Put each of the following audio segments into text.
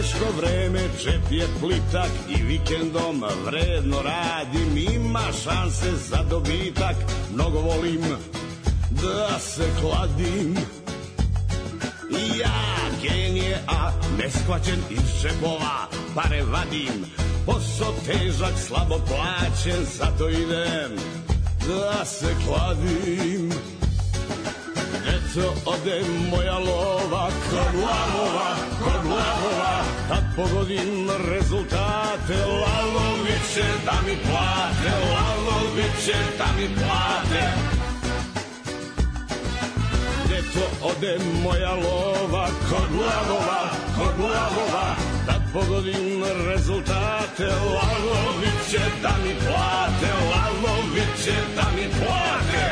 teško vreme, džep je plitak i vikendom vredno radim. Ima šanse za dobitak, mnogo volim da se kladim. Ja genije, a neshvaćen iz džepova pare vadim. Posao težak, slabo plaćen, zato idem da se kladim. Eto ode moja lova kod lavova, tad pogodim rezultate. Lavovi će da mi plate, lavovi će da mi plate. Eto ode moja lova kod lavova, tad pogodim rezultate. Lavovi će da mi plate, lavovi će da mi plate.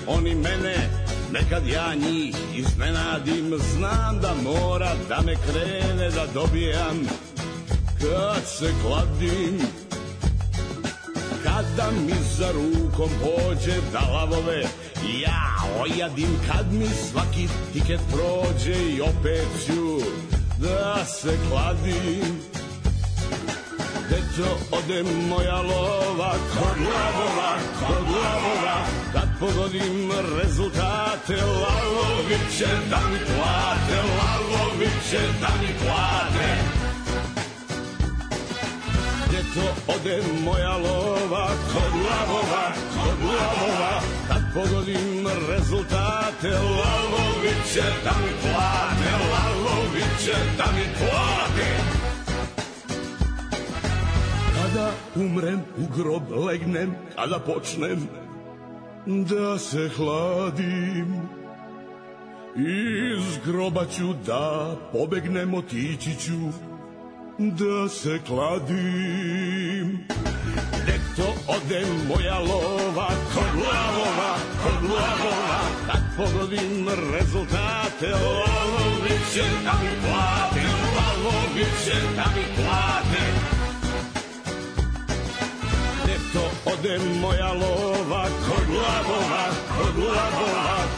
Oni mene, nekad ja njih iznenadim. Znam da mora da me krene da dobijam kad se kladim. Kada mi za rukom pođe da lavove ja ojadim. Kad mi svaki tiket prođe i opet ću da se kladim. Eto ode moja lova kod lavova, kad pogodim rezultate. Lavovi će da mi plate, lavovi će da mi plate. Eto ode moja lova kod lavova, kad pogodim rezultate. Lavovi će da mi plate, lavovi će da mi plate. Kada umrem, u grob legnem, kada počnem da se hladim, iz groba ću da pobegnem, otići ću da se kladim. Eto ode moja lova kod lavova, kad pogodim rezultate. Lavovi će da mi plate, lavovi će da mi plate. Eto ode moja lova kod lavova,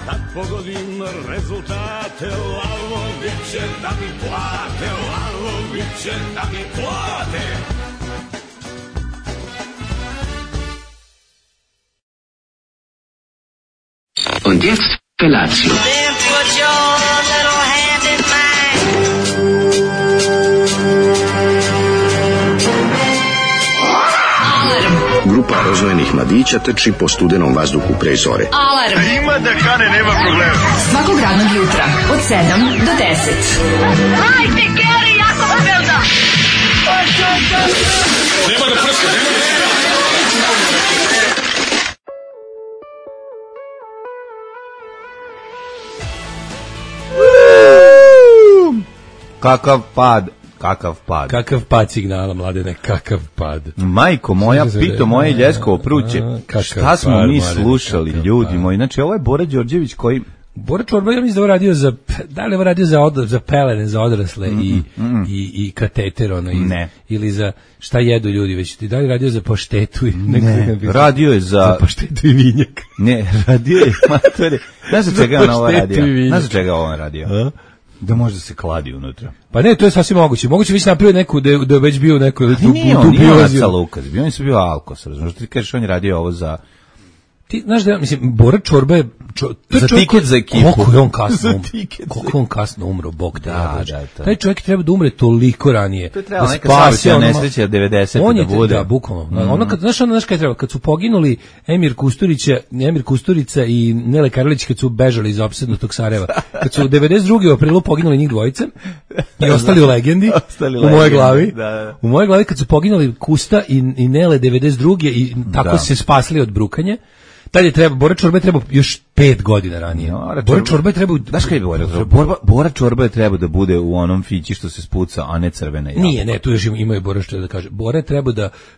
kad pogodim rezultate. Lavovi će da mi plate, lavovi će da mi plate. Und jetzt Felatio. Then put your little hand in mine. Grupa rozvojenih mladića trči po studenom vazduhu pre zore. Alarm. Ima da kane, nema problema. Svakog radnog jutra od 7 do 10. Hajde, Geri, jako se velda. Nema da prska, nema da prska. Kakav pad. Kakav pad signala, Mladene, kakav pad. Majko moja, pito moje Ljeskovo pruće. Šta smo mi slušali, ljudi moji? Znači, ovo je Bora Đorđević koji... Bora Čorba, ja mislim da ovo radio za pelene, za odrasle i kateter, ono, ne. Ili za šta jedu ljudi, već da li radio za paštetu? Ne, radio je za paštetu i vinjak. Ne, radio je, matore, znaš za čega on ovo radio? Znaš za čega on radio? Da može se kladi unutra. Pa ne, to je sasvim moguće. Moguće već napravio neku, da je već bio neko... Nije on Naca Lukas, on je bio Alkos, razumiješ, ti kažeš on je radio ovo za... Ti znaš da, mislim, Bora Čorba je... za tiket za ekipu. Koliko je on kasno umro, Bog te da. Taj čovjek treba da umre toliko ranije. To je trebalo neka saobraćajna nesreća 90. da bude. Da, bukvalno. Ono kad, znaš kaj je trebalo? Kad su poginuli Emir Kusturica i Nele Karlić, kad su bežali iz opsednutog Sarajeva. Kad su 92. u aprilu poginuli njih dvojice i ostali u legendi, u mojoj glavi. Da. U mojoj glavi kad su poginuli Kusta i Nele 92. i tako se spasli od brukanja. Tad je treba, Bora Čorba je trebao još 5 godina ranije. Bora Čorba je trebao... Znaš kaj je Bora Čorba je trebao da bude u onom fići što se spuca, a ne crvena jabuka. Nije, ne, tu još imaju Bora što da kaže. Bora je trebao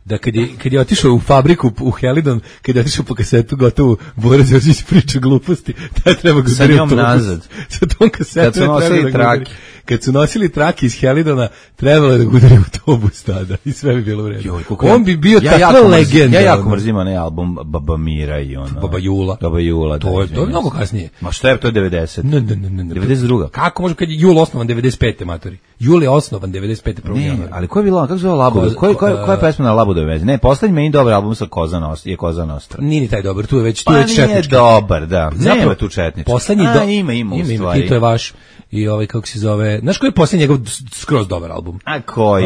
da kad je otišao u fabriku u Helidon, kad je otišao po kasetu gotovo, Bora Đorđević priča gluposti, taj treba ga sa njom nazad. Sa tom kasetom kad su nosili trake iz Helidona, trebalo je da udari autobus tada i sve bi bilo u redu. On bi bio takva legenda. Ja jako mrzim onaj album Baba Mira i ono. Baba Jula. To je mnogo kasnije. Ma šta je to 90? Ne. 92. Kako može kad je Jul osnovan 95. matori? Jul je osnovan 95. 1. januara. Ali ko je bilo, kako zove Labuda? Koja je pesma na Labudove veze? Ne, poslednji meni dobar album sa Koza Nostra. Nije ni taj dobar, tu je već četnički. Nije dobar, da. Nema tu četnički. Poslednji ima u stvari. I to je vaš. I ovaj, kako se zove, znaš koji je posljednji njegov skroz dobar album? A koji?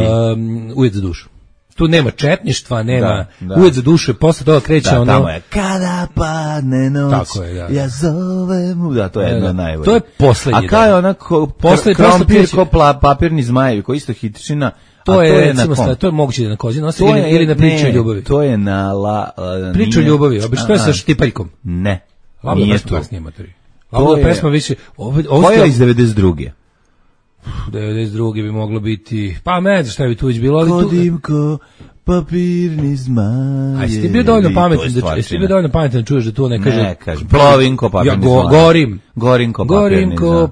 Ujed za dušu. Tu nema četništva, nema Ujed za dušu i posle toga kreće ono... Da, tamo je kada padne noć, tako je, ja zovem... Da, to je jedno najbolje. To je posljednji. A kao je onako krompir ko papirni zmajevi, koji isto hitičina... To je to je moguće da na Kozi Nostri ili na Priču o ljubavi. To je na Priču o ljubavi, obično to je sa Štipaljkom. Ne, nije to. Ovo je pesma više... Koja je iz 92. 92. bi moglo biti... Pa ne znam šta bi tu već bilo, ali tu... Kodimko, papirni zmajevi... A jesi ti bio dovoljno pametan da čuješ da to ne kaže... Ne kaže, plovinko, papirni zmajevi. Gorinko,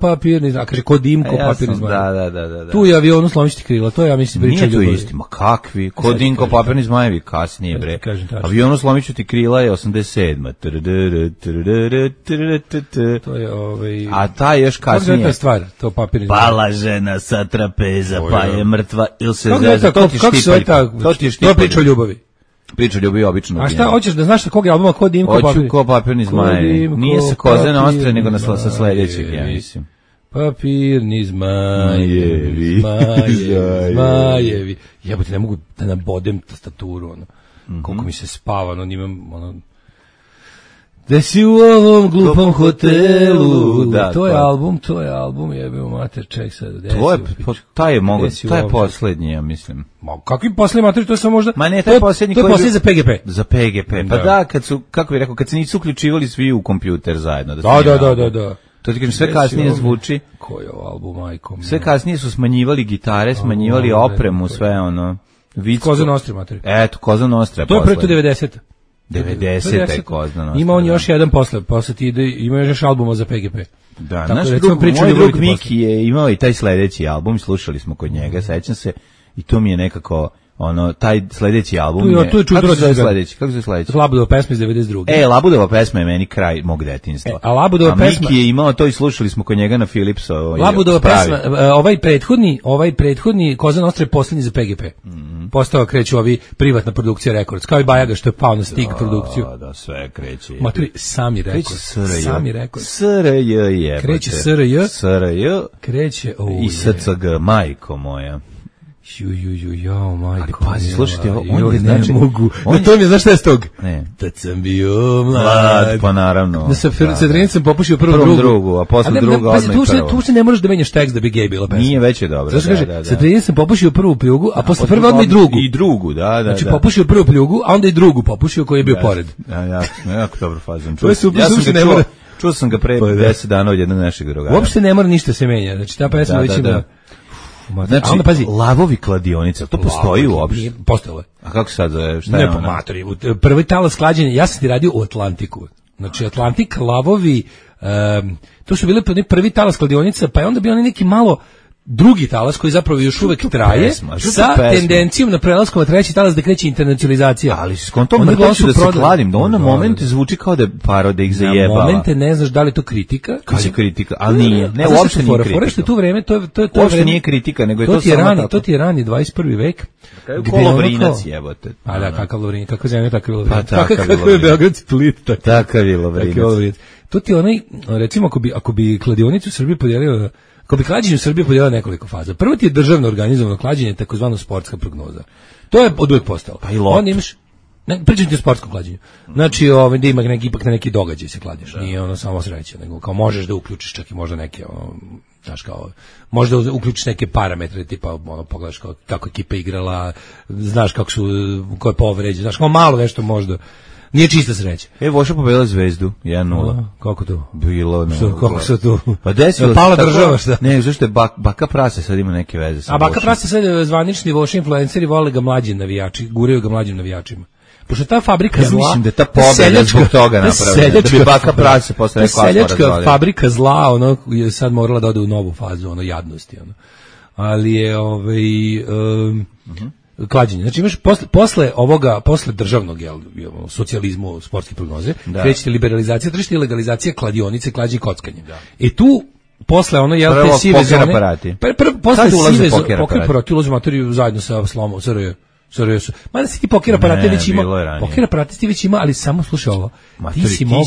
papirni zmajevi. Kaže, kodimko, papirni zmajevi. Da. Tu je avionu slomiti krila, to je, ja mislim, priča ljubavi. Nije to isti, ma kakvi? Kodimko, papirni zmajevi, kasnije, bre. Avionu slomiti ti krila je 87. To je ovaj... A ta je još kasnije... Kako je ta stvar, to papirni zmajevi? Pala žena sa trapeza, pa je mrtva, ili se zeza, to ti štipaljka. To je priča o ljubavi. Priča o ljubavi obično. A šta, hoćeš da znaš kog je albuma, ko Dimko papirni? Hoću ko papirni zmajevi. Nije sa Koze Nostre, nego sa sledećeg, ja mislim. Papirni zmajevi. Jebote, ne mogu da nabodem tastaturu, ono. Koliko mi se spava, ono, imam, ono... Da si u ovom glupom hotelu, da, to je album, jebimo mater, ček sad. Taj je posljednji, ja mislim. Ma, kakvi posljednji mater, to je samo možda... Ma ne, taj posljednji koji... To je posljednji za PGP. Za PGP, pa da, kad su, kako bih rekao, kad se nisu uključivali svi u kompjuter zajedno. Da. To ti kažem, sve kasnije zvuči. Koji je album, majkom? Sve kasnije su smanjivali gitare, smanjivali opremu, sve ono... Koza Nostra, mater. Eto, Koza Nostra. To je pre to 90. 90. je Koza Nostra. Ima on još jedan posle ti ide, ima još albuma za PGP. Da, naš moj drug Miki je imao i taj sledeći album, slušali smo kod njega, sećam se, i to mi je nekako, ono, taj sledeći album je... Kako se zove sledeći? Labudova pesma iz 92. Labudova pesma je meni kraj mog detinjstva. A Labudova pesma... Miki je imao to i slušali smo kod njega na Philipsovoj. Labudova pesma, ovaj prethodni Koza Nostra je posljednji za PGP. Postao kreću ovi privatna produkcija Records, kao i Bajaga što je pao na Stig produkciju. Da, sve kreće. Maturi, sami Records. SRJ je. Kreće SRJ. Kreće, i SCG, majko moja. Jao, majko. Ali pazi, slušajte, on je znači... To mi je, znaš šta je s tog? Ne. Tad sam bio mlad. Pa naravno. Da sa Drenicom popušio prvom drugu, a posle druga odmah i prvo. Tu se ne možeš da menjaš tekst da bi gej bila pesma. Nije već je dobro. Znaš kaže, sa Drenicom popušio prvu pljugu, a posle prve odmah i drugu. I drugu, da. Znači popušio prvu pljugu, a onda i drugu popušio koji je bio pored. Jako dobro fazon. Čuo sam ga pre 10 dana od jednog našeg drugara. Uopšte ne mora ništa se menja. Znači ta pesma već ima... Znači, onda pazi, Lavovi kladionica, to postoji uopšte? Postojalo je. A kako sad zove? Šta je ono? Ne, po matori. Prvi talas klađenja, ja sam ti radio u Atlantiku. Znači, Atlantik, Lavovi, to su bile prvi talas kladionica, pa je onda bio neki malo drugi talas koji zapravo još uvek traje sa tendencijom na prelasku na treći talas da kreće internacionalizacija. Ali skontom hoću da se kladim, da on na momente zvuči kao da paro da ih zajebava. Na momente ne znaš da li to kritika. Kad je kritika, ali nije. Ne, uopšte nije kritika. Forešta tu vreme, to uopšte nije kritika, nego je to samo tako. To ti je rani 21. vek. Ko Lovrinac jebote. A da, kakav Lovrinac, kakva zemlja, takav Lovrinac. Kakav je Beograd Split. Takav je Lovrinac. To ti onaj, recimo, ako bi kladionicu u Srbiji podijelio, ako bi klađenje u Srbiji podijelio nekoliko faza. Prvo ti je državno organizovano klađenje, takozvano sportska prognoza. To je od uvek postalo. Pa i lot. Onda imaš, pričam ti o sportskom klađenju. Znači, da ima ipak na neki događaj se klađeš. Nije ono samo sreća, nego kao možeš da uključiš čak i možda neke, znaš kao, možda uključiš neke parametre, tipa, pogledaš kako ekipa igrala, znaš kako su, ko je povređen, znaš, malo nešto možda. Nije čista sreća. Voša pobedila Zvezdu 1:0. Kako to? Bilo kako se to? Pa desilo pala država šta? Ne, zašto je Baka Prase sad ima neke veze sa. A Baka Prase sad zvanični Voša influenceri vole ga mlađi navijači, guraju ga mlađim navijačima. Pošto ta fabrika zla, mislim da je ta pobeda zbog toga napravljena, da bi Baka Prase posle rekao seljačka fabrika zla, ono je sad morala da ode u novu fazu, ono jadnosti, ono. Ali je klađenje. Znači imaš posle državnog socijalizmu, sportske prognoze, kreće liberalizacija tržišta i legalizacija kladionice, klađenja i kockanja. I tu posle ono te sive zone. Posle sive zone poker aparati ulaze u materiju zajedno sa slomom SRJ. Mada si ti poker aparate već ima. Poker aparate ti već ima, ali samo slušaj ovo. Ti si imao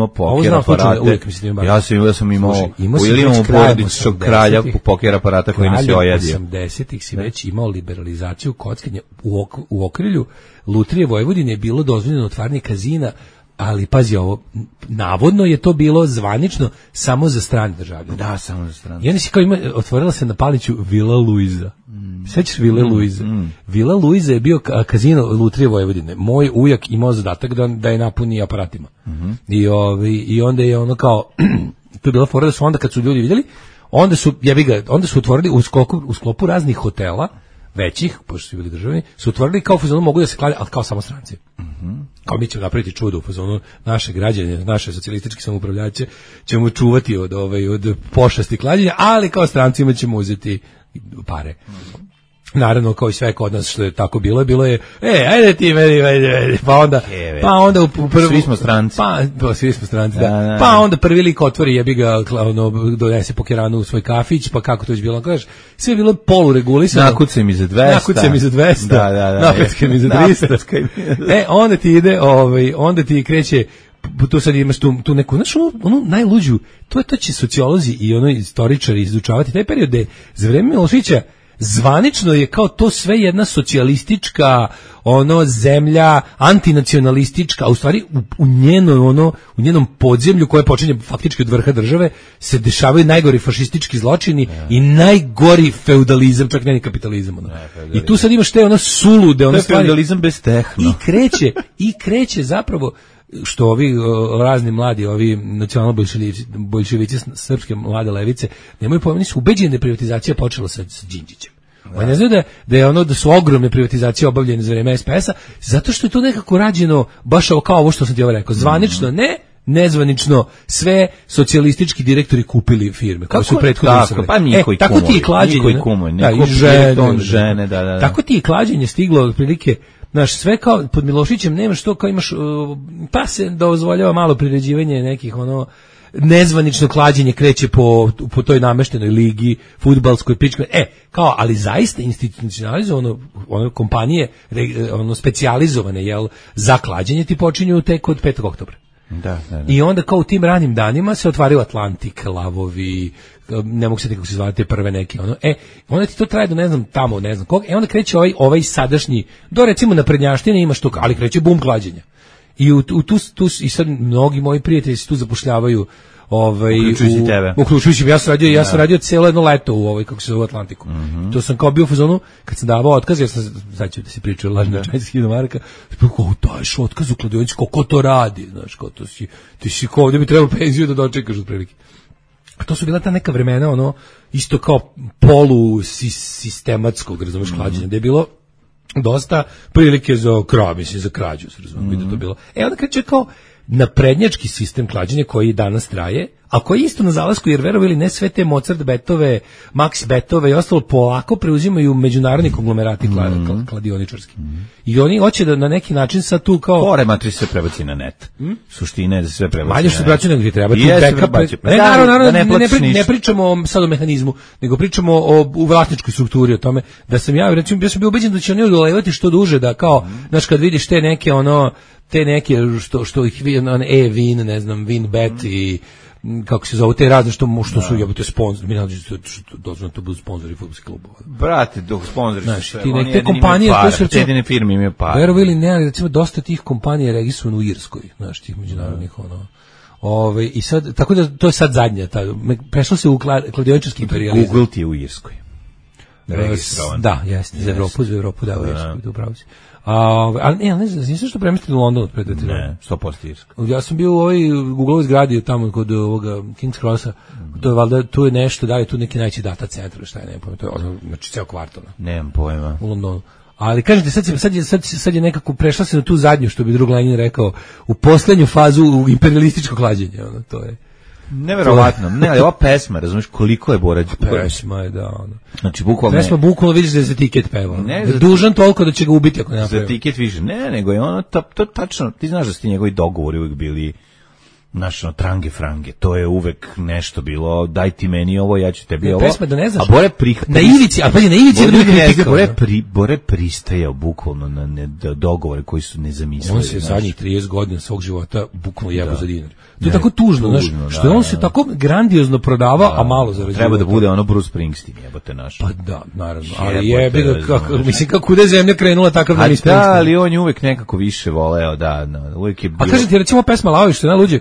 poker aparate. Ja sam imao u porodičnog kralja poker aparata koji nas je ojadio. 80-ih si već imao liberalizaciju kockanja u okrilju Lutrije Vojvodine je bilo dozvoljeno otvaranje kazina, ali pazi ovo, navodno je to bilo zvanično samo za strane državljane. Da, samo za strane. I onda si kao otvorila se na Paliću Vila Luiza. Sećaš Vile Luiza? Vila Luiza je bio kazino Lutrije Vojvodine. Moj ujak imao zadatak da je napuni aparatima. I onda je ono kao, to je bila fora da su onda kad su ljudi vidjeli, onda su otvorili u sklopu raznih hotela, većih, pošto su bili državni, su otvorili kao u fazonu mogu da se klade, ali kao samo stranci. Kao mi ćemo napraviti čudo u fazonu naše građane, naše socijalističke samoupravljače ćemo čuvati od pošasti klađenja, ali kao strancima ćemo uzeti pare. Naravno, kao i sve kod nas što je tako bilo je, ajde ti meni, pa onda u prvu... Svi smo stranci. Svi smo stranci, da. Pa onda prvi lik otvori, jebi ga, donese pokeranu u svoj kafić, pa kako to je bilo, kažeš, sve je bilo poluregulisano. Nakucaj mi za 200. Napeckaj mi za 300. Onda ti kreće, tu sad imaš tu neku, znaš, onu najluđu, to će sociolozi i istoričari izučavati, taj period je za vreme Miloševića zvanično je kao to sve jedna socijalistička zemlja, antinacionalistička, a u stvari u njenom podzemlju koje počinje faktički od vrha države se dešavaju najgori fašistički zločini i najgori feudalizam, čak ne ni kapitalizam. I tu sad imaš te sulude, to je feudalizam bez tehno. I kreće zapravo što ovi razni mladi, ovi nacionalno-boljševici srpske mlade levice nemaju pojma, su ubeđeni da je privatizacija počela sa Đinđićem. Oni ne znaju da su ogromne privatizacije obavljene za vreme SPS-a, zato što je to nekako rađeno baš kao ovo što sam ti rekao, zvanično nezvanično sve socijalistički direktori kupili firme koje su prethodno usrali. Pa niko i kumovi. Žene, da. Tako ti i klađenje stiglo otprilike. Znaš, sve kao pod Milošićem nemaš to kao imaš, pa se dozvoljava malo priređivanje nekih nezvanično klađenje kreće po toj nameštenoj ligi, fudbalskoj pičkoj, ali zaista institucionalizovano, kompanije, specijalizovane, za klađenje ti počinju tek od 5. oktobra. Da. I onda kao u tim ranim danima se otvaraju Atlantik, Lavovi, ne mogu se kako se zvati prve neke, onda ti to traje do ne znam kog, onda kreće ovaj sadašnji, do recimo na Prednjaštini imaš to, ali kreće bum klađenja. I i sad mnogi moji prijatelji se tu zapošljavaju, uključujući tebe. Uključujući, ja sam radio cijelo jedno leto u kako se zove Atlantiku. To sam kao bio u fazonu, kad sam davao otkaz, jer sam, sad ću da se pričaju lažne čajski do Marka, kako daješ otkaz u kladionici, kako to radi, znaš, kao to ti si kao ovdje bi trebalo penziju da dočekaš otprilike. A to su bila ta neka vremena, isto kao polusistematskog, razumeš, klađenja, da je bilo dosta prilike za krađu, se razumem, da to bilo. Onda kreće kao naprednjački sistem klađenja koji danas traje, a koji je isto na zalasku, jer verovali ne sve te Mozart betove, Max betove i ostalo polako preuzimaju međunarodni konglomerati kladioničarski. I oni hoće da na neki način sad tu kao... Porematri se prebaci na net. Suština je da se sve prebaci na net. Manje što braću nego ti treba. Ne pričamo sad o mehanizmu, nego pričamo o vlasničkoj strukturi, o tome da sam ja sam bio ubeđen da će oni odolevati što duže, da kao, znaš, kad vidiš te neke što ih e-vin, ne znam, Winbet i kako se zove, te razne što su jebote sponzori, mi nađe dozvoljeno to budu sponzori fudbalskih klubova. Brate, sponzori su sve. Te kompanije koje su jedine firme imaju par. Verovali ne, ali recimo dosta tih kompanija je registrovano u Irskoj, znaš, tih međunarodnih i sad, tako da to je sad zadnja, prešlo se u kladioničarski imperializam. Google ti je u Irskoj. registrovan. Da, jeste, za Evropu, da, jeste, upravo si. Ali ne znam, nisam što premestili u London pred 2-3 godine. Ne, 100% Irska. Ja sam bio u ovoj Google zgradi tamo kod ovoga King's Crossa. To je valjda, tu je nešto, da li je tu neki najveći data centar, šta je, ne pojma, to je znači ceo kvartal. Nemam pojma. U Londonu. Ali kažete, sad je nekako prešla se na tu zadnju, što bi drug Lenin rekao, u poslednju fazu u imperialističko klađenje, to je. Neverovatno. Ne, ali ova pesma, razumiješ koliko je Bora Đukanović. Pesma je, da, ono. Znači, bukvalno... Pesma bukvalno vidiš da je za tiket pevao. Dužan toliko da će ga ubiti ako ne napravi. Za tiket više. Ne, nego je ono, to tačno, ti znaš da su ti njegovi dogovori uvijek bili, znaš, trange frange, to je uvek nešto bilo, daj ti meni ovo, ja ću tebi ovo. Pesma da ne znaš. A Bore na ivici, a pa je na ivici da bude kritika. Bore pristajao bukvalno na dogovore koji su nezamislivi. On se zadnjih 30 godina svog života bukvalno jebo za dinar. To je tako tužno, znaš, što je on se tako grandiozno prodavao, a malo zarađivao. Treba da bude ono Bruce Springsteen, jebote naš. Pa da, naravno, ali jebi ga, mislim, kako da je zemlja krenula takav da ni Springsteen. Da, ali on je uvek nekako više voleo, da, uvek je bilo... A kažem ti, recimo, pesma Laovi, što je najluđe,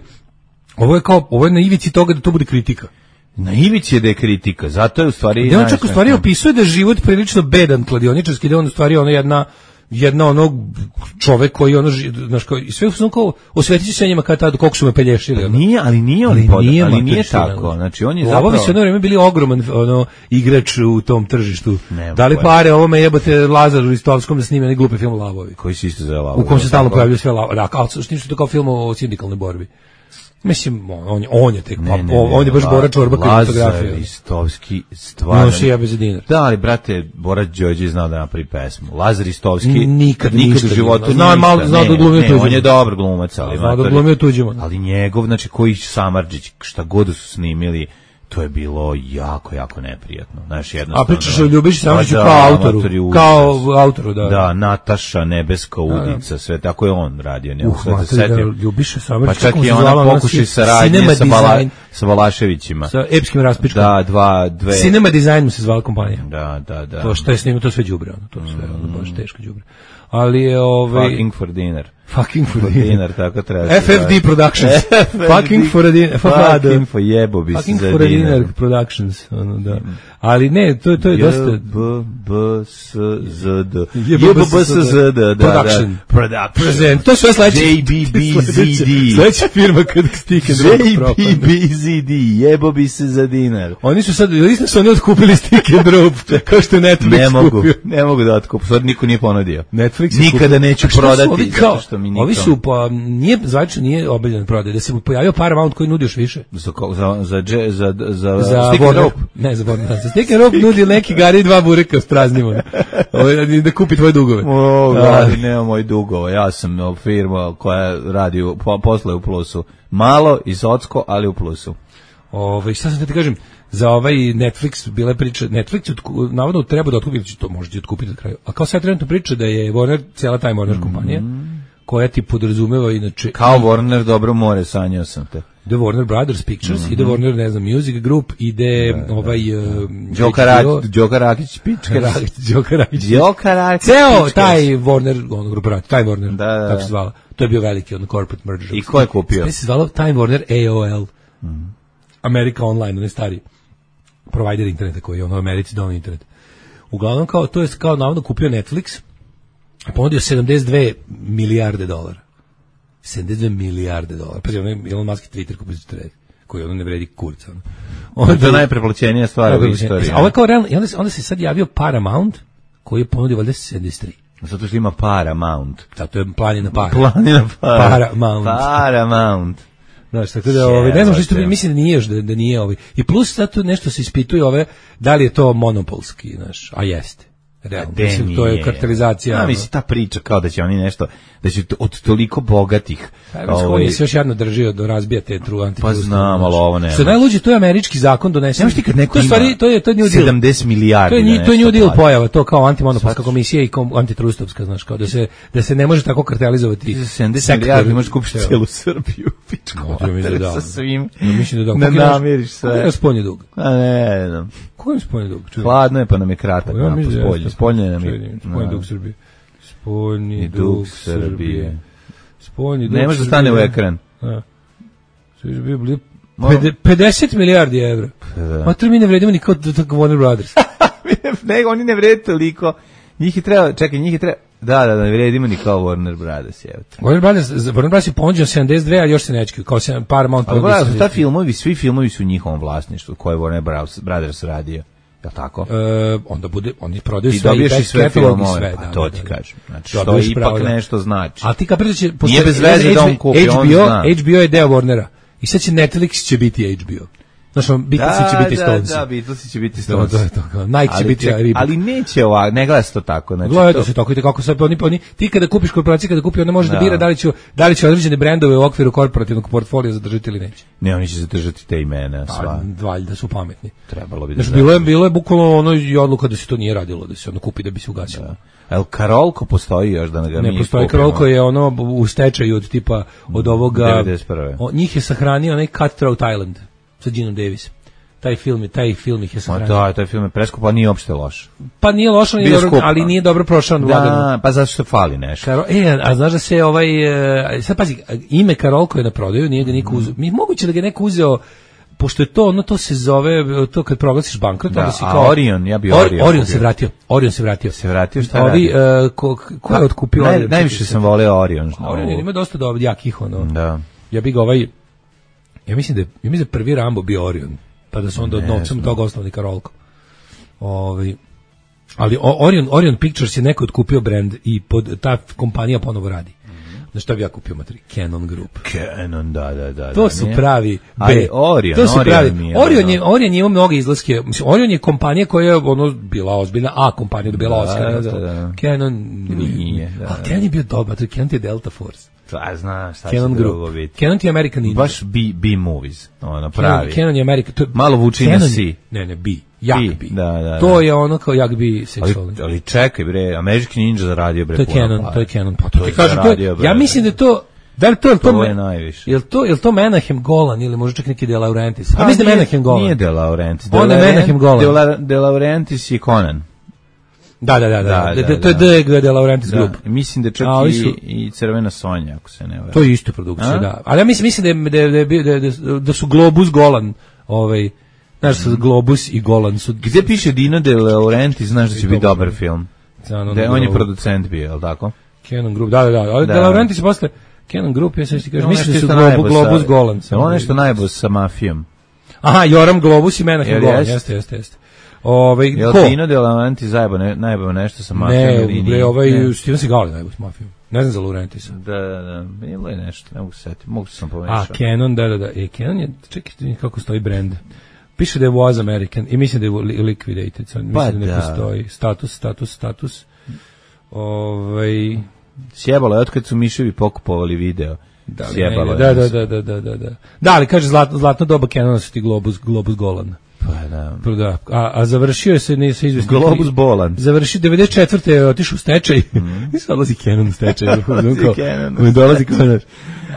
ovo je na ivici toga da to bude kritika. Na ivici je da je kritika, zato je u stvari... Da on čak u stvari opisuje da je život prilično bedan kladioničarski, da on u stvari jedna onog čovek koji znaš, i sve su kao osvetiti se njima kada koliko su me pelješili. Ali nije tako. Znači on je zapravo... Ovo bi se jedno vreme bili ogroman igrač u tom tržištu. Da li pare ovome jebote Lazaru Ristovskom da snime neki glupi film Lavovi. Koji se isto zove Lavovi. U kom se stalno pojavljaju sve Lavovi. Da, kao što je to kao film o sindikalnoj borbi. Mislim, on je tek, on je baš Bora Čorba koji fotografija. Lazar Ristovski, stvarno. No, šija bez dinar. Da, ali, brate, Bora Đorđe znao da napravi pesmu. Lazar Ristovski nikad u životu znao da glumio tuđima. On je dobar glumac, ali znao da glumio tuđima. Ali njegov, znači, koji Samardžić, šta god su snimili, to je bilo jako, jako neprijatno. Znaš, jednostavno... A pričaš o Ljubiši Samardžiću kao autoru, da. Da, Nataša, Nebeska udica, sve tako je on radio. Ljubiša Samardžić, pa čak i ona pokušaj saradnje sa Balaševićima. Sa epskim raspičkom. Da, dve... Cinema Design mu se zvala kompanija. Da. To što je snimio, to sve đubre, to sve, baš teško đubre. Ali je Fucking for dinner. Fucking for dinner, tako treba. FFD Productions. Fucking for a dinner. Fucking for jebo bi se za dinner. Fucking for a dinner Productions, da. Ali ne, to je dosta... JBBSZD. Production. Present. To je sve sledeće. JBBZD. Sledeća firma kad Stick and Rope propane. JBBZD. Jebo bi se za dinar. Oni su sad, isto su oni otkupili Stick and Rope, kao što je Netflix kupio. Ne mogu da otkupu, sad niko nije ponudio. Netflix nikada neću prodati. Ovi su, zvanično nije obavljen prodaj, da se mu pojavio Paramount koji nudi još više. Za Stick and Rope? Ne, za Stick and Rope nudi neki gari 2 bureka s praznimo. Da kupi tvoje dugove. Nema moj dugove, ja sam firma koja radi posle u plusu. Malo i socko, ali u plusu. Šta sam da ti kažem, za ovaj Netflix bile priče, Netflix navodno treba da otkupi, to možete otkupiti na kraju, a kao sad trenutno priča da je Warner, cijela taj Warner kompanija, koja ti podrazumeva inače... Kao Warner dobro more, sanjao sam te. Ide Warner Brothers Pictures, ide Warner, ne znam, Music Group, ide Đoka Rakić, pička. Đoka Rakić. Ceo taj Warner, grupa, taj Warner, tako se zvala. To je bio veliki corporate merger. I ko je kupio? Sve se zvalo Time Warner AOL. America Online, on je stari provider interneta koji je u Americi donao internet. Uglavnom, to je kao navodno kupio Netflix, ponudio 72 milijarde dolara. 72 milijarde dolara. Pa je Elon Musk Twitter kupio za trade, koji ono ne vredi kurca. To je najpreplaćenija stvar u istoriji. A ovo je kao realno, onda se sad javio Paramount, koji je ponudio valjda 73. Zato što ima Paramount. Zato je planina para. Paramount. Znaš, tako da, ne znam što mislim da nije još, da nije ovi. I plus zato nešto se ispituje da li je to monopolski, znaš, a jeste. Realno, mislim, to je kartelizacija. Mislim, ta priča kao da će oni nešto, da će od toliko bogatih... On se još jedno drži do razbija te antitrust. Pa znam, ali ovo nema. Što je najluđe, to je američki zakon donesen. Nemaš ti kad neko ima to je New Deal. 70 milijardi. To je New Deal pojava, to kao antimonopolska komisija i antitrustovska, znaš, kao da se ne može tako kartelizovati. 70 milijardi možeš kupiti cijelu Srbiju. Sa svim. Mislim da ne namiriš sve. Kako je spoljni dug? Ne znam. Koji je spoljni dug? Hladno je pa nam je kratak. Spoljni nam je. Spoljni dug Srbije. Spoljni dug Srbije. Spoljni dug. Ne može da stane u ekran. Sve je bio 50 milijardi evra. A to mi ne vredimo ni kao Warner Brothers. Ne, oni ne vrede toliko. Njih je treba, da, ne vredimo ni kao Warner Brothers, jevte. Warner Brothers je ponuđen 72, a još se nećki, kao Paramount. Ali ta svi filmovi su u njihovom vlasništvu, koje je Warner Brothers radio. Jel tako? Onda bude, oni prodaju sve. I dobiješ i sve filmove, sve, pa to ti kažem. Znači, što ipak nešto znači. A ti kapiraš će... Nije bez veze da on kupi, on zna. HBO je deo Warnera. I sad će Netflix će biti HBO. Znaš, Beatlesi će biti Stonesi. Da, Beatlesi će biti Stonesi. Nike će biti Reebok. Ali neće ovako, ne gleda se to tako. Znači, gleda se tako, kako sad oni, ti kada kupiš korporaciju, kada kupi, ona može da bira da li će određene brendove u okviru korporativnog portfolija zadržati ili neće. Ne, oni će zadržati te imena, sva. Valjda su pametni. Trebalo bi da. Znači, bilo je bukvalno ono i odluka da se to nije radilo, da se ono kupi da bi se ugasilo. El Karolko postoji još da ga ne postoji. Karolko je ono u stečaju od tipa od ovoga 91. Njih je sahranio onaj Cutthroat Island sa Genom Davis. Taj film ih je sahranio. Da, taj film je preskup, a nije uopšte loš. Pa nije loš, ali nije dobro prošao na Vladanu. Da, pa zašto fali nešto. A znaš da se sad pazi, ime Karolko je na prodaju, nije ga niko uzeo. Moguće da ga neko uzeo, pošto je to se zove, to kad proglasiš bankrot, onda si kao... Orion, ja bi Orion. Orion se vratio. Se vratio, šta radi? Ko je otkupio Orion? Najviše sam voleo Orion. Orion ima dosta jakih, ono. Da. Ja bi ga ja mislim da prvi Rambo bio Orion. Pa da su onda od novcem toga osnovni Karolko. Ali Orion Pictures je neko otkupio brand i ta kompanija ponovo radi. Znaš šta bi ja kupio materi? Canon Group. Canon, da. To su pravi B. Ali Orion, to su pravi. Orion ima mnoge izlaske. Mislim, Orion je kompanija koja je bila ozbiljna, a kompanija dobila Oscara. Canon nije. Ali Canon je bio dobar, Canon je Delta Force. Znaš, šta Canon Group. Canon je American Ninja. Baš B-movies, ono pravi. Canon je American. Malo vuči na C. Ne, B. Jak B. Da. To je ono kao jak B seksualni. Ali čekaj bre, American Ninja zaradio bre. To je Canon. Pa to ti kažem, ja mislim da je to... To je najviše. Jel to Menahem Golan ili možda čak neki De Laurentiis? A mislim da Menahem Golan. Nije De Laurentiis. On je Menahem Golan. De Laurentiis je Conan. Da. To je De Laurentiis Group. Mislim da čak i Crvena Sonja, ako se ne varam. To je isto produkcija, da. Ali ja mislim da su Globus Golan, znaš, Globus i Golan su... Gdje piše Dino De Laurentiis, znaš da će biti dobar film. On je producent bio, je li tako? Canon Group, da. Ali De Laurentiis posle... Canon Group, ja sam ti kažem, mislim da su Globus Golan. Je ono nešto najbolje sa mafijom? Aha, Joram Globus i Menahem Golan, jeste. Jel Dino De Laurentiis najbolje nešto sa mafijom? Ne, Steven Seagal najbolje sa mafijom. Ne znam za Laurentisa. Da, bilo je nešto, ne mogu se setiti, mogu sam pomešao. A, Canon, da. Canon je, čekaj kako stoji brand. Piše da je was American i mislim da je liquidated. Mislim da ne postoji. Status. Sjebalo je, otkad su miševi pokupovali video. Sjebalo je. Da. Da, ali kaže zlatno doba Canona su ti Globus Golan. Pa da. A završio je se ne sa izvesnim Globus Bolan. Završio 94. je otišao u stečaj. I sad dolazi Canon u stečaj. Dolazi Canon.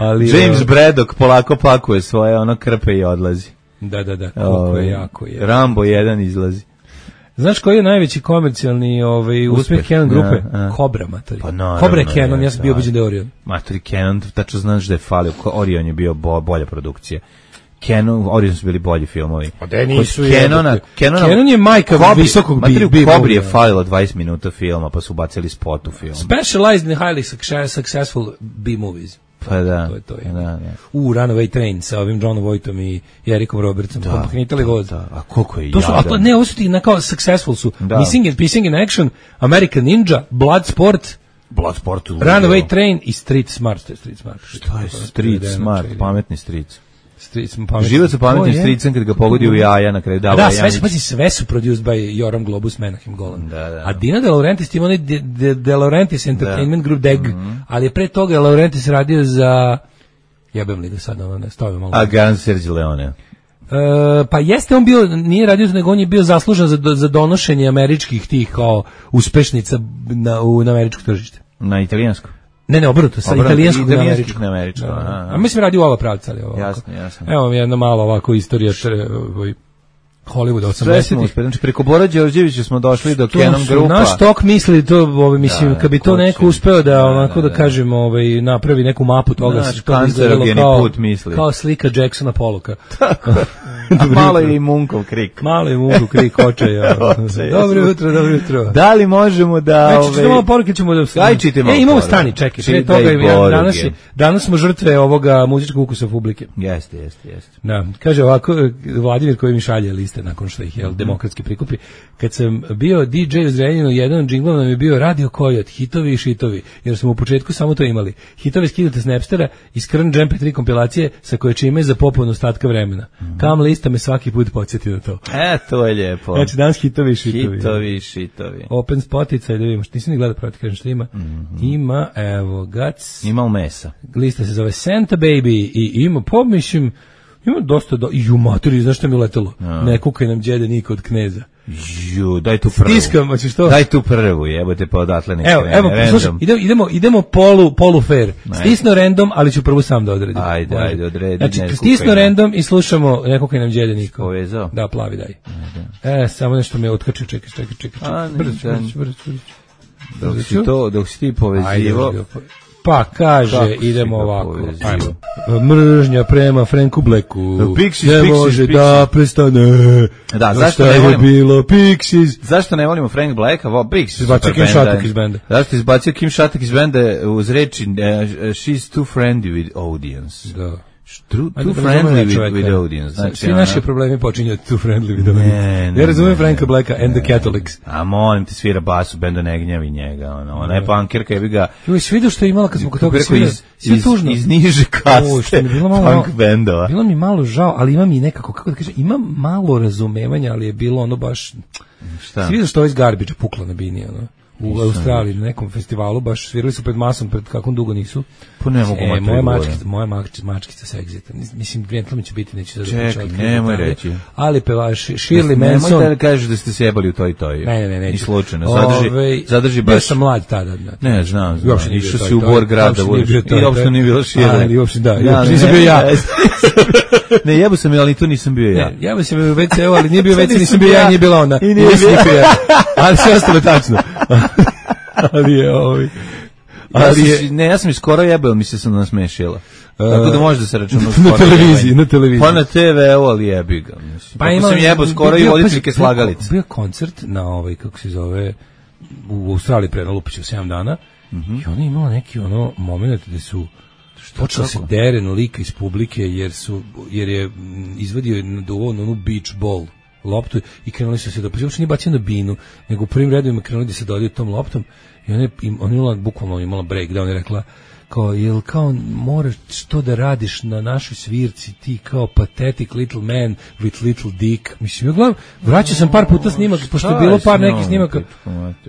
James Braddock polako pakuje svoje krpe i odlazi. Da. Koliko je jako je. Rambo 1 izlazi. Znaš koji je najveći komercijalni uspeh Canon grupe? Cobra, matori. Cobra je Canon, ja sam bio ubeđen da je Orion. Matori, Canon, tačno znaš da je falio. Orion je bio bolja produkcija. Orion su bili bolji filmovi. Canon je majka visokog B-movie. Cobri je falilo 20 minuta filma, pa su bacili spot u film. Specialized in highly successful B-movies. Pa da. To je. Runaway Train sa ovim Johnom Voightom i Erikom Robertsom. Pomahnitali voz. A koliko je jadan. Ne, ovo su ti kao successful su. Missing in Action, American Ninja, Bloodsport, Runaway Train i Street Smart. Šta je Street Smart? Pametni Street. Život sa pametnim stricem kad ga pogodi u jaja na kraju dava. Da, sve su produced by Joram Globus, Menahem Golan. A Dino De Laurentiis ima onaj De Laurentiis Entertainment Group DEG, ali je pre toga Laurentiis radio za... Jebem li ga sad, ne stavim malo. A Gan Sergio Leone? Pa jeste on bio, nije radio, nego on je bio zaslužan za donošenje američkih tih kao uspešnica na američko tržište. Na italijansko? Ne, obrnuto, sa italijanskog na američko. A mislim radi u ova pravca, ali ovako. Jasno. Evo mi jedna malo ovako istorija Hollywood 80-ih. Sve smo uspeli. Znači, preko Bora Đorđevića smo došli do Canon grupa. Naš tok misli to, mislim, kad bi to neko uspeo da, onako da kažemo, napravi neku mapu toga, naš kancerogeni put misli. Kao slika Jacksona Pollocka. A malo je i Munkov krik. Malo je Munkov krik, očaja. Dobro jutro. Da li možemo da... Znači, malo poruke ćemo da... Ajčite malo imamo stani, čekaj. Pre toga, danas smo žrtve ovoga muzičkog ukusa publike. Jeste. Da, kaže ovako, Vladimir koji mi šalje liste nakon što ih demokratski prikupi. Kad sam bio DJ u Zrenjaninu, jedan od džinglova nam je bio Radio Kojot, hitovi i šitovi, jer smo u početku samo to imali. Hitovi skidate s Napstera i Skrn Jam 3 kompilacije sa koje čime za popun ostatka vremena. Kam lista me svaki put podsjeti na to. To je lijepo. Znači danas hitovi i šitovi. Open Spotify, da vidimo, nisam ni gledao proti, kažem što ima. Ima, evo, Gac. Ima u mesa. Lista se zove Santa Baby i ima, mislim, ima dosta, i u maturi, znaš što mi uletelo? Ne kukaj nam djede niko od kneza. Daj tu prvu. Stiskam, hoćeš to? Daj tu prvu, jebote, pa odatle ne krene. Evo, slušaj, idemo polu fair. Stisno random, ali ću prvu sam da odredim. Ajde, odredi. Znači, stisno random i slušamo neko kaj nam djede niko. Povezao? Da, plavi daj. Samo nešto me otkačio, čekaj. Brzo. Dok si ti povezivo... Pa kaže, idemo ovako. Mržnja prema Franku Blacku. Ne može da prestane. Da, zašto ne volimo? Bilo Pixies. Zašto ne volimo Frank Blacka? Pixies. Izbacio Kim Šatak iz benda. Zašto izbacio Kim Šatak iz benda uz reči she's too friendly with audience. Da. Too friendly with audience. Znači, svi naši problemi počinju too friendly with audience. Ja razumijem Franka Blacka and the Catholics. A molim ti, svira bas u bendu, ne gnjavi njega. Ona je punkirka, jebi ga... Svi vidio što je imala kad smo kod toga svira. Iz niže kaste punk bendova. Bilo mi malo žao, ali ima mi nekako, kako da kažem, ima malo razumevanja, ali je bilo ono baš... Šta? Svi vidio što je iz Garbage pukla na bini, ono. U Australiji, na nekom festivalu, baš svirali su pred masom, pred kakvom dugo nisu. Pa ne mogu moja mačkica sa Exita. Mislim, Grentlami će biti, neće sad čekaj, nemoj reći. Ali pevaš Shirley Manson. Nemoj da kažeš da ste se jebali u toj. Ne. Ni slučajno. Zadrži baš... Ja sam mlad tada. Ne, znam. Išao si u Bor grada. I uopšte nije bilo Shirley. I uopšte, da. Nisam bio ja. Ne, jebo sam, ali tu nisam bio ja. Jebo sam u WC-u, ali nije bio WC, nisam bio ja, nije bila ona. Ali sve ostalo tačno. Ali je ne, ja sam i skoro jebao, mi se sam nasmešila. Tako da može da se računa na televiziji. Pa na TV-u, ali jebi ga. Pa sam jebao skoro i voditeljke slagalice. Bio koncert na kako se zove, u Australiji pre Lupiću 7 dana i ona je imala neki moment gde su počela se deren lika iz publike jer je izvadio onu beach ball loptu i krenuli su se da uopšte nije bacio na binu, nego u prvim redovima krenuli da se dodaju tom loptom i ona bukvalno imala breakdown i rekla jel moraš to da radiš na našoj svirci, ti kao pathetic little man with little dick. Mislim, ja gledam, vraćao sam par puta snimak, pošto je bilo par nekih snimaka.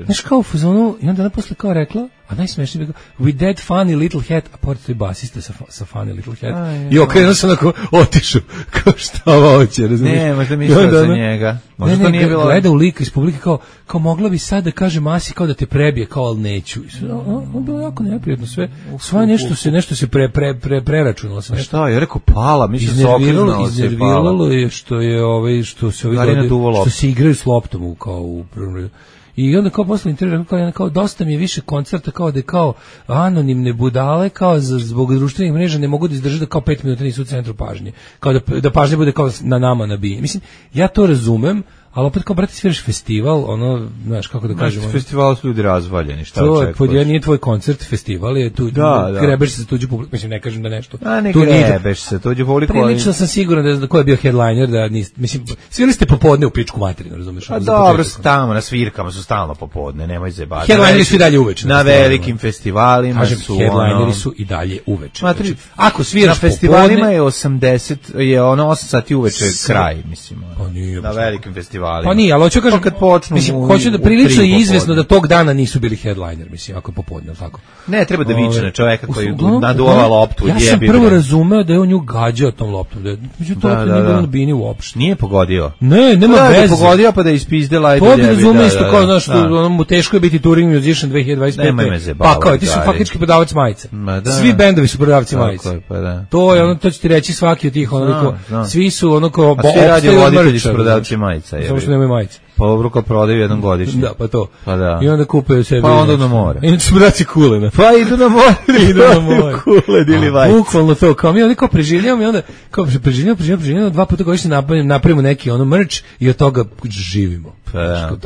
Znaš, kao u fazonu, i onda ona posle kao rekla, a najsmešnije bi kao, with that funny little hat, a pored to je basista sa funny little hat. I okrenuo sam onako, otišu, kao šta ovo hoće, razumiješ? Ne, možda mislila za njega. Ne, gleda u lika iz publike, kao mogla bi sad da kaže Masi kao da te prebije, kao ali neću. Ono bilo jako neprijatno sve. Sva nešto se preračunalo se. Šta, ja rekao pala, mi se okrenula se i pala. Iznerviralo je što se igraju s loptom kao u prvom redu. I onda kao posle intervjua kao dosta mi je više koncerta kao da je kao anonimne budale kao zbog društvenih mreža ne mogu da izdrže da kao 5 minuta nisu u centru pažnje. Kao da pažnja bude kao na nama nabije. Mislim, ja to razumem, ali opet kao, brate, sviraš festival, znaš, kako da kažemo. Festival su ljudi razvaljeni, šta očekuješ? To nije tvoj koncert, festival je tu, grebeš se za tuđu publiku, mislim, ne kažem da nešto. Ne grebeš se tuđu publiku. Prilično sam siguran da ko je bio headliner, mislim, svirali ste popodne u pičku materinu, razumiješ? A dobro, tamo na svirkama su stalno popodne, nemoj zebati. Headlineri su i dalje uveče. Na velikim festivalima su headlineri su i dalje uveče. Ako sviraš na festivalima je 8 sati uveče kraj, mislim. Na velikim festivalima festivalima. Pa nije, ali hoću kažem kad počnu. Mislim, hoću da prilično je izvesno da tog dana nisu bili headliner, mislim, ako popodne, tako. Ne, treba da viče na čoveka koji naduva loptu. Ja sam prvo razumeo da je on nju gađao tom loptom. Međutim, to nije bilo na bini uopšte. Nije pogodio. Ne, nema veze. Da pogodio pa da ispizdela. To bi razumeo isto kao, znaš, mu teško je biti touring musician 2025. Pa kao, ti su faktički prodavac majica. Svi bendovi su prodavci majica. To je ono, to će ti reći svaki od tih, ono, svi su ono kao... A svi radi voditelji su prodavci majica. Samo što nemaju majice. Pa obruka prodaju jednom godišnje. Da, pa to. Pa da. I onda kupe sebi. Pa onda na more. I onda su braći kulena. Pa idu na more. Idu na more. Kulen ili vajci. Bukvalno to. Kao mi onda kao preživljamo i onda kao preživljamo, 2 puta godišnje napravimo neki ono merch i od toga živimo. Pa.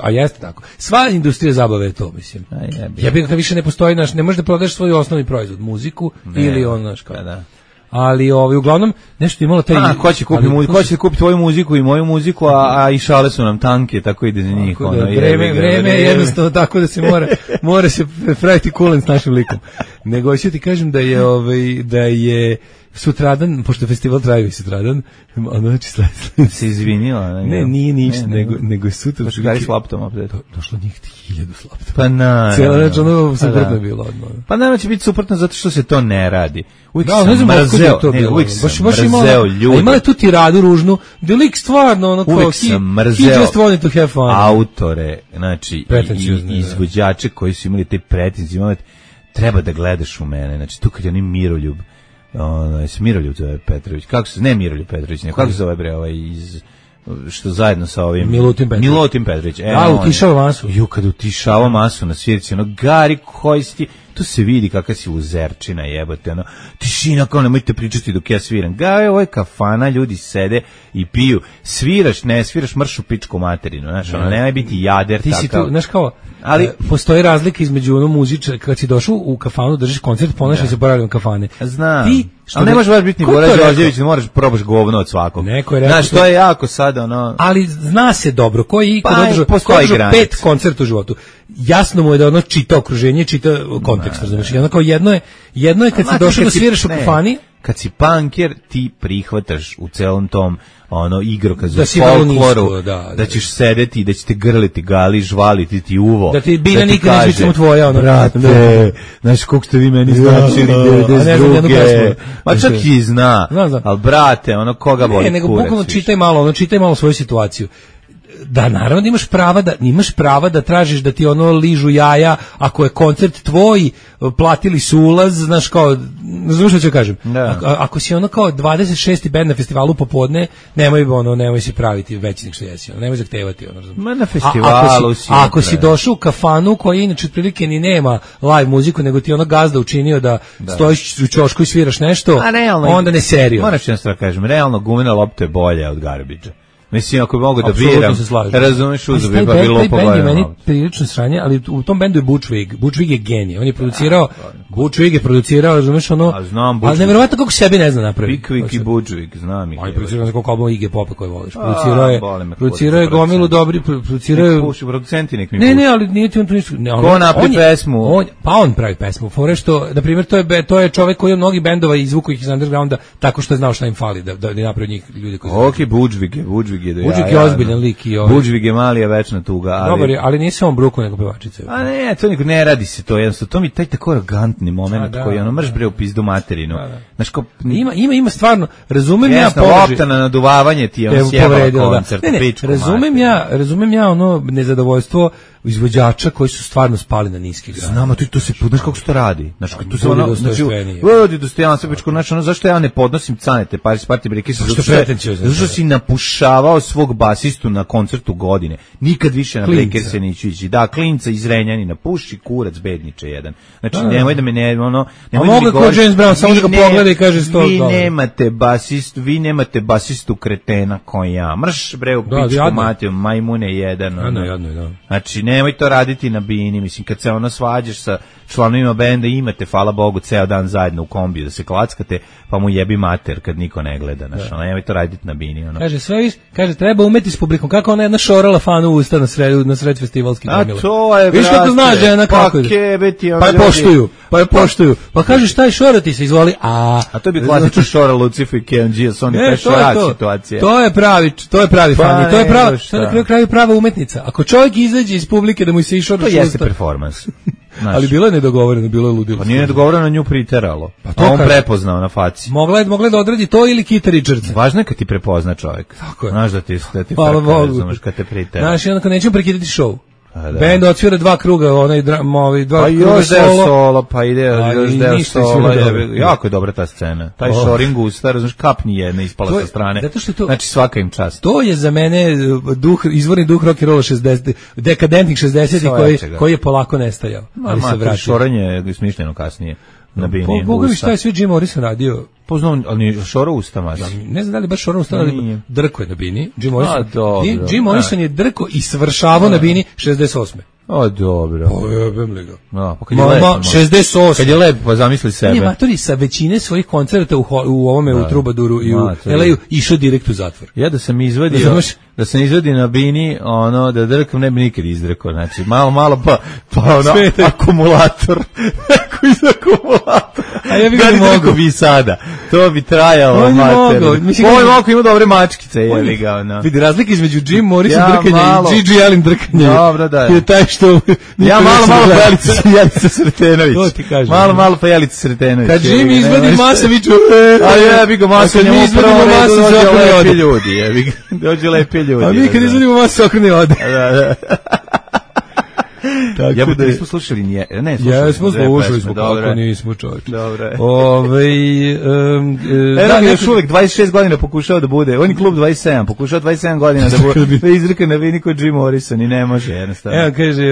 A jeste tako. Sva industrija zabave je to, mislim. Ja bih ga više ne postoji, ne možeš da prodaš svoj osnovni proizvod, muziku ili ono, znaš kao. Da. Ali uglavnom nešto imalo taj ko će kupiti tvoju muziku i moju muziku, a i šale su nam tanke, tako ide za njih. Ono, vreme je jednostavno tako da se mora se praviti kulen s našim likom. Nego ću ti kažem da je sutradan, pošto festival traje sutradan, znači se izvinila. Ne, nije ništa, nego je sutra. Pa što gari s laptom opet. Došlo njih 1000 s laptom. Pa na. Cijela reč, ono suprotno je bilo odmah. Pa nama će biti suprotno zato što se to ne radi. Uvijek sam mrzeo, uvijek sam mrzeo ljude. A imala je tu tiradu ružnu, da lik stvarno, ono kao, uvijek sam mrzeo autore, znači, i izvođače koji su imali te pretenzije, treba da gledaš u mene, znači tu kad je oni Miroljub, Miroljub zove Petrović, kako se, ne Miroljub Petrović, ne, kako se zove bre iz što zajedno sa ovim Milutin Petrović. Da, utišava masu. Kad utišava masu na svirci, ono, Gari, koji si ti, tu se vidi kakva si uzerčina, jebote, ono, tišina, kao nemojte pričati dok ja sviram. Gari, ovo je kafana, ljudi sede i piju. Sviraš, ne sviraš, mršu pičku materinu, znaš, ono, nemoj biti jader, ti takav. Si tu, znaš kao, ali postoji razlika između ono muzičara, kad si došao u kafanu, držiš koncert, ponašaj se boravljom kafane. Znam. Ali ne možeš baš biti ni Bora Đorđević, ne moraš probaš govno od svakog. Znaš, to je jako sad, ono... Ali zna se dobro, koji održao 5 koncerta u životu. Jasno mu je da ono čita okruženje, čita kontekst, razumiješ? Jedno je kad si došao da sviraš u kafani, kad si punker, ti prihvataš u celom tom igrokazu, da folkloru, da ćeš sedeti, da će te grliti gali, žvaliti ti uvo. Da ti bilja nikad neće samo tvoja, brate, znaš koliko ste vi meni značili, 92. Ma čak i zna, ali brate, koga boli kurac. Ne, nego bukvalno čitaj malo svoju situaciju. Da, naravno da imaš prava da tražiš da ti ližu jaja, ako je koncert tvoj, platili su ulaz, znaš kao, znaš što ću kažem, ako si kao 26. bend na festivalu popodne, nemoj si praviti veći nek što jesi, nemoj zahtevati. Ma na festivalu si. Ako si došao u kafanu koja inače otprilike ni nema live muziku, nego ti gazda učinio da stojiš u ćošku i sviraš nešto, onda ne serio. Moraš jednostavno kažem, realno gumena lopta je bolja od garbidža. Mislim, ako bi mogu da biram, razumiješ uzubi, pa bilo po band je meni prilično sranje, ali u tom bendu je Butch Vig. Butch Vig je genije. On je producirao, razumiješ ali nevjerovatno kako sebi ne zna napraviti. Big Vig i Butch Vig, znam ih. On je producirao za koliko albuma Iggy Popa koje voliš. Producirao je gomilu dobri, producenti nek mi puši. Ne, ali nije ti on to ništa. Ko napravi pesmu? Pa on pravi pesmu. Fore što, na primjer, to je čovek koji je mnogi bendova izvukao ih iz undergrounda tako što je znao šta im fali, da napravi njih ljudi koji su. Butch Vig Budžvig je ozbiljan lik i Budžvig je mali, a večna tuga. Dobar je, ali nisi on bruku nego pevačica. A ne, to niko ne radi se to, jednostavno. To mi taj tako arogantni moment koji mrš bre u pizdu materinu. Znaš ko ima stvarno, razumem ja položaj. Lopta na naduvavanje ti je sjebao koncert. Razumem ja nezadovoljstvo izvođača koji su stvarno spali na niski grad. Znamo, to se, znaš kako se to radi? Znaš, tu se vodi dostojanstvo, zašto ja ne podnosim Canete, Paris Party Break, zašto si napušavao svog basistu na koncertu godine, nikad više na Breaker se neću ići. Da, klinca iz Renjanina, puši kurac bedniče jedan. Znači, nemoj da me nemoj da mi govoriš. James Brown, samo da ga pogleda i kaže vi nemate basistu kretena koji ja. Mrš bre u pičku matiju, majmune jedan. Jadno, Znači, nemoj to raditi na bini, mislim, kad se svađaš članovima benda imate, hvala Bogu, ceo dan zajedno u kombiju da se klackate, pa mu jebi mater kad niko ne gleda, znaš, nemoj to raditi na bini, ono. Kaže, sve kaže, treba umeti s publikom, kako ona jedna šorala fanu u usta na sred festivalskih gomila. A to je, viš kako zna žena kako pa je poštuju, pa kaže, šta je šorati se, izvoli, a to bi klasično šora Lucifer i KMG, su oni šorak situacija. To je pravi fan, to je na kraju prava umetnica. Ako čovjek izađe iz publike da mu se išora to jeste performans. Ali bilo je nedogovoreno, bilo je ludilo. Pa nije nedogovoreno, nju priteralo. Pa on prepoznao na faci. Mogla je da odradi to ili Kita Richardsa. Važno je kad ti prepozna čovjek. Tako je. Znaš da ti znaš kad te pritera. Znaš, i onda kad nećemo prekidati show. Band odsvira 2 kruga, onaj dva kruga solo, pa ide još deo solo. Jako je dobra ta scena. Taj shoring usta, razumiješ, kap ni jedna ispala sa strane. Znači svaka im čast. To je za mene izvorni duh rock and rolla 60, dekadentnih 60-ih koji je polako nestajao. Ali se vraća. Šoranje je smišljeno kasnije. Boga mi šta je sve Jim Morrison radio? Poznam, ali šoro usta maš. Ne znam da li baš šoro usta, ali drko je na bini. Jim Morrison je drko i svršavao na bini 68. O, dobro. Pojebem li ga. Mama, 68. Kad je lep, pa zamisli sebe. Nije matori sa većine svojih koncerta u ovome, u Trubaduru i u LA-u išao direkt u zatvor. Ja da sam izvadio na bini, ono, da drkam ne bi nikad izdrkao. Znači, malo pa ono, akumulator. Neko iz akumulatora. A ja bih ga mogo bi sada. To bi trajalo, mater. Ovo je mogo ima dobre mačkice, jebi ga, ono. Vidi, razlika između Jim Morrison drkanja i Gigi Allen drkanja. Dobro, da. Je taj što... Ja malo pa Jelica Sretenović. To ti kažem. Malo pa Jelica Sretenović. Kad Jim izvadi Masaviću... A jebi ga, Masa njemu upravo dođe lepi ljudi, jebi ga. Dođe lepi ljudi. A mi kad izvodimo Masa okrene ode. Ja bih da nismo slušali nije. Ne, slušali smo kako nismo čovječe. Dobro. Još uvijek 26 godina pokušao da bude. On je klub 27, pokušao 27 godina da bude izreka na vini kod Jim Morrison i ne može jednostavno. Evo kaže,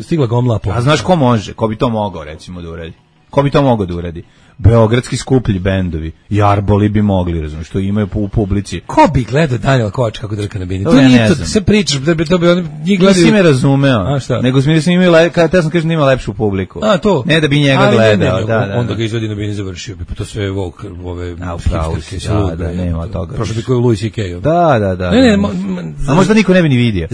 stigla gomla po. A znaš ko može? Ko bi to mogao recimo da uradi? Ko bi to mogao da uradi? Beogradski skuplji bendovi i Arboli bi mogli, razumiješ, što imaju u publici. Ko bi gledao Daniel Kovač kako drka na bini? To nije to, se pričaš, to bi oni njih gledaju. Nisi me razumeo, nego sam imao, kada sam kažem da ima lepšu publiku. A, to? Ne da bi njega gledao. Onda ga izvodi na bini završio bi, pa to sve ove hipsterke. Da, nema toga. Prošlo bi koji Louis C.K. Da. A možda niko ne bi ni vidio.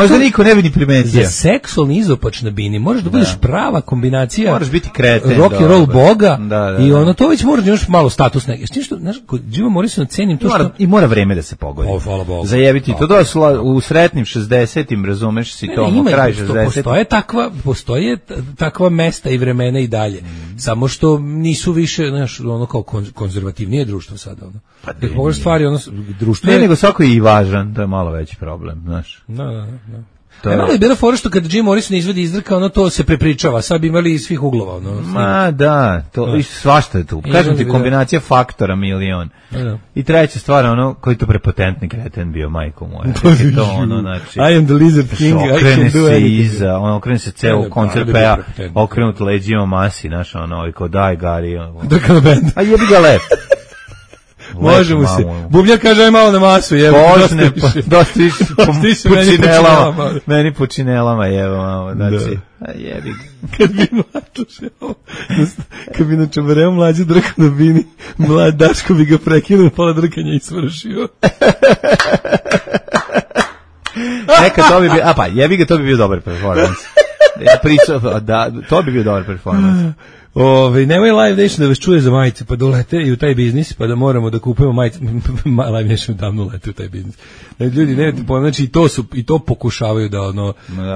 Možda niko ne bi ni primetio. Za seksualni izopač na bini moraš da budeš prava kombinacija. Moraš biti kreten. Rock and roll boga. I ono to već mora još malo status neki. Znaš, kod Jima Morrisona cenim to što... I mora vreme da se pogodi. Hvala Bogu. Zajebiti. To došlo u sretnim 60-im, razumeš si to, kraj 60-im. Postoje takva mesta i vremena i dalje. Samo što nisu više, znaš, ono kao konzervativnije društvo sada. Ono. Pa da pogledaš stvari, ono, društvo ne, nego svako je i važan, to je malo veći problem, znaš. Da. Malo je bila fora što kad Jim Morrison izvedi izdrka, ono to se prepričava, sad bi imali iz svih uglova. Ono, ma da, to i svašta je tu. Kažem ti, kombinacija faktora milion. I treća stvar, ono, koji to prepotentni kreten bio, majko moja. To ono, znači... I am the lizard king, I can do anything. Okrene se ceo koncert pea, okrenut leđima Masi, znaš, ono, kao daj, Gari. Drka na bend. A jebi ga lep. Može mu se. Bubnjar kaže aj malo na masu, jevo. Počne, dosta više pučinelama. Meni pučinelama, jevo, malo. Znači, a jebi ga. Kad bi na čabareo mlađe drka na bini, mlad Daško bi ga prekinuo, pola drkanja i svršio. Neka to bi bio, a pa jebi ga, to bi bio dobar performans. Ja pričao, da, to bi bio dobar performans. Nemoj Live Nation da vas čuje za majice, pa dolete i u taj biznis, pa da moramo da kupujemo majice. Live Nation davno lete u taj biznis. Ljudi, nemojte pojma, znači i to pokušavaju da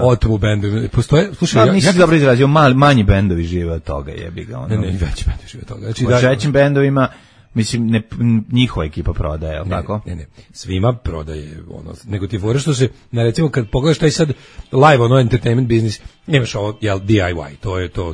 otmu bendovi. Postoje, slušaj, nisi dobro izrazio, manji bendovi žive od toga, jebi ga. Ne, veći bendovi žive od toga. Znači, u većim bendovima, mislim, njihova ekipa prodaje, ali tako? Ne, svima prodaje, nego ti fore što se, recimo, kad pogledaš taj sad live, entertainment biznis, nemaš ovo, DIY,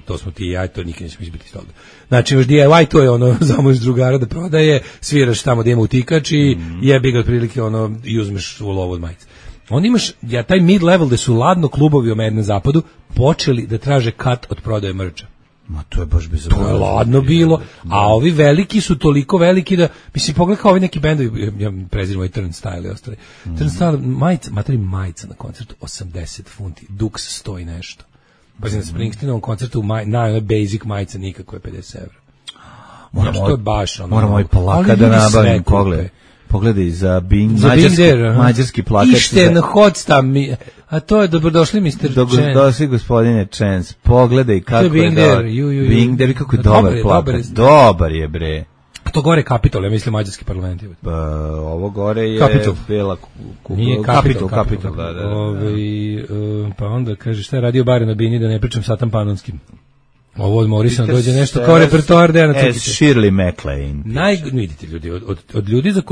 to smo ti i ja, to nikad nećemo izbiti iz toga. Znači, imaš DIY, to je zamoliš drugara da prodaje, sviraš tamo da ima utikač i jebi ga otprilike, i uzmeš u lovu od majice. Onda imaš, taj mid-level gde su ladno klubovi na zapadu počeli da traže cut od prodaje mrča. Ma to je baš bezobrazno. To je ladno bilo, a ovi veliki su toliko veliki da, mislim, pogledaj kao ovi neki bendovi, ja prezirem ovaj Turnstile i ostali. Turnstile, majica na koncertu, 80 funti, Dux 100 i nešto. Baš na Springsteenovom koncertu na basic majica nikako je 50 €. To je baš ono. Moramo i plakat da nabavim, pogledaj za Bing, mađarski plakat. Išten Hotstam, a to je dobrodošli Mr. Chance. Dobrodošli gospodine Chance, pogledaj kako je dobar. Bing Der, kako je dobar plakat. Dobar je, bre. A to gore je Capitol, ja mislim mađarski parlament. Ovo gore je Bela Capitol, da. Pa onda kaže šta je radio Bare na Bini, da ne pričam Satan Panonskim. Ovo od Morrisona dođe nešto kao repertoar Dejana Cukića. Shirley MacLaine. Vidite ljudi, od ljudi za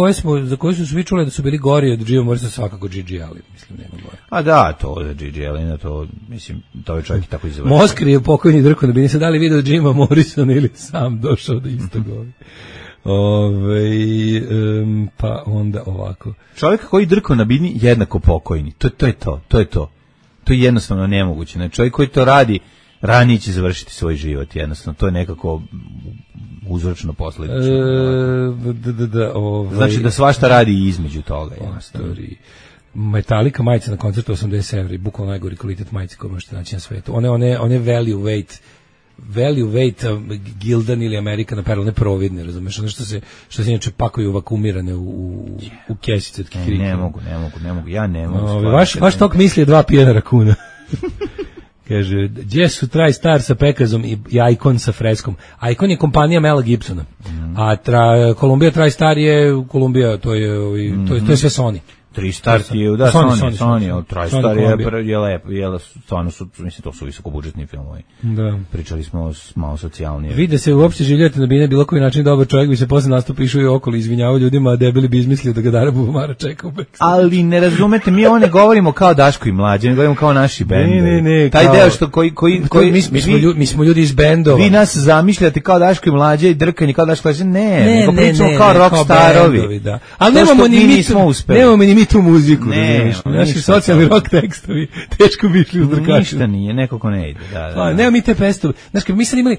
koje su svi čuli da su bili gori od Jima Morrisona, svakako Gigi Allen, mislim, nema gore. A da, to je Gigi Allen, to, mislim, to je čovjek tako izvrši. Moskri je pokojni Drko na Bini, sad da li video Jima Morrisona ili sam došao da isto govori. Pa onda ovako. Čovjek koji drko na Bini jednako pokojni. To je to. To je jednostavno nemoguće. Znači, čovjek koji to radi ranije će završiti svoj život, jednostavno. To je nekako uzročno posledično. Znači da svašta radi i između toga. Metallica majica na koncertu 80 €, bukvalno najgori kvalitet majice koje možete naći na svetu. One value weight Gildan ili American Apparel, ne providne, razumeš, ono što se inače pakuju vakumirane u kesice od kikirika. Ne mogu, ja ne mogu. Vaš tok misli je 2 pijena rakuna. Kaže, gdje su TriStar sa Pekazom i Icon sa freskom? Icon je kompanija Mela Gibsona, a Columbia TriStar je Columbia, to je sve Sony. TriStar je, da, Sony, TriStar je lepo, stvarno su, mislim, to su visokobudžetni filmovi. Da. Pričali smo malo socijalnije. Vide se uopšte življate na Bine, bilo koji način dobar čovjek bi se posle nastupa išao i okolo izvinjavao ljudima, a debeli bi izmislio da ga Dara Bubamara čeka u backstage. Ali ne razumete, mi ovo ne govorimo kao Daško i Mlađe, ne govorimo kao naši bendovi. Ne, taj deo što mi smo ljudi iz bendova. Vi nas zamišljate kao Daško i Mlađe i drkanje kao Daško i Mlađe, nego pričamo kao rockstarovi. Ali nemamo ni mi tu muziku, naši socijalni rock tekstovi teško bi išli u drkačinu. Ništa nije, nekako ne ide. Da. Nema mi te pestove. Znaš, kad bi mi sad imali,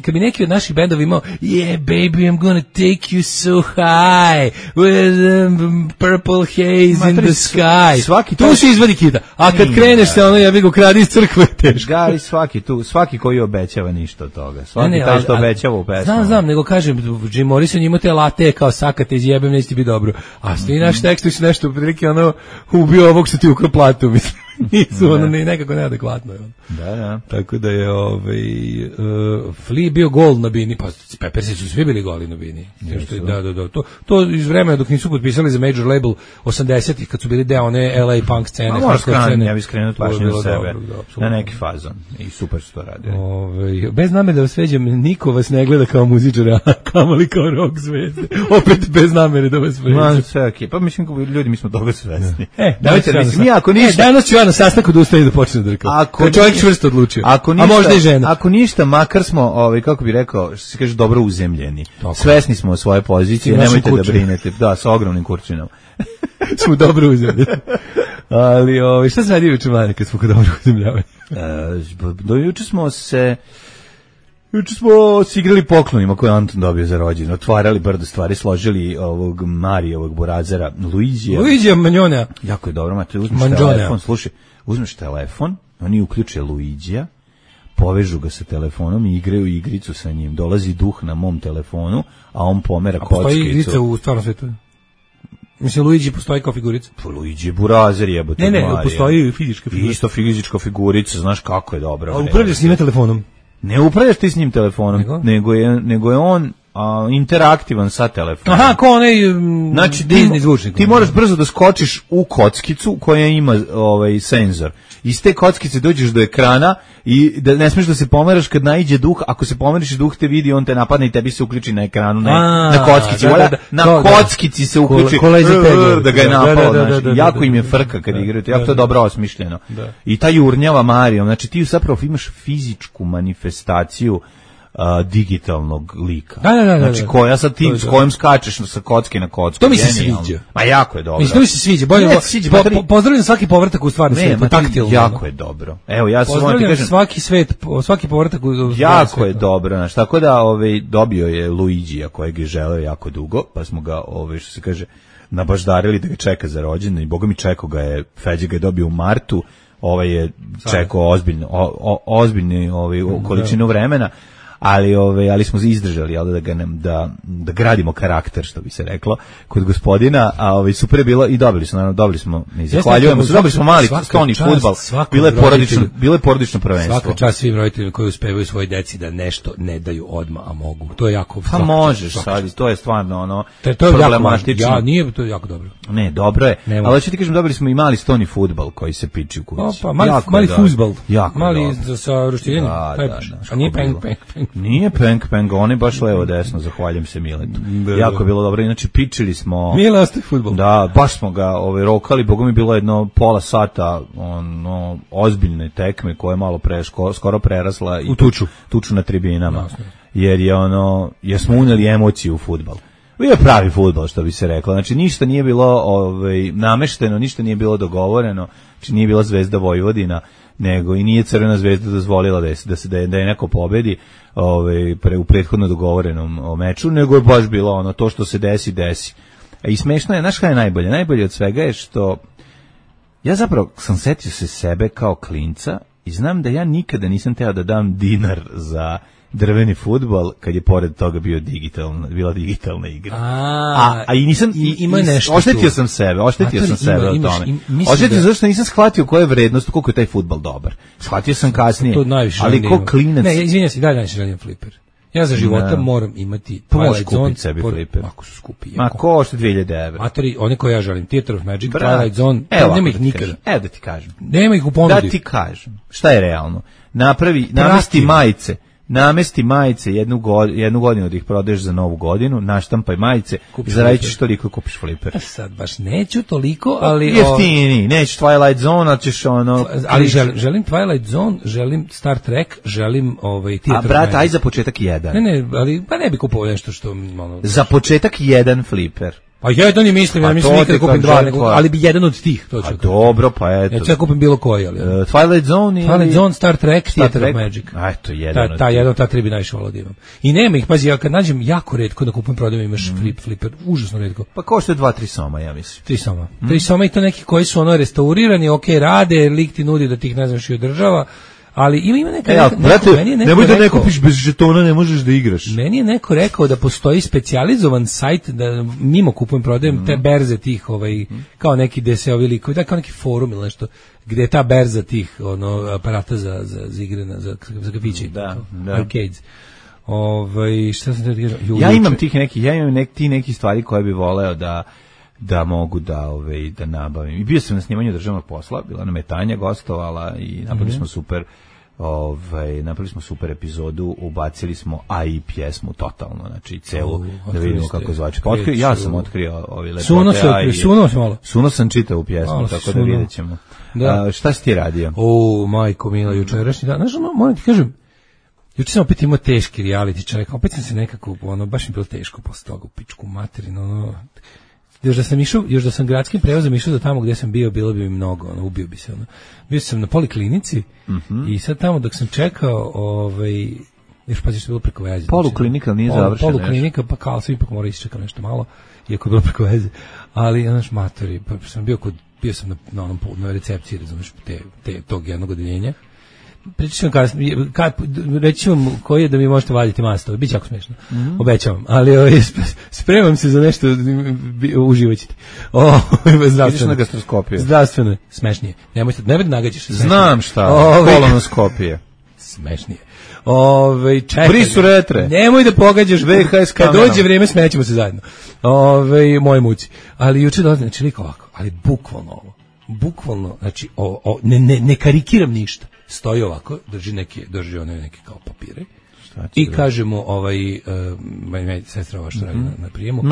kad bi neki od naših bendova imao yeah, baby, I'm gonna take you so high with purple haze in the sky. Tu se izvadi kita. A kad kreneš se ono, ja bih go kradi iz crkve, teško. Gari svaki koji obećava ništa od toga. Svaki taj što obećava u pesmu. Znam, nego kažem, Jim Morrison ima te late kao sakate izjebem, neće ti biti dobro. A svi naši tekstovi su nešto prilike ono ubio ovog što ti ukro platu, mislim. Nisu, ono nekako neadekvatno. Da. Tako da je Flea bio gol na Bini, pa Peppersi su svi bili goli na Bini. Da. To iz vremena dok nisu potpisali za major label 80-ih, kad su bili deo one LA punk scene. Ja bih skrenuo pažnju na sebe, na neki fazon. I super su to radili. Bez namere da vas sveđam, niko vas ne gleda kao muzičara, kamoli kao rock zvezde. Opet bez namere da vas sveđam. Pa mislim, ljudi, mi smo toga svesni. Danas ću ja na sastanku da ustane da počne da drkam. Ako čovjek čvrsto odlučio. A možda i žena. Ako ništa, makar smo, kako bi rekao, što se kaže, dobro uzemljeni. Svesni smo o svoje pozicije, nemojte da brinete. Da, sa ogromnim kurčinom. Smo dobro uzemljeni. Ali, šta se radi juče, Mlade, kad smo kod dobro uzemljavanja? Juče smo igrali poklonima koje Anton dobio za rođendan, otvarali brdo stvari, složili ovog Marijevog burazera, Luigija Manjona. Jako je dobro, mate, uzmeš telefon, slušaj, uzmeš telefon, oni uključe Luigija, povežu ga sa telefonom i igraju igricu sa njim, dolazi duh na mom telefonu, a on pomera kockicu. A postoji igrica u stvarnom svijetu? Mislim, Luigi postoji kao figurica? Luigi je burazer, jebote. Ne, postoji fizička figurica. Isto fizička figurica, znaš kako je dobra. A upravljaš s njime telefonom? Ne upravljaš ti s njim telefonom, nego je on interaktivan sa telefonom. Aha, ko onaj Disney zvučnik. Ti moraš brzo da skočiš u kockicu koja ima senzor. Iz te kockice dođeš do ekrana i da ne smiješ da se pomeraš kad naiđe duh. Ako se pomeriš i duh te vidi, on te napadne i tebi se uključi na ekranu, na kockici. Na kockici se uključi da ga je napao. Jako im je frka kad igraju. Jako to je dobro osmišljeno. I ta jurnjava Marijom. Znači ti zapravo imaš fizičku manifestaciju digitalnog lika. Da. Znači koja sa tim s kojim skačeš sa kocke na kocku. To mi se sviđa. Ma jako je dobro. Mislim, to mi se sviđa. Bolje pozdravljam svaki povratak u stvarni svijet, taktilno. Jako je dobro. Evo, ja samo ti kažem, svaki povratak u jako je dobro, znači tako da dobio je Luigija kojeg je želeo jako dugo, pa smo ga što se kaže nabaždarili da ga čeka za rođendan i boga mi čekao ga je, Feđa ga je dobio u martu ovaj je čekao ozbiljnu količinu vremena, ali smo izdržali, jel, da gradimo karakter, što bi se reklo, kod gospodina, a super je bilo i dobili smo, mi zahvaljujemo, dobili smo mali stoni fudbal, bilo je porodično prvenstvo. Svaka čast svim roditeljima koji uspevaju svoj deci da nešto ne daju odmah, a mogu. To je jako. Pa možeš sad, to je stvarno problematično. Nije to je jako dobro. Ne, dobro je. Ali hoću ti kažem, dobili smo i mali stoni fudbal koji se piči u kući. Mali fudbal. Mali sa roštiljenjem. A nije peng. Nije peng, on je baš levo desno, zahvaljujem se Miletu. Jako je bilo dobro, inače pičili smo. Mile ostaje fudbal. Da, baš smo ga rokali, bogom je bilo jedno pola sata ozbiljne tekme koje je malo skoro prerasla i tuču na tribinama. Jer smo uneli emociju u fudbal. Bio je pravi fudbal, što bi se reklo. Znači ništa nije bilo namešteno, ništa nije bilo dogovoreno, znači nije bila Zvezda Vojvodina, nego i nije Crvena Zvezda dozvolila da je neko pobedi u prethodno dogovorenom meču, nego je baš bilo to što se desi. I smešno je, znaš šta je najbolje? Najbolje od svega je što ja zapravo sam setio se sebe kao klinca i znam da ja nikada nisam teo da dam dinar za drveni fudbal kad je pored toga bila digitalna igra. I nisam oštetio sam sebe o tome. Oštetio zašto nisam shvatio koja je vrednost, koliko je taj fudbal dobar. Shvatio sam kasnije. Ali ko klinac. Ne, izvinjam se, dalje najviše želim fliper. Ja za života moram imati Twilight Zone sebi fliper. Ako su skupi. Ma košta 2000 €. Matori, one koje ja želim, Theater of Magic, Twilight Zone, nema ih nikada. Evo da ti kažem. Nema ih u ponudi. Da ti kažem. Šta je realno? Namesti majice jednu godinu da ih prodaješ za novu godinu, naštampaj majice, zaradit ćeš toliko kupiš fliper. Sad baš neću toliko, ali jeftini, nećeš Twilight Zone, ali ćeš ali želim Twilight Zone, želim Star Trek, želim Theater. A brat, aj za početak jedan. Ne, ali pa ne bi kupovao nešto što za početak jedan fliper. Pa jedan mislim, ja mislim nikad kupim dva, ali bi jedan od tih, to ću. Dobro, pa eto. Ja ću kupim bilo koji, ali. Twilight Zone, Star Trek, Theater of Magic. Eto, jedan. Ta tri bi najviše volao da imam. I nema ih, pazi, ja kad nađem jako retko da kupim prodajem imaš fliper, užasno retko. Pa košta 2-3 soma, ja mislim. 3 soma. 3 soma i to neki koji su restaurirani, okej, rade, lik ti nudi da ti ih ne znaš i održava. Ali ima neka nemoj da ne kupiš bez žetona, ne možeš da igraš. Meni je neko rekao da postoji specijalizovan sajt da mimo kupujem prodajem te berze tih kao neki DSO-ovi likovi, da kao neki forum ili nešto gde je ta berza tih aparata za igre za kafiće, arcades. Šta sam te kažem? Ja imam neki stvari koje bi voleo da mogu da nabavim. I bio sam na snimanju državnog posla, bila nam je Tanja gostovala i napravili smo super epizodu, ubacili smo i pjesmu totalno, znači celu, da vidimo kako zvači. Ja sam otkrio lepote. Suno sam čitao u pjesmu, tako da vidjet ćemo. Šta si ti radio? Majko mila, jučerašnji dan. Znaš, moram ti kažem, juče sam opet imao teški reality čovjek, opet sam se nekako, baš mi bilo teško posle toga u pičku materinu, još da sam gradskim prevozom išao do tamo gdje sam bio, bilo bi mi mnogo, ubio bi se. Bio sam na poliklinici i sad tamo dok sam čekao, još pazi što je bilo preko veze. Poliklinika nije završena. Poliklinika, pa kao sam ipak morao isčekam nešto malo, iako je bilo preko veze. Ali, matori, pa sam bio na recepciji, razumiješ, tog jednog odeljenja. Pričat ću vam reći vam koji je da mi možete vaditi mastove, bit će jako smiješno, obećavam, ali spremam se za nešto, uživat ćete. Zdravstveno, smešnije, nemojte nagađaš. Znam šta, kolonoskopije. Smešnije. Brisu retre. Nemoj da pogađaš VHS kad dođe vrijeme smećemo se zajedno. Moje muci. Ali juče dolazi, znači liko ovako, ali bukvalno, znači ne karikiram ništa. Stoji ovako, drži neke kao papire i kaže mu sestra ova što radi na prijemu,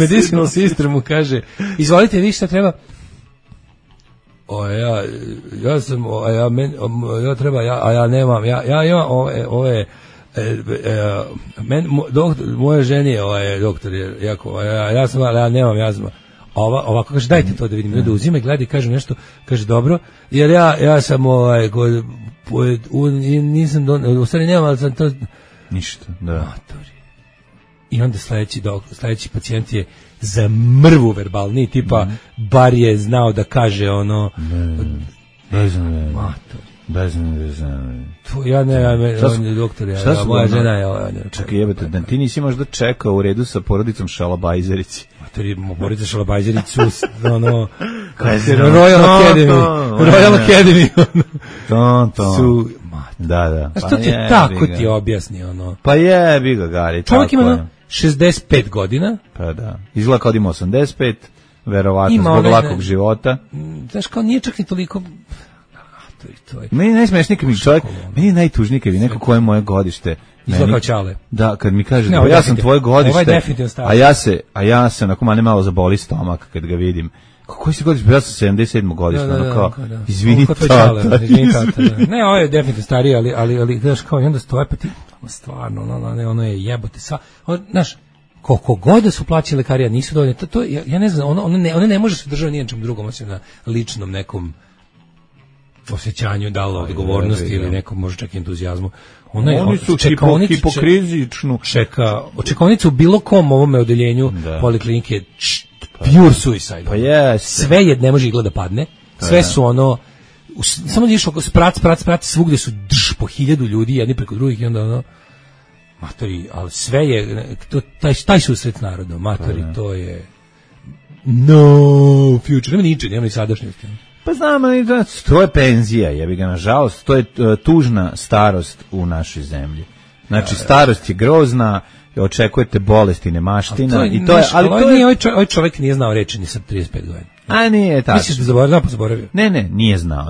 medicinal sister mu kaže, izvolite vi šta treba. Ja nemam, ja imam ove moje ženi doktor je jako, ja nemam jazma. Ovako kaže, dajte to da vidim, da uzima i gleda i kaže nešto, kaže dobro, jer ja sam nisam u stvari nemam, ali sam to ništa, da. I onda sledeći pacijent je za mrvu verbalniji, tipa bar je znao da kaže ono Bez ja on je doktor, moja žena je čekaj jebate, da ti nisi možda čekao u redu sa porodicom Šalabajzerić. Porodica Šalabajzerić su ono Royal Academy su da. A što ti tako ti objasni ono? Pa jebi ga Gari. Čovjek ima 65 godina. Pa da. Izgleda kao da ima 85, verovatno zbog lakog života. Znaš, kao nije čak ni toliko... Meni najsmešniji kad mi čovjek, meni je najtužniji kad mi neko koje moje godište. Izgleda kao Čale. Da, kad mi kaže, ja sam tvoje godište, a ja se onako mane malo zaboli stomak kad ga vidim. Koji si godište? Ja sam 77. godište, ono kao, izvini tata. Ne, ovo je definitivno stariji, ali znaš, kao, i onda stoje, pa ti, stvarno, ono je jebote, znaš, koliko god da su plaćali lekari, a nisu dovoljne, ja ne znam, one ne može se držati nijednom drugom, osim na ličnom nekom osjećanju, da li odgovornosti ili nekom možda čak entuzijazmu. Oni su hipokrizičnu. Čekaonica u bilo kom ovome odeljenju poliklinike pure suicide. Pa yes. Sve ne može igla da padne. Sve su ono samo da išao sprac, svugde su po 1000 ljudi, jedni preko drugih i onda ono matori, ali sve je taj susret narodom, matori, to je no future, nema ničeg, nema ni sadašnjosti. Pa znam, to je penzija, jebi ga, nažalost, to je tužna starost u našoj zemlji. Znači, starost je grozna, očekujete bolesti, nemaština, i to je, ali to je... Ovaj čovjek nije znao reći ni sa 35 godina. A nije tako. Misliš da zaboravio? Ne,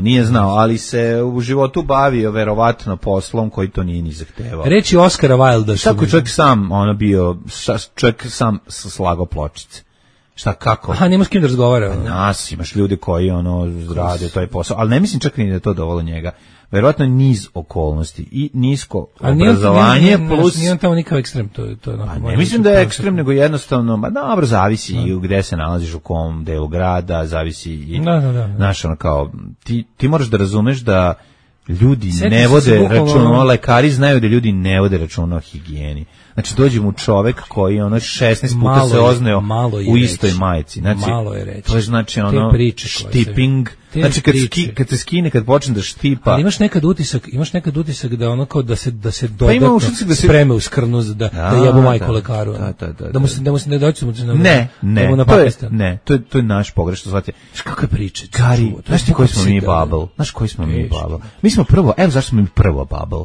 nije znao, ali se u životu bavio verovatno poslom koji to nije ni zahtevao. Reći Oskara Wilda. Tako čovjek sam, čovjek sam slagao pločice. Šta, kako? Aha, nema s kim da razgovara. Nas, imaš ljudi koji rade taj posao, ali ne mislim čak ni da je to dovoljno njega. Verovatno niz okolnosti i nisko obrazovanje plus... Nije on tamo nikakav ekstrem, to je ne mislim da je ekstrem, nego jednostavno, dobro, zavisi i gde se nalaziš, u kom delu grada, zavisi i... Znaš, kao, ti moraš da razumeš da ljudi ne vode računa, lekari znaju da ljudi ne vode računa o higijeni. Znači, dođe mu čovek koji 16 puta se ozneo u istoj majici. Znači, malo je reći. To je znači štiping. Znači, kad se skine, kad počne da štipa... Ali imaš nekad utisak da ono kao da se dodatno spreme u skrnu da jebu majku lekaru. Da mu se ne doći mu Ne, to je naš pogrešno. Znaš kako je priča? Gari, znaš ti koji smo mi bubble? Mi smo prvo, evo zašto smo mi prvo bubble.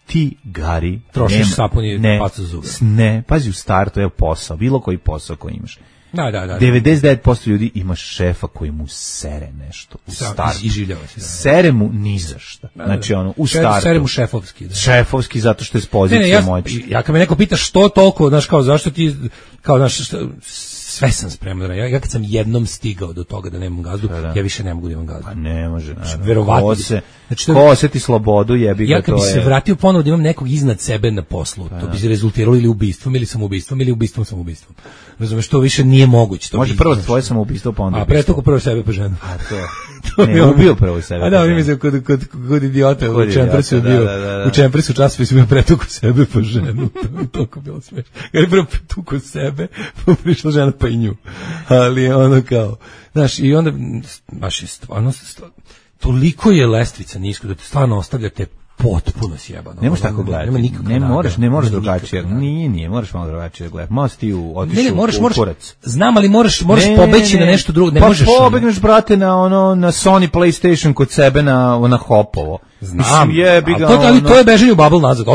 Ti, Gari, trošiš sapun i pacu zube. Ne, pazi u startu, evo posao, bilo koji posao koji imaš. Da. 99% ljudi ima šefa koji mu sere nešto u startu. Iživljava se. Sere mu ni za šta. Znači u startu. Sere mu šefovski. Da. Šefovski zato što je s pozicije moći. Ja kad me neko pita što toliko, znaš, kao zašto ti, kao znaš, sve sam spreman. Ja kad sam jednom stigao do toga da nemam gazdu, ja više ne mogu da imam gazdu. Pa ne može, naravno. Verovatno. Ko osjeti slobodu, jebi ga, to je... Ja kad bi se vratio ponovo da imam nekog iznad sebe na poslu, to bi se rezultiralo ili ubistvom, ili samoubistvom, ili samobistvom. Razumeš, to više nije moguće. Može prvo tvoje samoubistvo, pa onda ubistvo. A pre toga prvo sebe po ženu. A to je ubio prvo sebe. A da, mi mislim kod idiota u Čempresu je bio. U Čempresu časopisu bio pretuku sebe po ženu. Toliko bilo smešno. Jer je prvo pretuku sebe, pa prišla žena pa i nju. Ali ono kao, znaš, i onda baš je stvarno, toliko je lestvica nisko da te stvarno ostavljate potpuno sjebano. Ne možeš tako gledati. Ne moraš drugačije. Nije, moraš malo drugačije gledati. Možeš ti otići u kurac. Znam, ali moraš pobeći na nešto drugo. Pa pobegneš, brate, na Sony PlayStation kod sebe na Hopovo. Znam, ali to je bežanje u bubble nazad.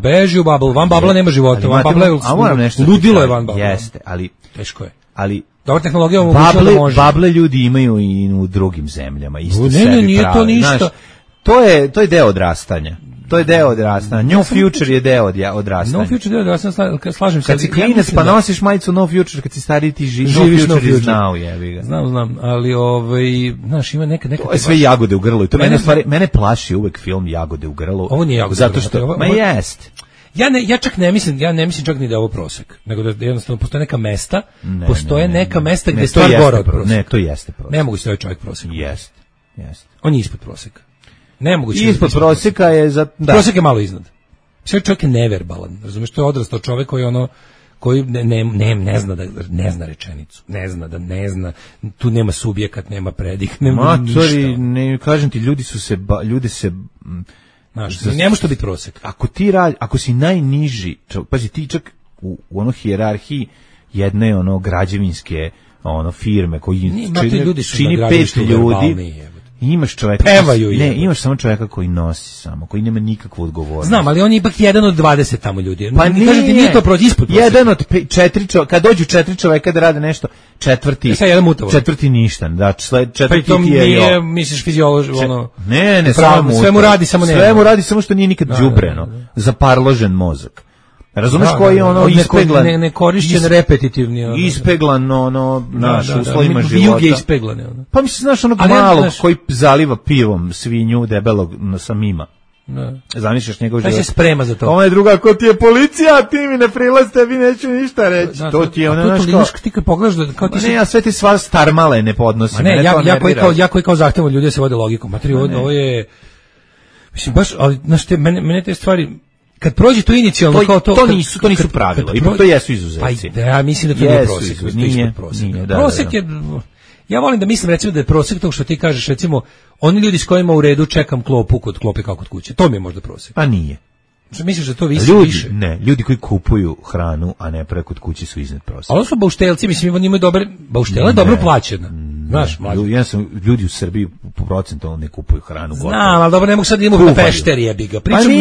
Beži u bubble, van bubble nema života. Van bubble je ludilo je van bubble. Jeste, ali... Teško je. Ali dobra tehnologija omogućava da može. Bable ljudi imaju i u drugim zemljama. Isto sebi ne, nije to ništa. Znaš, to je deo odrastanja. New Future je deo odrastanja. No Future je deo odrastanja, slažem se. Kad si klinac pa nosiš majicu No Future, kad si stariji ti živiš No Future is now, jebi ga. Znam, ali znaš, ima neka... To je sve jagode u grlu i to mene plaši uvek film Jagode u grlu. Ovo nije jagode zato što, jest. Ja čak ne mislim čak ni da je ovo prosek, nego da jednostavno postoje neka mesta, neka mesta gde je stvar gore od proseka. Ne, to jeste prosek. Ne mogu se ovaj čovjek prosek. Jest. On je ispod proseka. Nemoguće. Ispod proseka je za... Prosek je malo iznad. Sve čovjek je neverbalan, razumiješ, to je odrastao čovjek koji ne zna rečenicu, ne zna, tu nema subjekat, nema predik, nema ništa. Ne, kažem ti, ljudi se znaš, ne može to biti prosek. Ako si najniži, pazi, ti čak u ono hijerarhiji jedne ono građevinske firme koji čini 5 ljudi, imaš čovjeka, imaš samo čovjeka koji nosi samo, koji nema nikakvu odgovornost. Znam, ali on je ipak jedan od 20 tamo ljudi. Pa nije to proći ispod prosjeka. Jedan od 4 kad dođu 4 čovjeka da rade nešto, četvrti ništa, da, četvrti ti je misliš fiziološki ono. Ne, sve mu radi, samo ne. Sve mu radi, samo što nije nikad đubreno, zaparložen mozak. Razumeš koji je ono ispeglan, nekorišćen, repetitivni, ispeglan naš uslovima života. Juge ispeglane. Pa misliš, znaš, onog malog koji zaliva pivom svinju debelog sa mima. Zamišljaš njegov život. Taj se sprema za to. Ona je druga, ko ti je policija, ti mi ne prilazite, vi neću ništa reći. To ti je ono, znaš kao... Ti kad pogledaš da... Kao ti ne, ja sve ti sva starmale ne podnosim. Ne, ja koji kao zahtevam ljudi da se vode logikom. Materi, ovo je... Mislim, baš, ali, znaš, mene te stvari... Kad prođe to inicijalno kao to... To nisu pravila, ipak to jesu izuzeci. Pa ja mislim da to nije prosjek. Nije. Prosjek je... Ja volim da mislim recimo da je prosjek to što ti kažeš, recimo, oni ljudi s kojima u redu čekam klopu kod klope kao kod kuće. To mi je možda prosjek. Pa nije. Što misliš da to više? Ne, ljudi koji kupuju hranu, a ne preko kod kuće su iznad prosjeka. Ali su bauštelci, mislim, oni imaju dobre... Bauštela je dobro plaćena. Znaš, ljudi u Srbiji po procentu ne kupuju hranu. Znam, ali dobro, ne mogu sad idemo na pešter, jebi ga. Pričam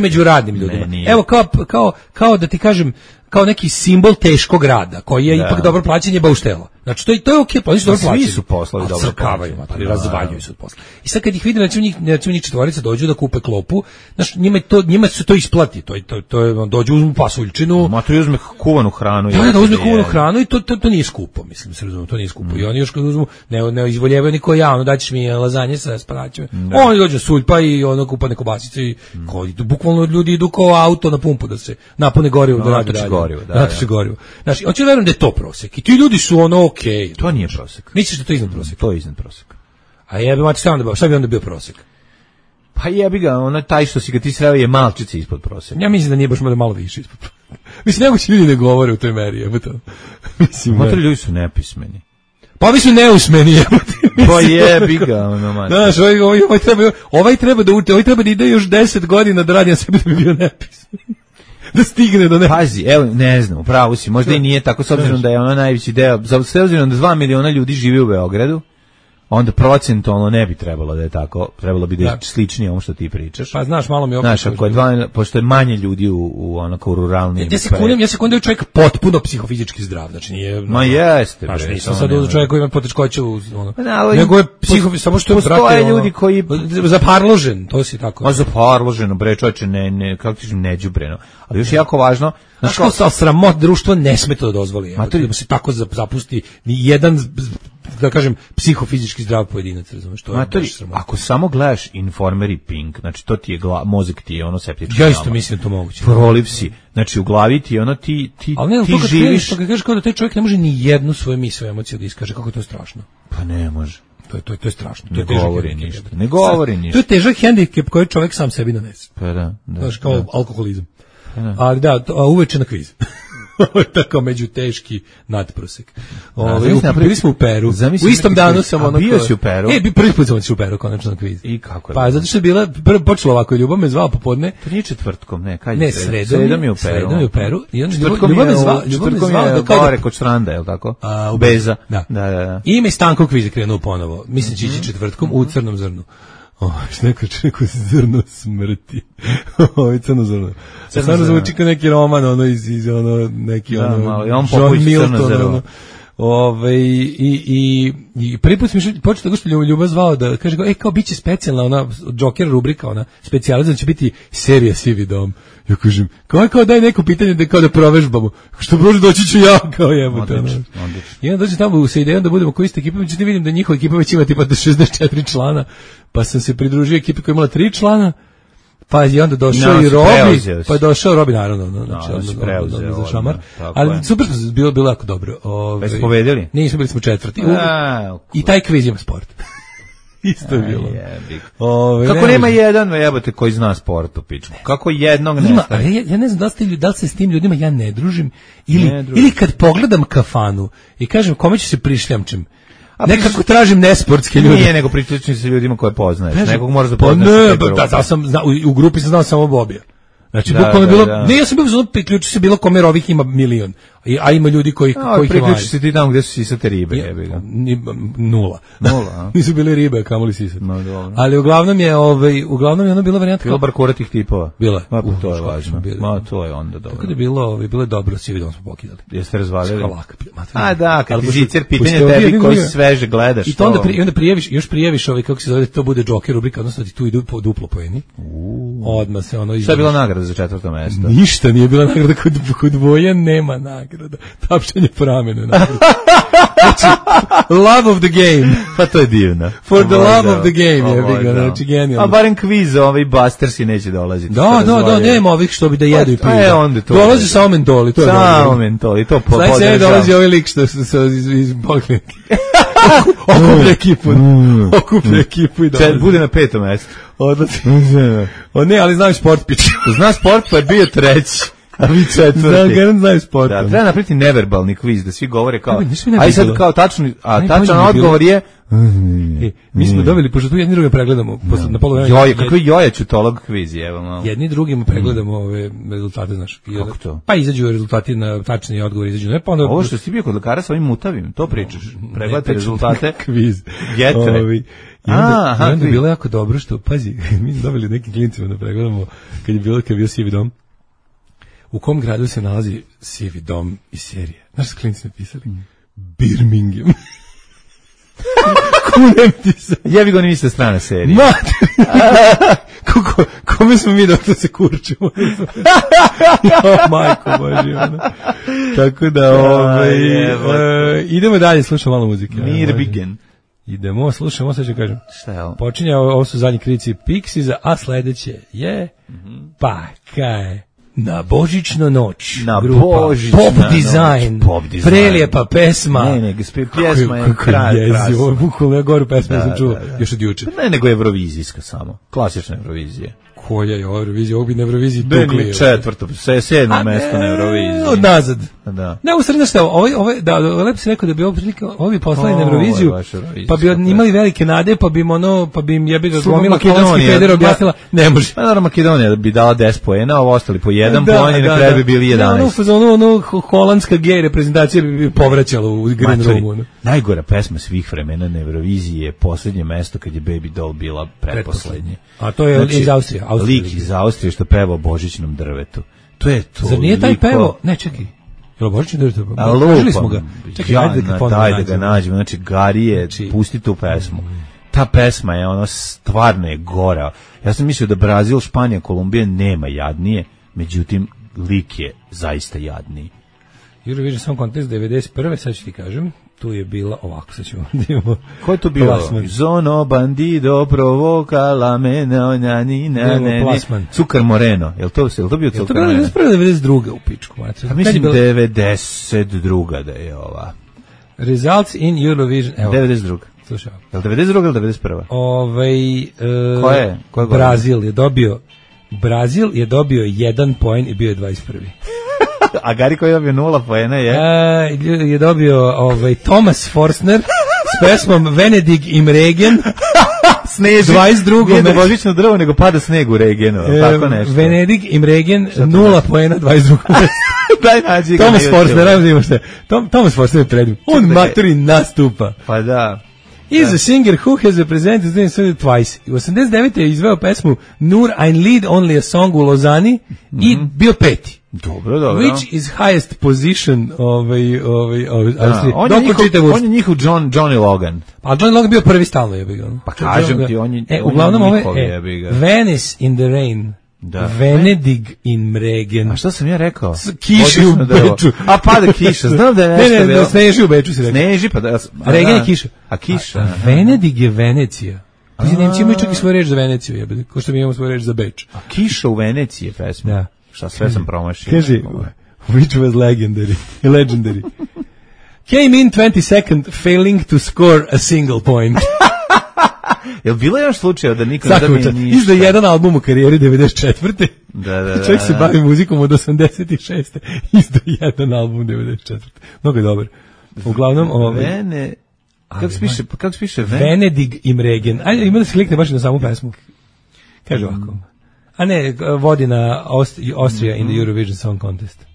među radnim ljudima. Evo, kao da ti kažem, kao neki simbol teškog rada, koji je ipak dobro plaćanje bauštela. Znači, to je okej, pa oni su dobro plaćeni. Svi su poslovi dobro plaćeni. Razvaljuju se od posla. I sad kad ih vidim, recimo njih četvorica dođu da kupe klopu, znaš, njima se to isplati, to je, dođu, uzmu pasuljčinu. Ma to uzme kuvanu hranu. Da, uzme kuvanu hranu i to nije skupo, mislim, se razumije, to nije skupo. I oni još kad uzmu, ne izvoljevaju niko ja, daćeš mi lazanje sa sparaćima. Oni dođu suljpa i kupane kobasice i bukvalno ljudi idu kao auto na pumpu da se napune gorivo da rade dalje. Natoči gorivo. Znači, hoću verujem da je to prosek. I ti ljudi su ono okej. To nije prosek. Misliš da to je iznad proseka? To je iznad proseka. A jebi mati šta bi onda bio prosek? Pa jebi ga, ono taj što si ga ti sreo je malčice ispod proseka. Ja mislim da nije baš malo više ispod proseka. Mislim, nego će ljudi ne govore u toj meri, jebote. Mislim, matri ljudi su nepismeni. Pa vi su neusmeni, jebote. Pa jebi ga, ono mati. Znaš, ovaj treba da uči, ovaj treba da ide još 10 godina da radi na sebi da bi bio nepismen. Da stigne do ne. Pazi, evo, ne znam, upravo si, možda i nije tako, s obzirom da je ono najveći deo, s obzirom da 2 miliona ljudi živi u Beogradu, onda procentualno ne bi trebalo da je tako, trebalo bi da je sličnije ovom što ti pričaš. Pa znaš, malo mi opet. Znaš, ako je pošto je manje ljudi u onako ruralnim. Ja se kundam čovjek potpuno psihofizički zdrav, znači nije. Ma jeste, bre. Znači nisam sad uzeo čovjek koji ima poteškoće u ono. Nego je samo što je postoje ljudi koji zaparložen, to si tako. Ma zaparloženo, bre, čoveče, ne, kako ti kažem, neđubreno. Ali još jako važno, znaš kao sa sramot društvo ne sme to da dozvoli. Da se tako zapusti ni jedan, da kažem, psihofizički zdrav pojedinac, razumeš, to je baš sramota. Ako samo gledaš Informer i Pink, znači to ti je mozak ti je ono septički. Ja isto mislim da to moguće. Proliv si, znači u glavi ti je ono ti živiš. Ali ne, kažeš kao da taj čovjek ne može ni jednu svoju misao, emociju da iskaže, kako je to strašno. Pa ne može. To je strašno. Ne govori ništa. Ne govori ništa. To je težak hendikep koji čovjek sam sebi donese. Pa da. Znaš, kao alkoholizam. Ali da, uveče na kviz. Ovo je tako među teški nadprosek. Bili smo u Peru. U istom danu sam ono... Bio si u Peru? Prvi put sam u Peru, konačno na kviz. I kako je? Pa zato što je bila, počelo ovako, Ljubav me zvao popodne. To nije četvrtkom, ne, kad je? Ne, sredom je u Peru. Sredom je u Peru. Četvrtkom je gore kod Štranda, je li tako? U Beza. Da. I ime Stanko kviz krenuo ponovo. Mislim će ići četvrtkom u Crnom zrnu. Neko zrno smrti. Crno zrno. Stvarno zvuči kao neki roman, ono iz neki John Milton, i prvi put mi počeo tako što Ljubav zvao da kaže, kao biće specijalna ona Joker rubrika, ona specijalizam će biti serija Sivi dom. Ja kažem, kao daj neko pitanje da kao da provežbamo. Što Bože, doći ću ja, kao jebote. I onda dođem tamo sa idejom da budemo kao ista ekipa, međutim vidim da njihova ekipa već ima tipa 64 člana, pa sam se pridružio ekipi koja imala 3 člana. Pa je onda došao i Robi, pa je došao Robi, naravno, za šamar, ali super, bilo jako dobro. Bez povedeli? Nismo, bili smo četvrti. I taj kviz ima sport. Isto je bilo. Kako nema jedan, jebote, koji zna sport u pičku? Kako jednog ne staje? Ja ne znam da li se s tim ljudima ja ne družim, ili kad pogledam kafanu i kažem kome ću se prišljamčem, nekako tražim nesportske ljude. Nije, nego prišljamčem se ljudima koje poznaješ. Nekog moraš da poznaš. U grupi sam znao samo Bobija. Znači, bukvalno je bilo, ne, ja sam bio znao, priključi se bilo kome ovih ima milion, a ima ljudi koji ih imaju. Priključi se ti tamo gde su sisate ribe, jebiga. Nula. Nisu bile ribe, kamoli sisate. No, dobro. Ali uglavnom je ono bilo varijanta. Bilo bar kuratih tipova. Bila. To je važno. To je onda dobro. Tako da je bilo je dobro, svi vidom smo pokidali. Jeste razvalili? A da, kad ti zicer pitanje tebi koji sveže gledaš. I to onda prijaviš kako se zove, to bude Joker rubrika, odnosno ti tu idu po duplo poeni. Odmah se ono. Šta je bila nagrada za 4. mesto? Ništa nije bila nagrada, kod Voja nema nagrada. Tapšanje po ramenu nagrada. Znači, love of the game. Pa to je divno. For the love of the game, je znači genijalno. A barem kviz, Bustersi neće dolaziti. Da, nema ovih što bi da jedu i piju. Dolazi samo mentoli, to je dobro. Samo mentoli, to podržavam. Znači, dolazi ovaj lik što iz poliklinike. Okuplja ekipu i dolazi. Bude na 5. mestu. Odlazi. Ne, ali znam sport piče. Zna sport, pa je bio 3. A vi 4. Znaju sport. Da, treba napraviti neverbalni kviz, da svi govore kao, aj sad kao tačan odgovor je... Mi smo dobili, pošto tu jedni drugi pregledamo, na polu vremena... Kakvi jojačutolog kviz je, evo malo. Jedni drugima pregledamo ove rezultate, znaš. Kako to? Pa izađu rezultati na tačni odgovor, izađu. Ovo što si bio kod lekara sa ovim mutavim, to pričaš. Pregledate rezultate. Kviz. Jetre. I onda je bilo jako dobro što, pazi, mi smo dobili nekim klincima da pregledamo kad je bio sivi dom. U kom gradu se nalazi sivi dom iz serije? Znaš, klinci napisali? Birmingham. Kunem ti se. Jebi ga, niste strana serije. Kome smo mi dok da se kurčimo? Majko Boži, ono. Tako da, idemo dalje, slušamo malo muzike. Mirbigen. Idemo, slušamo, sad ću kažem. Šta je ovo? Počinje, ovo su zadnji krici Pixiesa, a sledeće je, pa kaj, na božićnu noć. Na grupa božićna Pop Design. Pop Design. Prelijepa pesma. Ne, pjesma je kraj. Ovo je bukvalno, ja goru pesma, ja sam čuo još od juče. Ne, nego evrovizijska samo. Klasična Evrovizija. Koja je Eurovizija? Ovo bi na Euroviziji tukli. 7. mesto na Euroviziji. Odnazad. Da. Ne, u srednje šta, lepo si rekao da bi ovo bi poslali na Euroviziju, pa bi imali velike nade, pa bi im jebi ga glomila Holandski feder objasnila, ne može. Pa naravno Makedonija bi dala 10 poena, ovo ostali po 1 poen i na kraju bi bili 11. Ono holandska gej reprezentacija bi povraćala u Green Roomu. Najgora pesma svih vremena na Euroviziji je Poslednje mesto kad je Baby Doll bila pretposlednje. A to je iz Austrije. Lik iz Austrije što peva o božićnom drvetu. To je to. Zar nije taj pevo? Ne, čekaj. Jel božićno drvetu? Tražili smo ga. Čekaj, ajde da ga nađemo. Znači, Garije, pusti tu pesmu. Ta pesma je, ono, stvarno je gora. Ja sam mislio da Brazil, Španija, Kolumbija nema jadnije, međutim, lik je zaista jadniji. Eurovision Song Contest 91. sad ću ti kažem. Tu je bila, ovako sad ćemo da imamo. Ko je to bio? Zono bandido provoka la mene ne. Cukar Moreno. Jel to bio Cukar Moreno? Je to bilo 92. u pičku. Mislim 92. da je ova. Results in Eurovision. 92. Slušaj. Jel 92. ili 91. Ko je? Brazil je dobio 1 poen i bio je 21. A Gari koji je dobio 0 poena je dobio Thomas Forstner s pesmom Venedig im Regen. Sneži. 22. Nije do božićno drvo, nego pada sneg u Regenu. Tako nešto. Venedig im Regen, 0 poena, 22. Daj nađi ga. Thomas Forstner, najmo šta. Thomas Forstner je predim. On maturi nastupa. Pa da. He's a singer who has represented twice. U 89. je izveo pesmu Nur ein Lied, Only a Song u Lozani i bio 5. Dobro. Which is highest position Austrije. On je njihov Johnny Logan. Pa Johnny Logan bio prvi stalno jebi. Pa kažem ti, on je uglavnom Venice in the Rain. Da. Venedig in Mregen. A šta sam ja rekao? Kiši u Beču. A pada kiša, znam da je nešto. Ne, sneži u Beču si rekao. Sneži, pa da. Regen je kiša. A kiša. Venedig je Venecija. Pa Nemci imaju čak i svoju reč za Veneciju, jebate, ko što mi imamo svoju reč za Beč. A kiša u Veneciji je pesma. Da. Šta sve sam promašio. Kaže, which was legendary. Came in 22nd, failing to score a single point. Jel bilo još slučajeva da niko ne da mi ništa? Izda jedan album u karijeri 94. Da. Čovjek se bavi muzikom od 86. Izda jedan album 94. Mnogo je dobar. Uglavnom, kako se piše Venedig im Regen. Ajde, ima da se klikne baš na samu pesmu. Kaže ovako. A ne, vodi na Austria in the Eurovision Song Contest.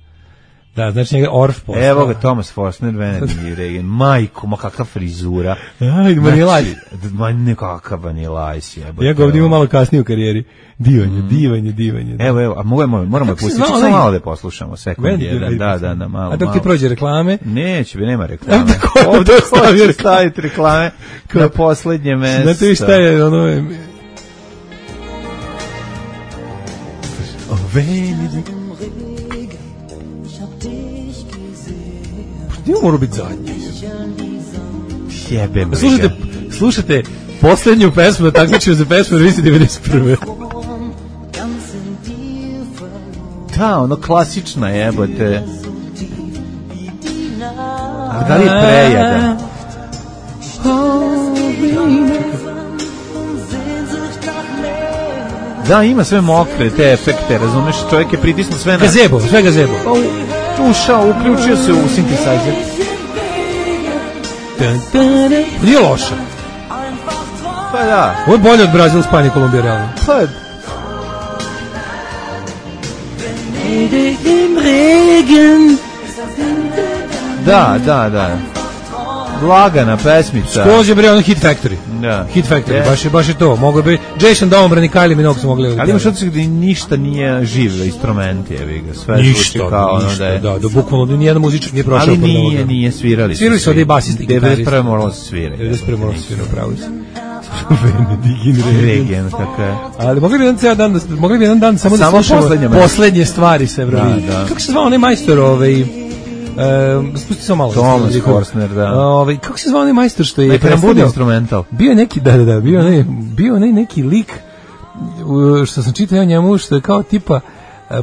Da, znači njega Orff postao. Evo ga, Thomas Forstner, Venedig im Regen. Majko, ma kakva frizura. Ajde, Vanilaj. Ma nekakav Vanilaj si. Ja ga ovdje imam malo kasnije u karijeri. Divanje. Evo, a moramo pustiti. Samo malo da poslušamo, sekund jedan. Da, malo. A dok ti prođe reklame? Neće, nema reklame. Ovdje hoće staviti reklame na poslednje mesto. Znate vi šta je ono... Venedig. Gdje mora biti zadnji? Jebem. Slušajte poslednju pesmu, takmičenje za pesmu Revisi 91. Da, ono klasična jebote. A da li je prejada? Da, ima sve mokre, te efekte, razumeš, čovjek je pritisnuo sve na... Sve gazebo. Ušao, uključio se u synthesizer. Nije loša. Pa da. Ovo je bolje od Brazil, Španije, Kolumbije, realno. Pa... Da. Lagana pesmica. Skroz je bre ono Hit Factory. Da. Hit Factory, baš je to. Mogu bi Jason Dombran i Kylie Minogue su mogli. Ali imaš odsek da ništa nije živ instrument, jebi ga. Sve zvuči kao ono da je. Da, bukvalno ni jedan muzičar nije prošao. Ali nije svirali. Svirali su ovdje basisti, gitaristi. 91. moralo se svirati. 91. moralo se svirati, pravo si. Venedig Regen, tako je. Ali mogli bi jedan dan samo da slušamo poslednje stvari sa Eurovizije. Kako se zvao onaj majstor spusti samo malo. Thomas Forstner, da. Kako se zvao onaj majstor što je predstavljao instrumental? Bio je neki, bio onaj neki lik što sam čitao njemu, što je kao tipa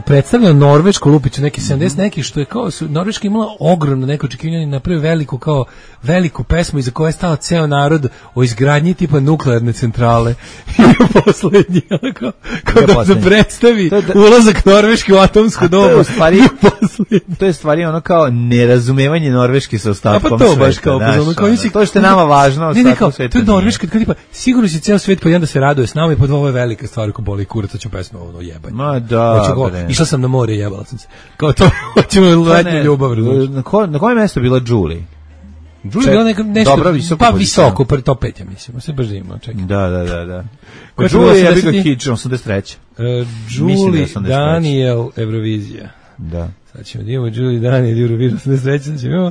predstavljao Norvešku lupiću, neki 70 neki, što je kao Norveška imala ogromno neko očekivanje, napravio veliku pesmu iza koje je stao ceo narod o izgradnji tipa nuklearne centrale. I poslednji, kao da predstavi ulazak Norveške u atomsko dobu. To je stvari ono kao nerazumevanje Norveške sa ostatkom sveta. Pa to baš kao to što je nama važno, ostatkom sveta. To je Norveška, kao tipa, sigurno će ceo svet pa jedan da se raduje s nama i pod ovo je velika stvar ko boli kurac, ću pesmu ovo jebanje. Ma da. Išla sam na more, jebala sam se. Kao to, hoćemo letnju ljubav. Na kojem mjestu bila Julie? Julie je bila nešto... Dobra, visoko. Pa visoko, top 5, ja mislim. Sve baš da ima, čekaj. Da. Julie je bila Hitch, 83. Julie Daniel, Eurovizija. Da. Sad ćemo da imamo Julie Daniel, Eurovizija, 83. Sad ćemo imamo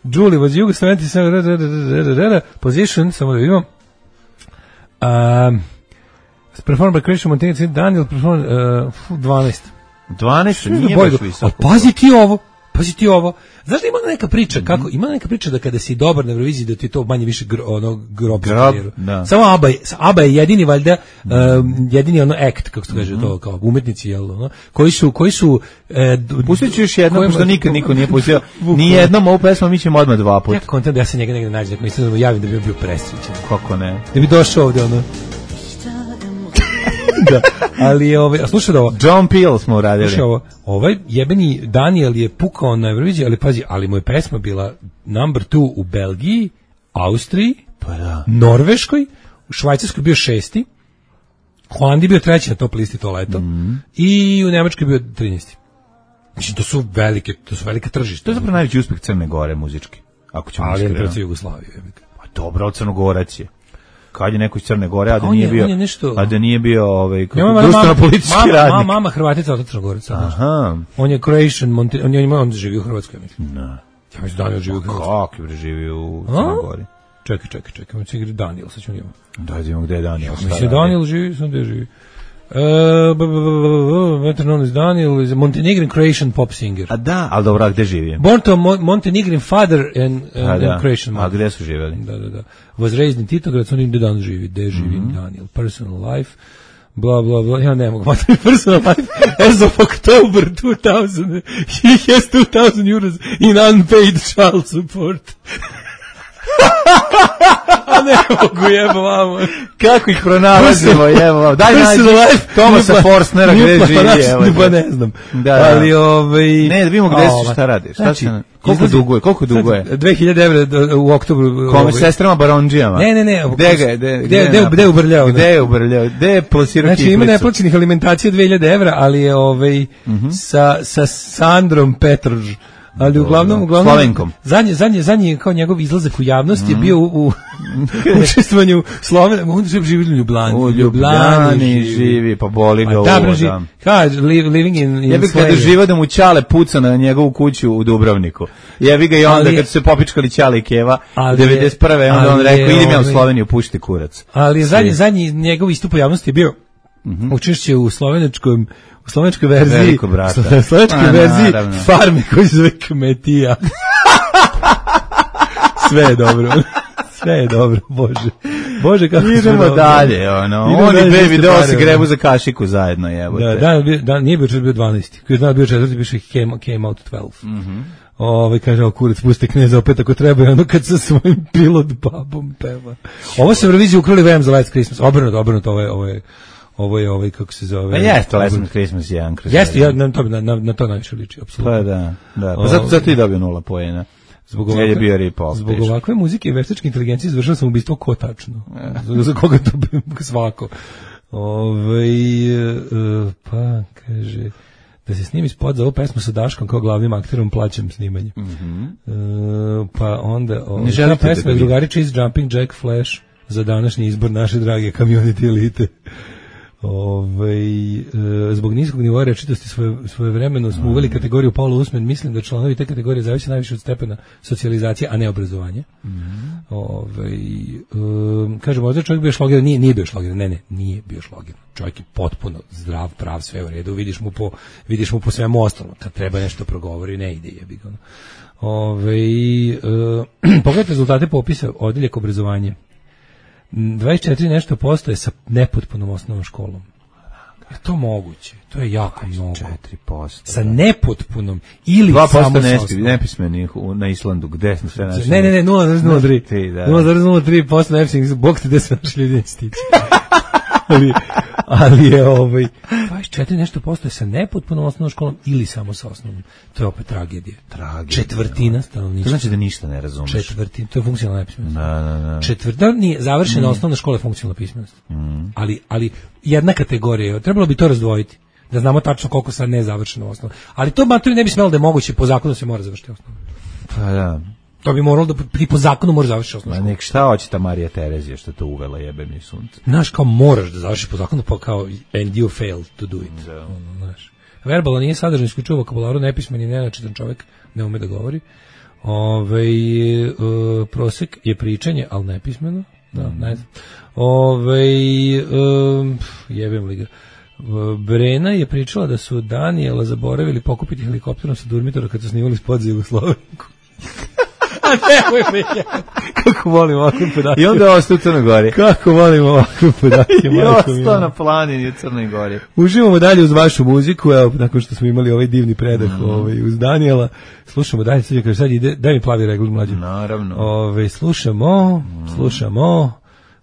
Julie was Yugo 77, position, samo da vidimo. Performed by Christian Montaigne, Daniel performed 12. 12 nije baš visoko. Pazi ti ovo. Znaš da ima neka priča, ima neka priča da kada si dobar na Euroviziji da ti to manje više grob. Samo ABBA je jedini valjda jedini ono act, kako se kaže to, kao umetnici, jel, ono, koji su pustit ću još jedno, pošto nikad niko nije pustio ni jednom ovu pesmu, mi ćemo odmah 2 puta. Ja kontent da ja se njega negde nađem, da mi javim da bi bio presrećen. Kako ne? Da bi došao ovde, ono. Da, ali slušaj da ovo. John Peel smo uradili. Slušaj ovo, ovaj jebeni Daniel je pukao na Euroviziji, ali pazi, ali mu je pesma bila number 2 u Belgiji, Austriji, Norveškoj, u Švajcarskoj bio 6. Holandiji bio 3. na top listi to leto i u Nemačkoj bio 13. Znači, to su velike tržište. To je zapravo najveći uspeh Crne Gore muzički. Ako ćemo iskreno. Ali je protiv Jugoslavije. Pa dobro, Crnogorac je. Kad je neko iz Crne Gore, a da nije bio društveno-politički radnik. Mama Hrvatica od Crnogorac. Aha. On je Croatian, on živi u Hrvatskoj, mislim. No. Ja mislim Daniel živi u Hrvatskoj. Kako je živi u Crnoj Gori? Čekaj, on će igra Daniel, sad ćemo imamo. Da vidimo gde je Daniel. Mislim, Daniel živi, sam gde živi. Better known as Daniel is a Montenegrin Croatian pop singer. A da, ali dobro, gde živi? Born to Montenegrin father and Croatian mother. A gde su živjeli? Da. Was raised in Titograd, on gde dan živi, gde živi Daniel. Personal life, bla, bla, bla, ja ne mogu matati personal life. As of October 2000, he has 2,000 euros in unpaid child support. A ne mogu, jebo vamo. Kako ih pronalazimo, jebo vamo. Daj nađi Tomasa Forstnera gde živi, evo. Pa ne znam. Ali ne, da vidimo gde si, šta radiš. Koliko duguje? 2000 evra u oktobru. Kome, sestrama Baronđijama? Ne. Gde je ubrljao? Gde je plasirao kiflicu? Znači, ima neplaćenih alimentacija 2000 evra, ali je sa Sandrom Petrž. Ali uglavnom Slovenkom. Zadnji kao njegov izlazak u javnost je bio u učestvovanju Slovena, on živi u Ljubljani. U Ljubljani živi, pa boli ga ovo. Kaže, living in ja bih kada živa da mu Ćale puca na njegovu kuću u Dubrovniku. Jebi ga i onda kad su se popičkali Ćale i Keva, 91. onda on rekao, idem ja u Sloveniju, pušti kurac. Ali zadnji njegov istup u javnosti je bio učešće u slovenskoj verziji, slovenskoj verziji farme koji se zove Kmetija. Sve je dobro, Bože kako idemo dalje, oni baby doll se grebu za kašiku zajedno, jebote. Da, nije bio 12. Koji je dan bio 4. piše came out 12. Kaže, kurac, puste kneza opet ako treba, ono kad sa svojim pilot babom peva. Ovo se Euroviziji ukrali VM za Last Christmas, obrnuto, ovo je kako se zove. Pa jeste, Last Christmas je jedan kroz. Jeste, na to najviše liči, apsolutno. Pa da. Pa zato i dobio 0 poena. Zbog ovakve muzike i veštačke inteligencije izvršao sam ubistvo ko tačno. Za koga to bi svako. Pa, kaže, da se snimi spot za ovu pesmu sa Daškom kao glavnim akterom, plaćam snimanje. Pa onda, ta pesma je drugari Cheese Jumping Jack Flash za današnji izbor naše drage community elite. Zbog niskog nivoa rečitosti svojevremeno smo uveli kategoriju Paula Usman. Mislim da članovi te kategorije zavise najviše od stepena socijalizacije, a ne obrazovanja. Kaže, možda čovjek bio šlogeran, nije bio šlogeran, nije bio šlogeran. Čovjek je potpuno zdrav, prav, sve u redu, vidiš mu po svemu ostalom. Kad treba nešto progovori, ne ide, jebi ga. Pogledajte rezultate popisa odeljak obrazovanje. 24 nešto postoje sa nepotpunom osnovnom školom. Je to moguće? To je jako mnogo. 4%. Sa nepotpunom ili samo sa osnovnom. 2% nepismenih na Islandu. Gde smo sve naši? Ne, 0,03. 0,03% nepismenih. Bog te gde se naši ljudi stići. Ali je 24 nešto postoje sa nepotpunom osnovnom školom ili samo sa osnovnom. To je opet tragedija. Četvrtina stanovništva. To znači da ništa ne razumeš. Četvrtina, to je funkcionalna nepismenost. Da. Četvrtina nije završena osnovna škola, funkcionalna pismenost. Ali jedna kategorija, trebalo bi to razdvojiti. Da znamo tačno koliko sad nezavršeno osnovno. Ali to maturi ne bi smelo da je moguće, po zakonu se mora završiti osnovno. Pa da. To bi moralo da po zakonu mora završiti osnovnu školu. Nek šta hoće ta Marija Terezija što to uvela, jebe mi sunce. Znaš, kao moraš da završiš po zakonu, pa kao and you failed to do it. Znaš. Verbalo nije sadržan isključivo vokabularu, nepismen i nenačitan čovjek, ne ume da govori. Prosek je pričanje, ali nepismeno. Da, ne znam. Jebem li ga. Brena je pričala da su Danijela zaboravili pokupiti helikopterom sa Durmitora kad su snimali spot za Jugoslavinku. Kako volim ovakve podatke. I onda ostao u Crnoj Gori. Kako volim ovakve podatke. I ostao na planini u Crnoj Gori. Uživamo dalje uz vašu muziku, evo, nakon što smo imali ovaj divni predah uz Danijela. Slušamo dalje, sad ide, daj mi plavi regl mlađe. Naravno.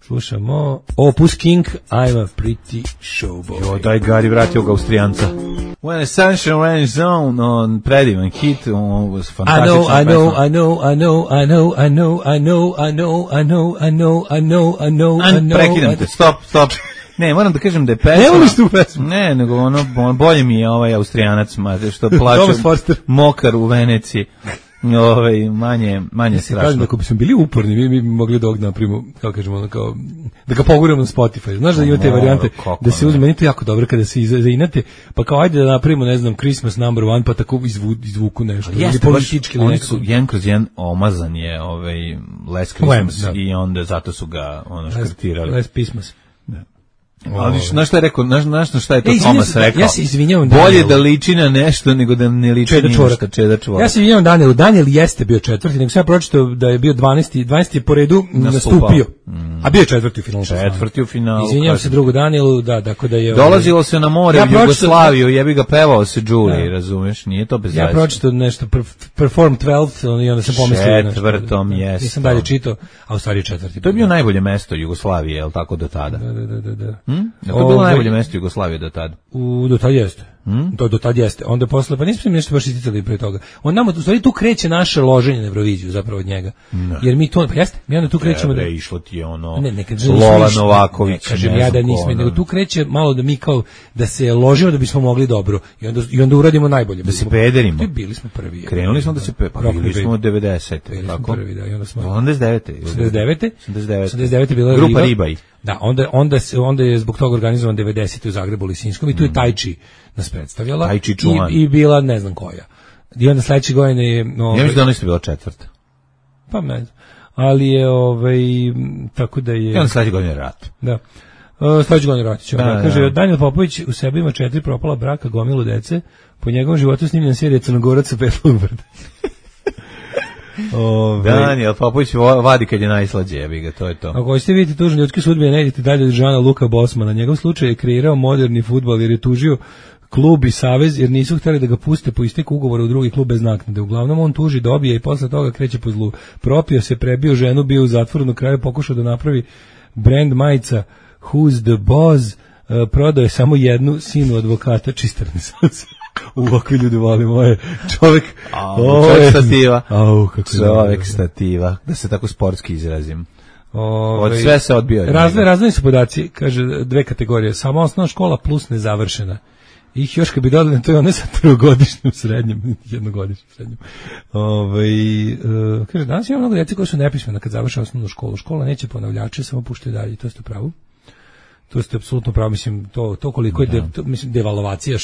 Slušamo Opus King, I'm a pretty showboy. Jo, daj Gari, vratio ga Austrijanca. When the sunshine rains on, on predivan hit, on was fantastična pesma. Prekidam te, stop. Ne, moram da kažem da je pesma. Ne voliš tu pesmu? Ne, nego ono bolje mi je ovaj Austrijanac, što plače mokar u Veneciji. Manje strašno. Kažem, ako bismo bili uporni, mi bi mogli da napravimo, kako kažemo, da ga poguramo na Spotify. Znaš da imate varijante da se uzme, meni to jako dobro kada se zainate, pa kao ajde da napravimo, ne znam, Christmas number one, pa tako izvuku nešto. Jeste, politički ili neko. Jedan kroz jedan omazan je Last Christmas i onda zato su ga škrtirali. Last Christmas. Ali znaš šta je rekao, znaš šta je to Thomas rekao? Ja se izvinjavam bolje da liči na nešto nego da ne liči na ništa. Čeda čvorak. Ja se izvinjavam Danielu. Daniel jeste bio četvrti, nego sam ja pročitao da je bio 12. po redu nastupio. A bio je četvrti u finalu. Četvrti u finalu. Izvinjavam se drugu Danielu, tako da je... Dolazilo se na more u Jugoslaviju, jebi ga pevao se Đuli, razumeš, nije to bez veze. Ja pročitao nešto, Perform 12, i onda sam pomislio nešto. Četvrtom, jeste. Nisam dalje čitao, a u stvari četvrti. To je bio najbolje mesto Jugoslavije, je li tako do tada? Da. To je bilo najbolje mesto Jugoslavije do tada. Do tada jeste. Do tada jeste. Onda posle, pa nismo nešto baš isticali pre toga. On nama, u stvari, tu kreće naše loženje na Euroviziju, zapravo od njega. Jer mi to, pa jeste, mi onda tu krećemo da... išlo ti je ono, Lola Novaković, kažem ja da nismo, nego tu kreće malo da mi kao, da se ložimo da bismo mogli dobro. I onda uradimo najbolje. Da se pederimo. Bili smo prvi. Krenuli smo da se bili smo od 90. Bili smo prvi, da, i onda smo... 89. bila Grupa Ribaj. Da, onda je zbog toga organizovan 90. u Zagrebu Lisinskom i tu je Tajči nas predstavljala i bila ne znam koja. I onda sledeće godine je... Ja mislim da ono isto bila četvrta. Pa ne znam. Ali je, tako da je... I onda sledeće godine rat. Da. Sledeće godine rat ćemo. Kaže, Daniel Popović u sebi ima 4 propala braka, gomilu dece, po njegovom životu snimljen serija Crnogorac sa Petlog brda. Daniel Popović vadi kad je najslađe, jebi ga, to je to. Ako hoćete vidjeti tužne ljudske sudbine, ne idite dalje od Žana Luka Bosmana. Njegov slučaj je kreirao moderni fudbal jer je tužio klub i savez jer nisu htjeli da ga puste po isteku ugovora u drugi klub bez naknade. Uglavnom on tuži, dobije i posle toga kreće po zlu. Propio se, prebio ženu, bio u zatvoru, na kraju pokušao da napravi brand majica Who's the Boss, prodao je samo jednu, sinu advokata, čista renesansa. Ovakvi ljudi voli moje čovjek stativa. Čovjek stativa, da se tako sportski izrazim. Od sve se odbio. Razdvojeni su podaci, kaže 2 kategorije, samo osnovna škola plus nezavršena. Ih još kad bi dodali, to je one sa trogodišnjim srednjim, jednogodišnjim srednjim. Kaže, danas ima mnogo djece koji su nepismena kad završe osnovnu školu. Škola neće ponavljače, samo puštaju dalje, to ste pravo. To ste apsolutno pravo, mislim, to koliko je devalvacija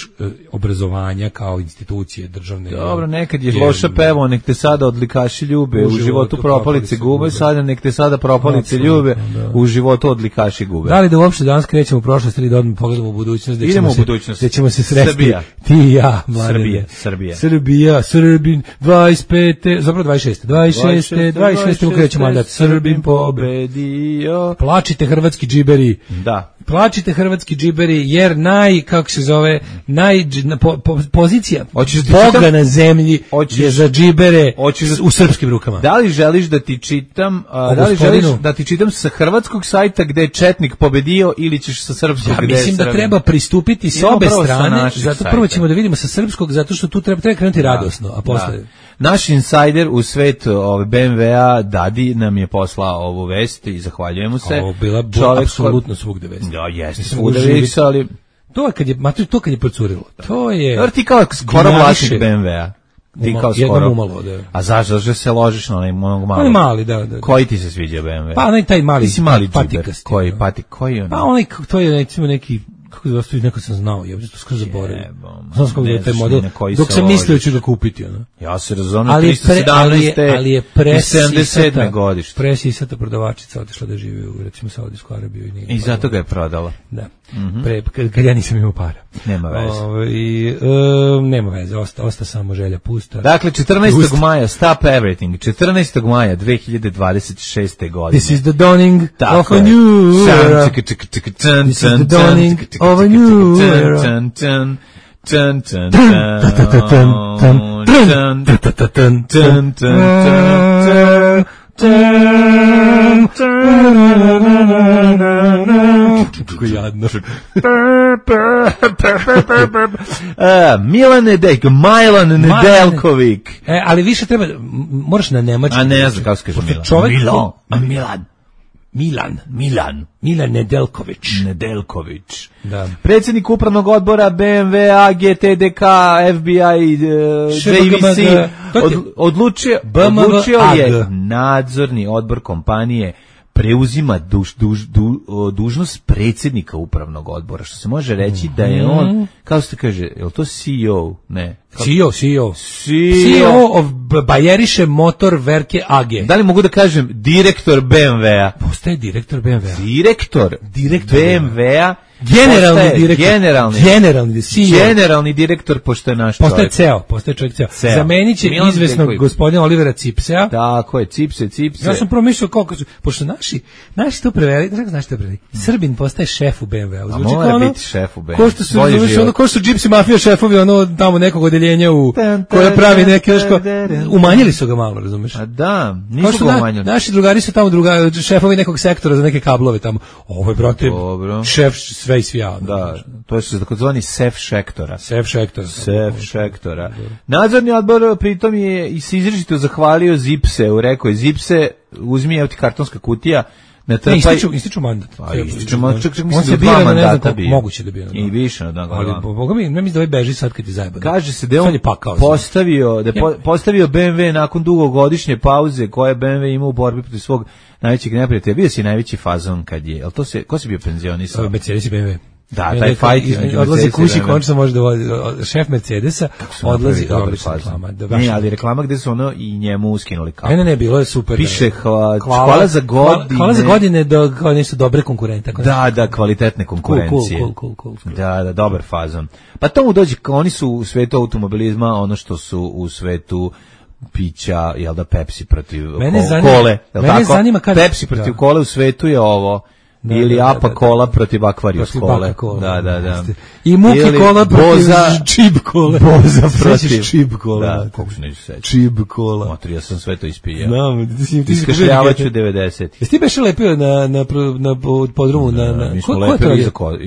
obrazovanja kao institucije državne. Dobro, nekad je loša pevo, nek te sada odlikaši ljube, u životu propalice gube, sada nek te sada propalice ljube, u životu odlikaši gube. Da li da uopšte danas krećemo u prošlost ili da odmah pogledamo u budućnost? Idemo u budućnost. Da ćemo se sresti. Srbija. Ti i ja, mladene. Srbin, 25. Zapravo 26. krećemo mandat. Srbin pobedio. Plačite hrvatski džiberi. Da. Plačite hrvatski džiberi jer pozicija Boga na zemlji je za džibere u srpskim rukama. Da li želiš da ti čitam sa hrvatskog sajta gde je četnik pobedio ili ćeš sa srpskog gde je mislim da treba pristupiti s obe strane, zato prvo ćemo da vidimo sa srpskog, zato što tu treba krenuti radosno, a posle... Naš insajder u svetu BMW-a Dadi nam je poslao ovu vest i zahvaljujemo se. Ovo bila apsolutno svugde vest. Da, jeste svugde vest, ali... To kad je procurilo. To je... Ti kao skoro vlasnik BMW-a. Ti kao skoro. Jednom umalo, da. A zašto se ložiš na onaj mali? Onaj mali, da. Koji ti se sviđa BMW? Pa onaj taj mali. Ti si mali džiber. Koji je ono? Pa onaj, to je recimo neki... Kako da stoji, neko sam znao, ja bih to skoro zaboravio. Znam kako je taj model, dok sam mislio ću ga kupiti. Ja se razumijem, 317. Ali je i 77. godište. Presisata prodavačica otišla da živi u, recimo, Saudijsku Arabiju. I zato ga je prodala. Da. Kad ja nisam imao para. Nema veze. Nema veze, osta samo želja pusta. Dakle, 14. maja, Stop Everything, 14. maja 2026. godine. This is the dawning of a new era. This is the dawning of a new era. Kako jadno. Milan Nedeljković. Ali više treba, moraš na nemački. A ne znam kako se kaže Milan Nedeljković. Da. Predsjednik upravnog odbora BMW, GTDK, FBI, JVC odlučio je nadzorni odbor kompanije preuzima dužnost predsjednika upravnog odbora, što se može reći da je on, kako se kaže, je li to CEO? Ne. CEO of Bayerische Motorwerke AG. Da li mogu da kažem direktor BMW-a? Postaje direktor BMW-a. Direktor BMW-a generalni direktor, pošto je naš čovjek. Postaje čovjek ceo. Zamenit će izvesnog gospodina Olivera Cipsea. Tako je, Cipse. Ja sam promišljao koliko su, pošto naši to preveli, znaš to preveli, Srbin postaje šef u BMW-u. A mora biti šef u BMW-u. Ko su Gypsy Mafia šefovi, tamo nekog odeljenja koja pravi neke, umanjili su ga malo, razumeš? A da, nisu ga umanjili. Naši drugari su tamo šefovi nekog sektora za neke kablove tamo. Ovo je, brate, šef sve i svija. Da, to je takozvani sef šektora. Nadzorni odbor pritom je i se izričito zahvalio Zipseu, rekao je Zipse, uzmi, evo ti kartonska kutija, ističu mandat. On se bira, ne znam koliko moguće da bira. I više na dan. Ali, boga mi, ne mislim da ovaj beži sad kad je zajebano. Kaže se da je on postavio BMW nakon dugogodišnje pauze koje BMW ima u borbi protiv svog najvećeg neprijatelja. Bio si najveći fazon kad je, ko si bio penzionisao? Mercedes i BMW. Da, taj fight odlazi kući, končno može da vodi šef Mercedesa, odlazi dobar reklama. Ne, ali reklama gde su ono i njemu skinuli kapu. Ne, bilo je super. Piše hvala za godine. Hvala za godine kao nešto dobre konkurente. Da, kvalitetne konkurencije. Cool. Da, dobar fazon. Pa tomu dođe, oni su u svetu automobilizma ono što su u svetu pića, jel da, Pepsi protiv kole. Mene zanima kada Pepsi protiv kole u svetu je ovo. Ili Apa Kola protiv Aquarius Kole. Da. I Muki Kola protiv Čib Kole. Boza protiv Čib Kola. Da, kako se neću seći. Čib Kola. Matri, ja sam sve to ispio. Iskašljavaću 90. Jesi ti beše lepio na podrumu?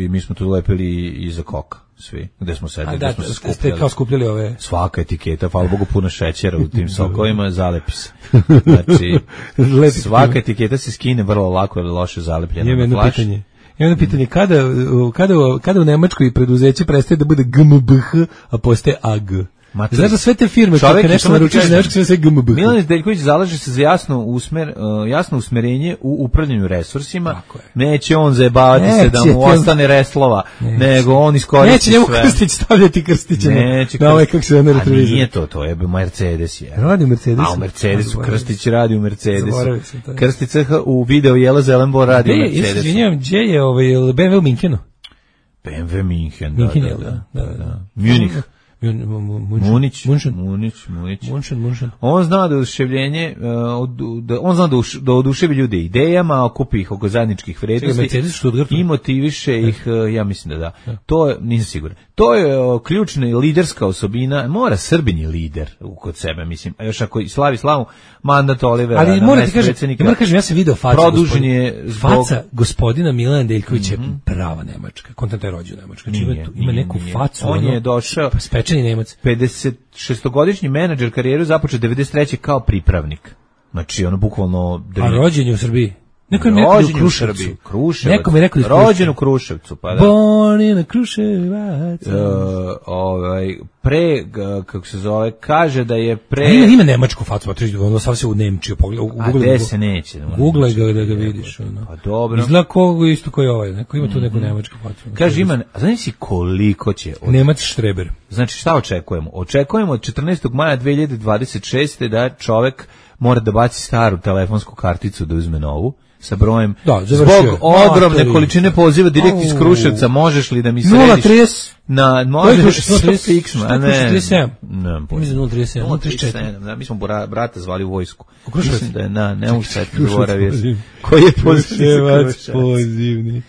Mi smo tu lepili iza koka. Svi, gde smo sedeli, gde smo se skupljali. Ste kao skupljali ove... Svaka etiketa, hvala Bogu, puno šećera u tim sokovima, zalepi se. Znači, svaka etiketa se skine vrlo lako, jer je loše zalepljena na flaš. Jedno pitanje, kada u Nemačkoj preduzeće prestaje da bude GmbH, a postaje AG? Znaš da sve te firme koje nešto naručiš za nešto sve GmbH. Milan Izdeljković zalaže se za jasno usmerenje u upravljanju resursima. Neće on zajebavati se da mu ostane reslova, nego on iskoristi sve. Neće njemu Krstić stavljati krstiće na ovaj kako se ne retrovizor. A nije to je Mercedes. Radi u Mercedesu. A u Mercedesu, Krstić radi u Mercedesu. Krstić u video Jela Zelenbor radi u Mercedesu. Izvinjavam, gdje je BMW u Minhenu? BMW Minhen, da. Munich. Munić. On zna da oduševljenje, on zna da oduševi ljude idejama, okupi ih oko zajedničkih vrednosti i motiviše ih, ja mislim da. To je, nisam siguran. To je ključna i liderska osobina. Mora Srbin je lider kod sebe, mislim. A još ako slavi slavu mandat Olivera. Ali moram ti kažem, ja sam video faca gospodina Milana Deljkovića, prava Nemačka. Kontent je rođen Nemačka. Ima neku facu. On je došao spečeni Nemac. 56-godišnji menadžer, karijeru započeo 93. kao pripravnik. Znači, ono bukvalno... A rođen je u Srbiji? Neko je u Kruševcu. Neko mi je rekao rođen u Kruševcu, pa da. Born in a Kruševac. Kako se zove, kaže da je Ima nemačku facu, ono sam se u Nemčiju pogledao. A gde se neće? Googlaj ga da ga vidiš. Pa dobro. Izgleda isto koji ovaj, neko ima tu neku nemačku facu. Kaže ima, a znaš si koliko će? Nemac Štreber. Znači šta očekujemo? Očekujemo od 14. maja 2026. da čovek mora da baci staru telefonsku karticu da uzme novu. Sa brojem, zbog ogromne količine poziva direkt iz Kruševca, možeš li da mi središ 030 na možeš fiksno, a ne 037, mislim 037, mi smo brata zvali u vojsku, mislim da je ne mogu sad zaboraviti koji je pozivni.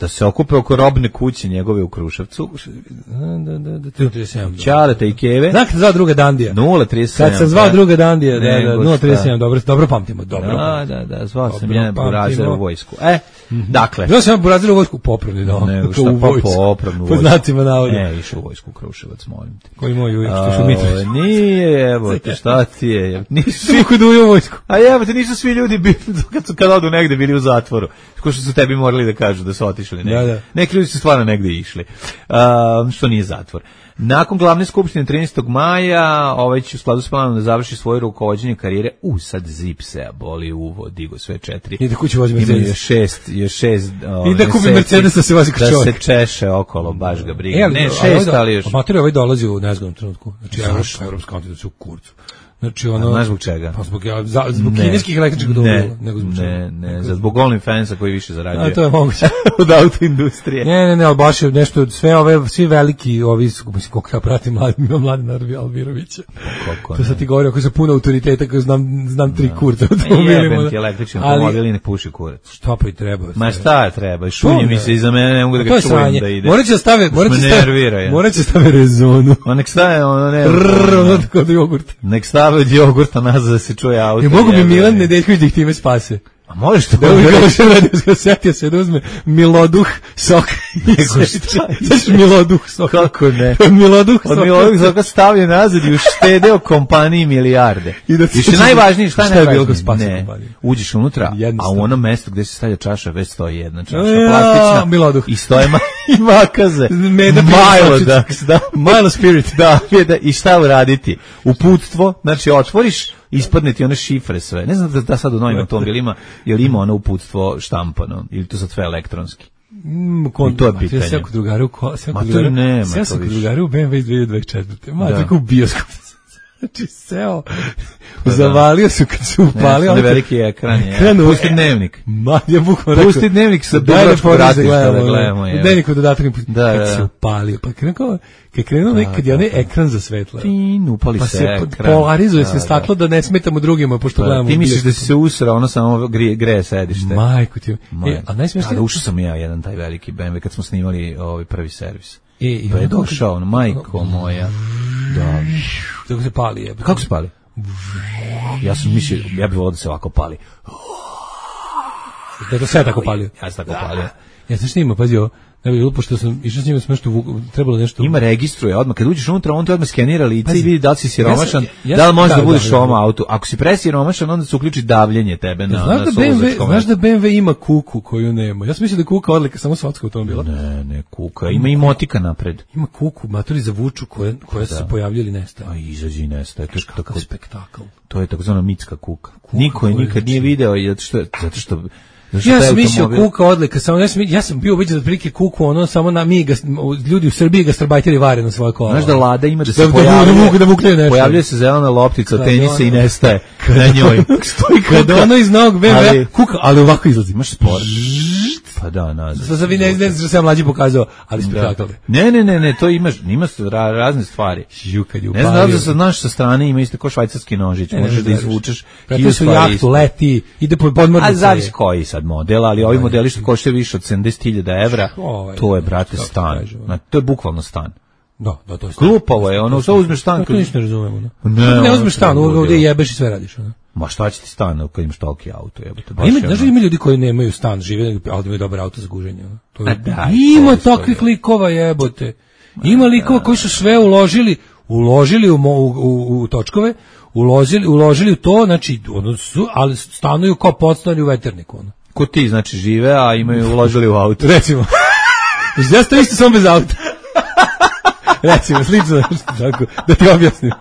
Da se okupe oko robne kuće njegove u Kruševcu. Ćaleta i Keve. Znate zvao druga Dandija. 037. Kad sam zvao druga Dandija, 037, dobro pamtimo. Da, zvao sam jedan burazer u vojsku. Dakle. Zvao sam burazer u vojsku popravni, da. Nego šta pa popravnu vojsku. Po znacima navoda. Išao u vojsku u Kruševac, molim te. Koji moj uvijek, što su Mitrović. Nije, evo te, šta ti je. Svi kod u vojsku. A evo te, nisu svi ljudi kad odu negde bili u zatvoru. Ko što su tebi morali da kažu da su otišli negde. Neki ljudi su stvarno negde išli. Što nije zatvor. Nakon glavne skupštine 13. maja, će u skladu s planom da završi svoje rukovođenje karijere. Sad Zipsea boli uvo, digo sve 4. I da kući vozi Mercedes. Ima još 6. I da kupi Mercedes da se vozi kao čovjek. Da se češe okolo, baš ga briga. Ne, 6, ali još. Amater ovaj dolazi u nezgodnom trenutku. Znači, Evropska antida su u kurcu. Znači ono. Znaš zbog čega? Pa zbog kineskih električnih automobila, nego zbog čega? Ne, zbog OnlyFansa koji više zarađuje. A to je moguće. Od autoindustrije. Ne, ali baš je nešto, svi veliki, mislim, koliko ja pratim Mladena Albirovića. To sad ti govori, ako sam puno autoriteta, koji znam 3 kurca automobilima. Jebem ti električni automobili ne puši kurac. Šta pa i treba? Ma šta treba? Šunje mi se iza mene, ne mogu da ga čujem da ide. Morat će stave rezonu. Nek stave, kod jogurta. Nek stave od jogurta nazad da se čuje auto. I mogu bi Milan Nedeljković da ih time spase. A možeš to? Da bi setio se da uzme Miloduh sok. Znaš Miloduh sok? Kako ne? Miloduh sok. Od Miloduh soka stavio nazad i uštedeo kompaniji milijarde. I što je najvažnije, šta je bilo ne, uđeš unutra, a u onom mestu gde se stavlja čaša, već stoji jedna čaša plastična. Miloduh. I stoje i makaze. Milo Spirit. Da, i šta uraditi? Uputstvo, znači otvoriš, ispadne ti one šifre sve. Ne znam da sad u novim automobilima jel ima ono uputstvo štampano ili to sad sve elektronski. I to je pitanje. Sve kod drugara u BMW iz 2024. Ma tako u bioskop. Znači seo, zavalio su kad su upalio. Ne, veliki ekran je. Pusti dnevnik. Ja bukvalno rekao. Pusti dnevnik sa Dubrovačkog ratišta da gledamo. Dnevnik od dodatak kad se upalio. Pa krenuo nekad je onaj ekran za svetlo. Upali pa se ekran. Pa se polarizuje se staklo da ne smetamo drugima, pošto gledamo. Ti misliš da si se usrao, ono samo greje sedište. Majko ti. A najsmešnije. Ušao sam ja jedan taj veliki BMW kad smo snimali prvi servis. Pa je došao, majko moja. Da. Kako se pali je? Kako se pali? Ja sam mislio, ja bih volio da se ovako pali. Da to sve tako palio? Ja sam tako palio. Ja sam snimao, pazio, ne bi pošto sam išao s njima trebalo nešto. Ima registruje odmah, kad uđeš unutra, on te odmah skenira lice i vidi da li si siromašan, da li možeš da budeš u ovom autu. Ako si presiromašan, onda se uključi davljenje tebe na suvozačkom. Znaš da BMW ima kuku koju nema? Ja sam mislio da kuka odlika samo svatska automobila. Ne, kuka. Ima i motika napred. Ima kuku, matori za vuču koja se pojavljaju ili nestaje. A izađi i nestaje. To je kakav spektakl. To je takozvana mitska kuka. Niko je nikad nije video, zato što ja sam mislio kuka odlika, samo ja sam bio ubeđen da prilike kuku, ono samo ljudi u Srbiji gastarbajteri vare na svoje kola. Znaš da Lada ima da se pojavljuje se zelena loptica od tenisa i nestaje na njoj. Stoji kada ono iz novog BMW kuka, ali ovako izlazi. Imaš sport. Pa da, nazad. Sad vi ne znam što sam mlađi pokazao, ali spektakl. Ne, to ima razne stvari. Ne znam da se znaš sa strane ima isto kao švajcarski nožić, možeš da izvučeš. Preto su jahtu, leti, ide po podmornici. A zavisi koji sad model, ali ovi modeli što koštaju više od 70.000 evra, to je, brate, stan. To je bukvalno stan. Da, to je stan. Glupavo je, ono, što uzmeš stan? To ništa ne razumemo. Ne uzmeš stan, ovdje jebeš i sve radiš. Ma šta će ti stan kad imaš toliki auto? Znaš, ima ljudi koji nemaju stan, žive, ali imaju dobar auto za guženje. Ima takvih likova, jebote. Ima likova koji su sve uložili u točkove, uložili u to, znači, ali stanuju kao podstani u veterniku. Ko ti, znači, žive, a imaju uložili u auto. Recimo. Ja sam isto sam bez auta. Recimo, slično, tako, da ti objasnim,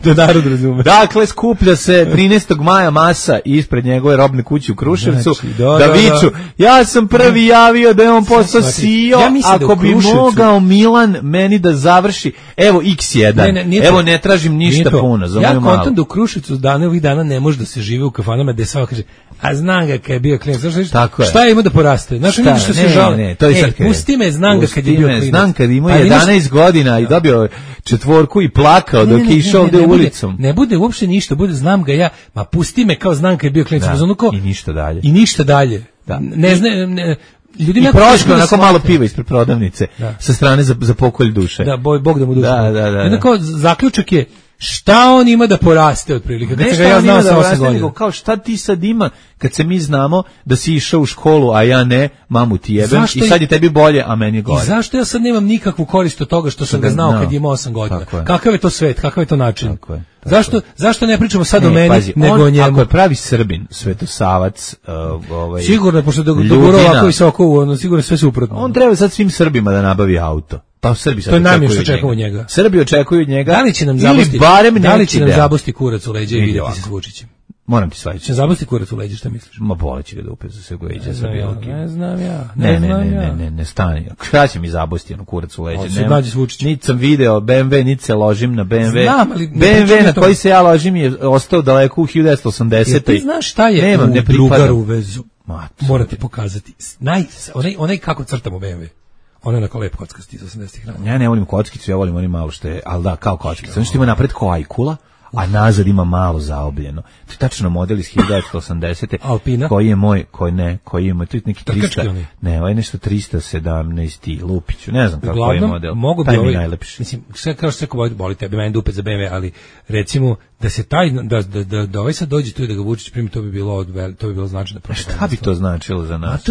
da narod razume. Dakle, skuplja se 13. maja masa ispred njegove robne kuće u Kruševcu, da viču, ja sam prvi javio da je on postao CEO, ako bi mogao Milan meni da završi, evo X1, evo ne tražim ništa puno, za moju malu. Ja kontam da u Kruševcu ovih dana ne može da se žive u kafanama, gde samo kaže, a znam ga kad je bio klijent, šta je imao da poraste? Znaš, ljudi što se žale, pusti me, znam ga kad je bio klijent. Znam kad imao 11 godina i dobio 4 i plakao dok je išao ovdje ulicom. Ne bude uopšte ništa, bude znam ga ja, ma pusti me kao znam kad je bio klijent. I ništa dalje. Ne znam, i prošlo onako malo piva ispred prodavnice sa strane za pokolj duše. Da, Bog da mu duše. Da. Jednako, zaključak je šta on ima da poraste otprilike. Ne šta on ima da poraste, nego kao šta ti sad ima kad se mi znamo da si išao u školu, a ja ne, mamu ti jebem i sad je tebi bolje, a meni je gore. I zašto ja sad nemam nikakvu korist od toga što sam ga znao kad je imao 8 godina? Kakav je to svet, kakav je to način? Zašto ne pričamo sad o meni, nego o njemu? Ako je pravi Srbin, Svetosavac, sigurno, pošto dogurao ovako visoko, sigurno sve suprotno. On treba sad svim Srbima da nabavi auto. Pa Srbi sad očekuju od njega. Srbi očekuju od njega. Da li će nam zabosti kurac u leđa i vidjeti se s Vučićem? Moram ti svađati. Će zabosti kurac u leđa, šta misliš? Ma boleći ga dupe za sve go iđe sa bilki. Ne znam ja. Ne stani. Šta će mi zabosti ono kurac u leđa? Niti sam video BMW, niti se ložim na BMW. Znam, ali BMW na koji se ja ložim je ostao daleko u 1980. Ti znaš šta je drugaru vezu? Morate pokazati. Onaj kako crtamo BMW. Ona je onako lep kockasti iz 80-ih godina. Ja ne volim kockicu, ja volim oni malo što je, ali da, kao kockica. Ono što ima napred ko ajkula, a nazad ima malo zaobljeno. To je tačno model iz 1980. Alpina? Koji je moj, koji ima, to je neki 300, ne, ovo je nešto 317. Lupiću, ne znam kako je model. Mogu bi ovaj, mislim, sve kao što se boli tebi, meni dupe za BMW, ali recimo da se taj, da ovaj sad dođe tu i da ga Vučić primi, to bi bilo značajno. Šta bi to značilo za nas?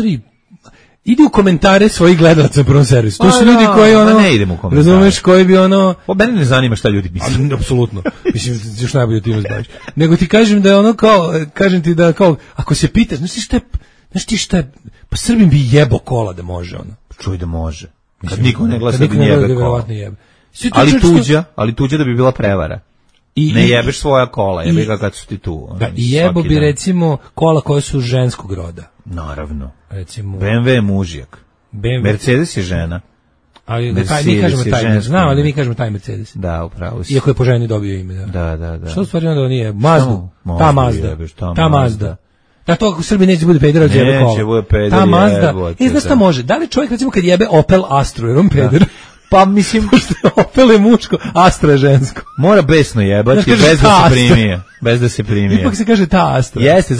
Idi u komentare svojih gledalaca na Prvom servisu. To su ljudi koji ne idem u komentare. Razumeš, koji bi mene ne zanima šta ljudi misle. Apsolutno. Mislim, još najbolje ti izbaviš. Nego ti kažem da je kažem ti da kao, ako se pitaš, znaš ti šta je, pa Srbin bi jebo kola da može Čuj da može. Kad niko ne glasa da jebe kola. Ali tuđa da bi bila prevara. Ne jebeš svoja kola, jebi ga kad su ti tu. I jebo bi recimo kola koje su ženskog roda. Naravno. Recimo BMW je mužjak. Mercedes je žena. Ali mi kažemo taj, znam, ali mi kažemo taj Mercedes. Da, upravo si. Iako je po ženi dobio ime, da. Da. Što u stvari onda nije? Ta Mazda. Da to ako Srbi neće bude peder, od jebe kola. Neće bude peder, ta Mazda. Znaš šta može? Da li čovjek recimo kad jebe Opel Astru, jer on peder? Pa mislim, Opel je muško, Astra je žensko. Mora besno jebati, bez da se primije. Ipak se kaže ta Astra. Jeste,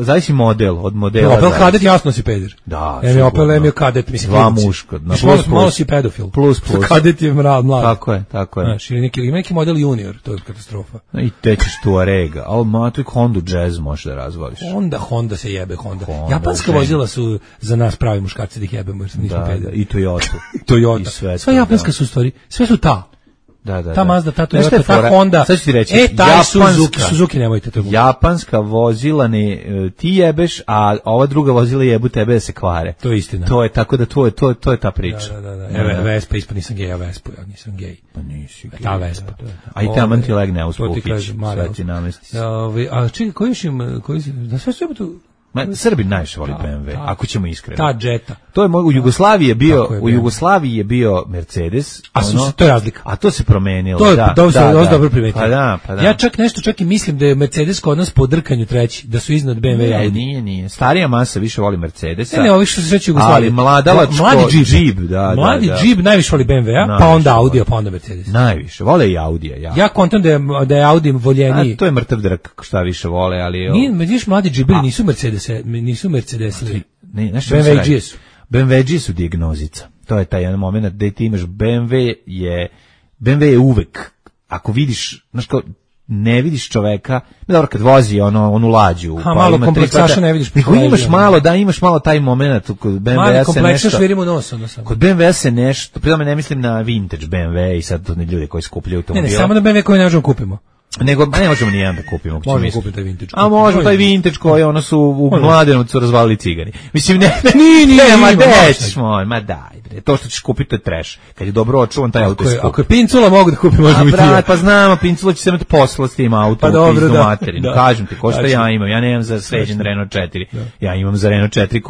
zavisi model, od modela. Opel Kadett jasno si peder. Da. Opel je Kadett, mislim. Dva muško. Malo si pedofil. Plus. Kadett je mlad. Tako je. Znaš, ima neki model junior, to je katastrofa. I tećeš Tuarega, ali tu Honda Jazz možeš da razvališ. Honda se jebe, Honda. Japanska vozila su za nas pravi muškarci da ih jebemo, jer nismo pederi. I Toyota. Sve japanska su stvari, sve su ta. Da. Ta Mazda, ta Toyota, ta Honda. Sad ću ti reći, taj Suzuki nemojte to. Japanska vozila ti jebeš, a ova druga vozila jebu tebe da se kvare. To je istina. To je tako da to je ta priča. Da. Vespa ispod nisam gej, a Vespu ja nisam gej. Pa nisi gej. Ta Vespa. A i taman ti legne uz pufić. Sve ti namesti. A čekaj, da sve su tu... Srbi najviše voli BMW, ako ćemo iskreno. Ta Jetta. To je u Jugoslaviji je bio Mercedes, to je razlika. A to se promenilo. To je dobro primetio. Pa da. Ja čak i mislim da je Mercedes kod nas po drkanju treći, da su iznad BMW. Ne, nije. Starija masa više voli Mercedesa. Ne, ovi što se sreće Jugoslavije. Ali mladalačko Jeep, da. Mladi Jeep najviše voli BMW, pa onda Audi, pa onda Mercedes. Najviše, vole i Audija. Ja kontam da je Audi voljeniji. To je mrtav drk, šta više vole, ali... Nije, mladi Jeeperi nisu Mercedesi. BMW su dijagnozica. To je taj jedan moment gde ti imaš BMW je uvek, ako vidiš, znaš kao, ne vidiš čoveka, dobro kad vozi onu lađu, pa malo kompleksaša ne vidiš. Imaš malo taj moment kod BMW-a se nešto. Švirimo nos, kod BMW-a se nešto, pri tome ne mislim na vintage BMW i sad to ne ljudi koji skupljaju automobile. Ne, samo na BMW koji ne možemo kupimo. Nego ne možemo ni jedan da kupimo. Možemo kupiti taj vintage. A možemo taj vintage koji su u Mladenovcu razvalili cigani. Mislim ma daj bre. To što ćeš kupiti je trash. Kad je dobro očuvan taj auto. Ako je Pincula mogu da kupim, možemo i ti. Pa znamo, Pincula će se imati posla s tim autom u pizdu materinu. Kažem ti, ko što ja imam. Ja nemam za sređen Renault 4. Ja imam za Renault 4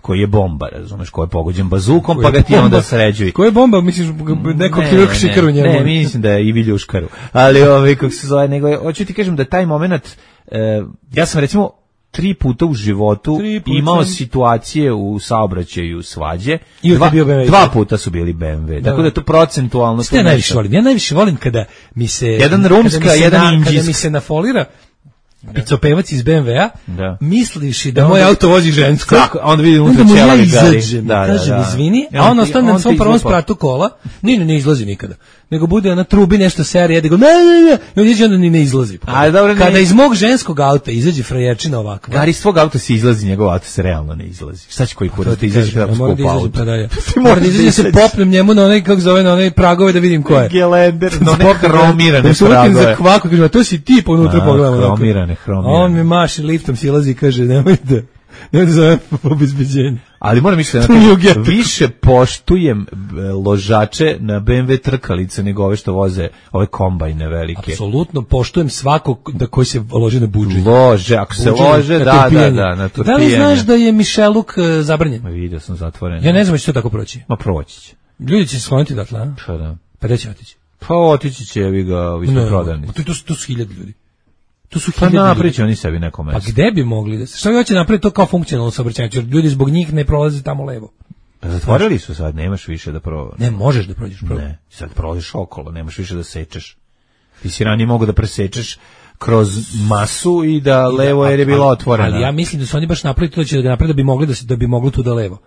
koji je bomba, razumeš, koji je pogođen bazukom, pa ga ti onda sređuj. Koji je bomba, misliš, neko kirurg šikaru njemu? Ne, mislim da je i viljuškaru. Ali kako se zove, nego, hoću ti kažem da taj moment, ja sam recimo 3 puta u životu imao situacije u saobraćaju svađe. 2 puta su bili BMW. Tako da je to procentualno... Šta najviše volim? Ja najviše volim kada mi se... Jedan rumska, jedan indijski. Kada mi se nafolira picopevac iz BMW-a, misliš da moj auto vozi žensko, onda vidim unutra ćelavi gari. Kažem, izvini, a on ostane na svom prvom spratu kola, ne izlazi nikada. Nego bude na trubi nešto serije, da go i on izađe, onda ni ne izlazi. Kada iz mog ženskog auta izađe frajerčina ovakva. Gari, iz tvog auta se izlazi, njegov auto se realno ne izlazi. Šta će koji kurac da izađe kada skupa auto? Mora da izađe se popnem njemu na onaj, kako zove, na onaj pragove da vidim ko je. Gelender, na one hromirane pragove. Kaže, to si ti, pa unutra pogledamo. Hromirane. On mi maši liftom, silazi i kaže, nemoj da zove obezbeđenje. Ali moram misliti više poštujem ložače na BMW trkalice nego ove što voze ove kombajne velike. Apsolutno poštujem svakog koji se loži na budžet. Lože, ako se lože, da, na turpijanje. Da li znaš da je Mišeluk zabranjen? Vidio sam zatvoren. Ja ne znam će to tako proći. Ma proći će. Ljudi će se skloniti odatle, a? Pa da. Pa gde će otići? Pa otići će, vi ga, vi smo prodani. To su 1000 ljudi. To su pa napriče oni sebi neko mesto. Pa gde bi mogli da se? Šta vi hoće napraviti to kao funkcionalno saobraćajnicu? Jer ljudi zbog njih ne prolaze tamo levo. Zatvorili su sad, nemaš više da Ne, možeš da prođeš prvo. Ne, sad prolaziš okolo, nemaš više da sečeš. Ti si ranije mogu da presečeš kroz masu i da levo jer je bila otvorena. Ali ja mislim da su oni baš napravili to da će da naprave da bi mogli tu da levo.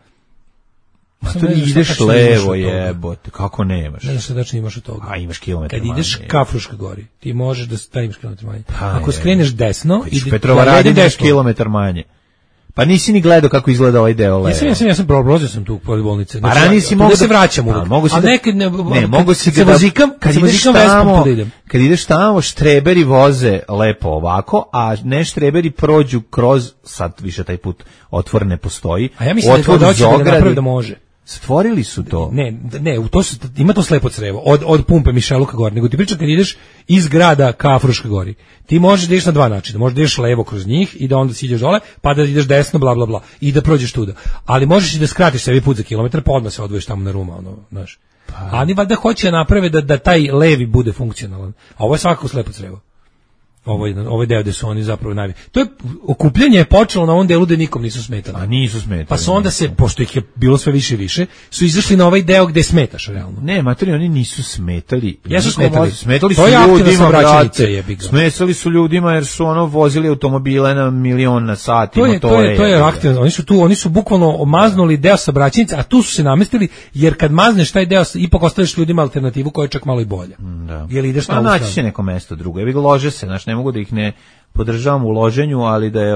Ma to ideš levo, jebote, kako nemaš? Ne znaš šta tačno imaš od toga. A imaš kilometar manje. Kad ideš ka Fruškoj gori, ti možeš da imaš kilometar manje. Pa, ako skreneš desno, ideš kilometar manje. Pa nisi ni gledao kako izgleda ovaj deo levo. Ja sam prolazio sam tu pored bolnice. Pa ranije si mogu da se vraćam uvek. A nekad mogu si se vozikam, kad ideš tamo, štreberi voze lepo ovako, a ne štreberi prođu kroz, sad više taj put otvor ne postoji. A ja mislim da hoće da napravi da može. Stvorili su to. Ne, u to ima to slepo crevo od pumpe Mišeluka gore, nego ti pričam kad ideš iz grada ka Fruškoj gori. Ti možeš da ideš na dva načina, možeš da ideš levo kroz njih i da onda siđeš dole, pa da ideš desno, bla bla bla, i da prođeš tuda. Ali možeš i da skratiš sebi put za kilometar, pa odmah se odvojiš tamo na Ruma, znaš. A oni valjda hoće naprave da taj levi bude funkcionalan. A ovo je svakako slepo crevo. Ovaj deo gde su oni zapravo to je okupljanje je počelo na ovom delu gde nikom nisu smetali. A nisu smetali. Pa su onda se, pošto ih je bilo sve više i više, su izašli na ovaj deo gde smetaš realno. Ne, materi, oni nisu smetali. Jesu smetali. Smetali su ljudima, brate. Smetali su ljudima jer su vozili automobile na 1.000.000 na sat. To je aktivno. Oni su bukvalno maznuli deo saobraćajnice, a tu su se namestili, jer kad mazneš taj deo, ipak ostaviš ljudima alternativu koja je čak malo i bolja. Da. Jer ideš na naći će neko mesto drugo. Evi ga lože se, znaš, ne mogu da ih ne podržavam u loženju, ali da je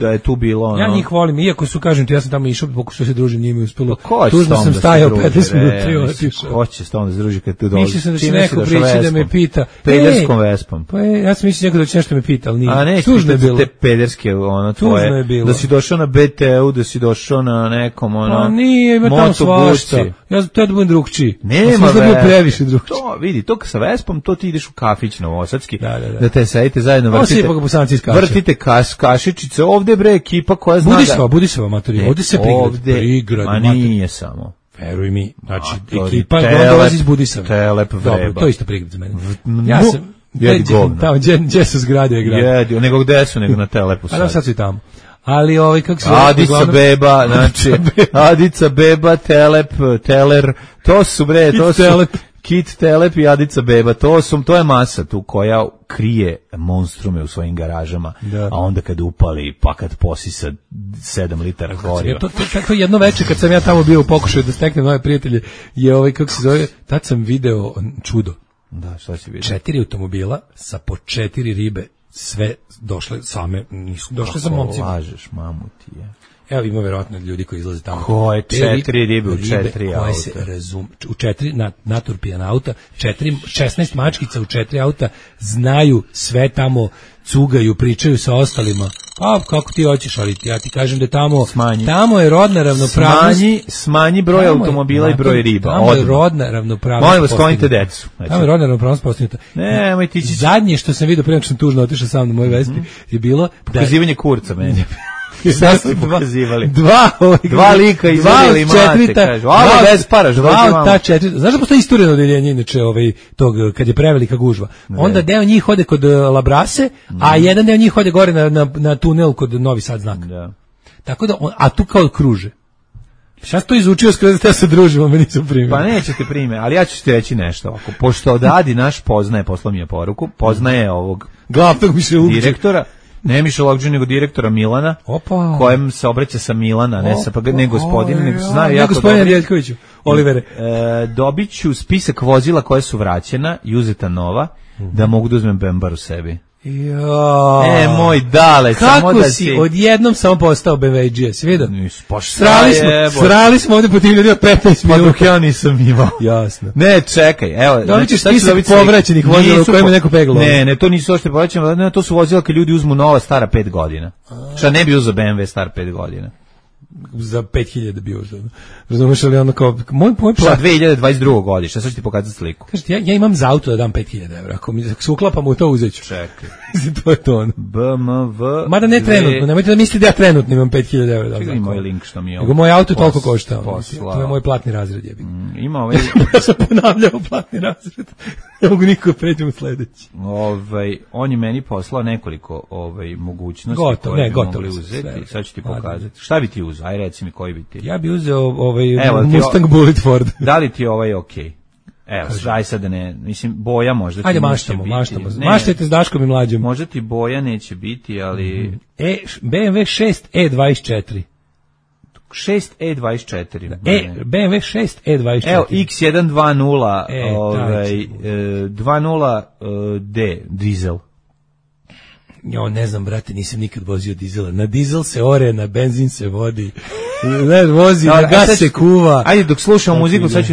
da je tu bilo Ja njih volim, iako su, kažem ti, ja sam tamo išao, pokušao se družim njima i uspelo. Tužno sam stajao 15 minuta i otišao. Ko će se onda da se druži kad tu dolazi? Mislio sam da će neko prići da me pita. Pederskom vespom. Pa ja sam mislio da će nešto me pita, ali nije. A ne, tužno je bilo. Te pederske, tvoje. Da si došao na BTU, da si došao na nekom, Pa nije, ima tamo svašta. Ja da budem drugčiji. Nema previše drugčiji. To, vidi, to sa vespom, to ti ideš u kafić novosadski, da te sedite zajedno vrtite kašičice, ovde bre ekipa koja zna Budisava matori, ovde se prigrad. Ma nije samo. Veruj mi, znači ekipa dolazi iz Budisave. Telep vreba. To je isto prigrad za mene. Ja sam tamo gdje su zgrade je grad. Nego gde su, nego na Telepu sad. A sad su i tamo. Ali kako se Adica Beba, znači Adica Beba, Telep, Teler, to su bre, to su Kit Telep i Adica Beba, to je masa tu koja krije monstrume u svojim garažama, a onda kad upali, pa kad posisa 7 litara goriva. To jedno veče kad sam ja tamo bio u pokušaju da steknem nove prijatelje, je kako se zove, tad sam video čudo. Da, šta si vidio? 4 automobila sa po 4 ribe, sve došle same, nisu došle sa momcima. Kako lažeš, mamu ti je. Evo ima verovatno ljudi koji izlaze tamo. Ko je 4 ribe u 4 auta? Se u 4 naturpijana auta, 16 mačkica u 4 auta, znaju sve tamo, cugaju, pričaju sa ostalima. Pa kako ti hoćeš, ali ja ti kažem da tamo je rodna ravnopravnost. Smanji broj automobila i broj riba. Tamo je rodna ravnopravnost. Molim vas, sklonite decu. Tamo je rodna ravnopravnost postignuta. Nemoj ti će. Zadnje što sam vidio, prije nego što sam tužno otišao sam na moj Vespi, je bilo pokazivanje kurca meni. Šta ste pokazivali? Dva lika izvedeli mate, kažu. Ovo bez para, ta 4. Znaš da postoji istureno odeljenje, inače, tog, kad je prevelika gužva. Onda deo njih ode kod Labrase, a jedan deo njih ode gore na tunel kod Novi Sad znak. Tako da, a tu kao kruže. Šta si to izučio skoro da se družimo, me nisam primio. Pa neće te prime, ali ja ću ti reći nešto. Pošto od Adi naš poznaje, poslao mi je poruku, poznaje ovog glavnog direktora, ne Mišelovđe, nego direktora Milana, kojem se obraća sa Milana, ne gospodine, nego se znaju jako dobro. Gospodine Ljeljkoviću, Olivere. Dobit ću spisak vozila koje su vraćena i uzeta nova, da mogu da uzmem Bembar u sebi. Moj dale, samo da kako si odjednom samo postao BMW-đija, si vidio? Srali smo ovdje po tim ljudima 15 minuta. Pa dok ja nisam imao. Jasno. Ne, čekaj, evo. Dobit ćeš spisak povraćenih vozila u kojima neko peglo. Ne, to nisu ošte povraćene, to su vozila kad ljudi uzmu nova stara 5 godina. Šta ne bi uzeo BMW star 5 godina? za 5000 bio. Razumeš, ali ono kao moj Šta 2022. godište, sad ću ti pokazati sliku. Kažete, ja imam za auto da dam 5000 evra, ako mi se uklapam u to uzeću. Čekaj. To je to ono. BMW. Mada ne trenutno, nemojte da mislite da ja trenutno imam 5000 evra. Čekaj, moj link što mi je. Nego moj auto toliko košta. To je moj platni razred, jebi. Ima ovaj. Ja sam ponavljao platni razred. Ne mogu niko pređem u sledeći. On je meni poslao nekoliko mogućnosti gotovo, koje ne, bi gotovo mogli uzeti. sve. Sad ću ti pokazati. Šta bi ti uzeo? Aj reci mi koji bi ti. Ja bi uzeo Mustang Bullet Ford. Da li ti je okej? Evo, daj sad da ne, mislim, boja možda ti ajde, neće maštamo. biti. Maštajte s Daškom i Mlađom. Možda ti boja neće biti, ali... BMW 6E24. 6E24. BMW 6E24. Evo, X120, 20D, dizel. Jo, ne znam, brate, nisam nikad vozio dizela. Na dizel se ore, na benzin se vodi. Ne, vozi, na gas se kuva. Ajde, dok slušamo muziku, sad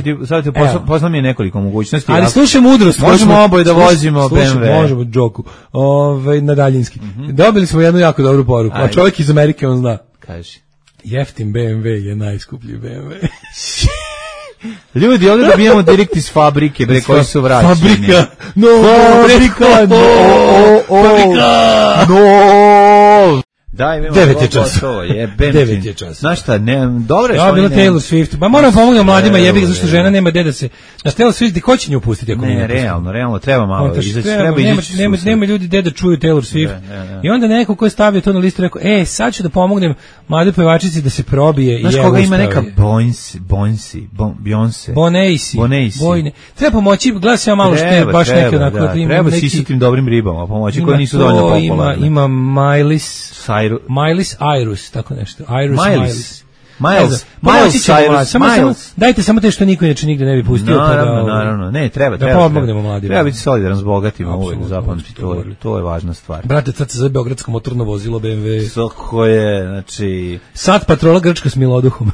ti poznam je nekoliko mogućnosti. Ali slušaj mudrost. Možemo oboje da vozimo BMW. Možemo, džoku. Na daljinski. Dobili smo jednu jako dobru poruku. A čovjek iz Amerike, on zna. Kaži. Jeftin BMW je najskuplji BMW. Ljudi, ovdje dobijamo direkt iz fabrike, bre, koji su vraćeni. Fabrika! Fabrika! No! Daj, 9 je čas. 9 je čas. Znaš šta, dobro je što oni bilo Taylor Swift. Pa moram pomoći mladima, jebi ga, zašto žena nema gde da se... Na Taylor Swift, ko će nju pustiti ako ne, realno, treba malo izaći. Nema ljudi gde da čuju Taylor Swift. I onda neko ko je stavio to na listu rekao, sad ću da pomognem mladoj pevačici da se probije. Znaš koga ima neka Beyoncé? Bonacey. Treba pomoći, gledaj se ja malo što je baš neki onako. Treba si tim dobrim ribama pomoći, koji nisu dovoljno popularne. Ima Miley Cyrus, tako nešto. Miles. Dajte samo te što niko inače nigde ne bi pustio. Naravno. Ne, treba. Da pomognemo mladima. Treba biti solidaran s bogatima, uvijek zapamti, to je važna stvar. Brate, sad se zove beogradsko motorno vozilo BMW. Soko je, znači... Sad patrola Grčka s miloduhom.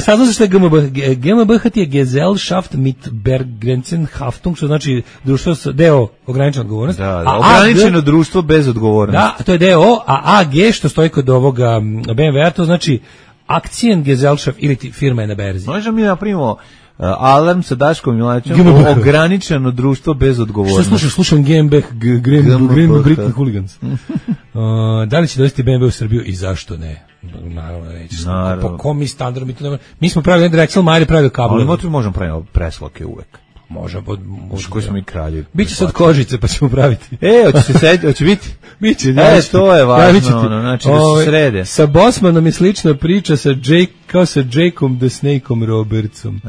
Sad znaš što je GmbH? GmbH je Gesellschaft mit Begrenzten Haftung, što znači društvo deo ograničena odgovornost. Da, ograničeno društvo bez odgovornosti. Da, to je deo, a AG što stoji kod ovoga BMW-a, to znači Aktiengesellschaft ili firma je na berzi. Možemo mi napravimo alarm sa Daškom Milačom, ograničeno društvo bez odgovornosti. Što slušam GmbH, Britain Hooligans. Da li će dovesti BMW u Srbiju i zašto ne? Naravno, neće. Po kom mi standardu, mi smo pravili Drexel, Majer je pravio kabel. Ali možemo praviti presloke uvek. Možemo. Koji smo mi kraljevi. Biće sad kožice, pa ćemo praviti. Hoće biti? Biće. To je važno, znači da se srede. Sa Bosmanom je slična priča kao sa Jakeom the Snakeom Robertsom.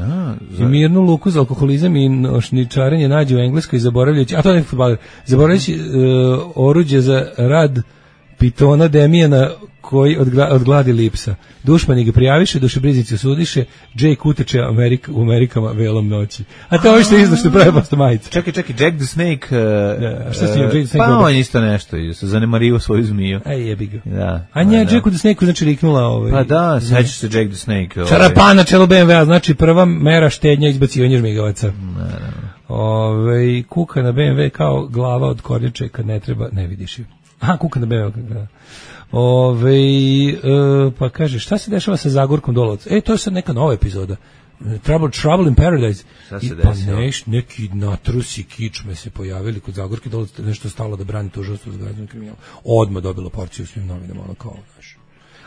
I mirnu luku za alkoholizam i nošničarenje nađe u Engleskoj zaboravljajući, a to je fudbaler, zaboravljajući oruđe za rad pitona Demijana koji od gladi lipsa. Dušmani ga prijaviše, dušebriznici osudiše, Jake uteče u Amerikama velom noći. A to je što izno što pravi posto majice. Čekaj, Jack the Snake... šta si Jack the Snake? Pa on isto nešto, se zanemario svoju zmiju. Jebi ga. Da. A nje Jack the Snake znači riknula... Pa da, sećaš se Jack the Snake. Čarapa na čelo BMW-a, znači prva mera štednja izbacivanja žmigavaca. Kuka na BMW kao glava od kornjače kad ne treba, ne vidiš ju. Kuka na BMW. Pa kaže, šta se dešava sa Zagorkom Dolovac? To je sad neka nova epizoda. Trouble in Paradise. Šta se desilo? Pa neki natrusi kičme se pojavili kod Zagorke Dolovac, nešto stalo da brani tužilaštvo za organizovani kriminal. Odmah dobilo porciju svim novinama, ono kao, znaš.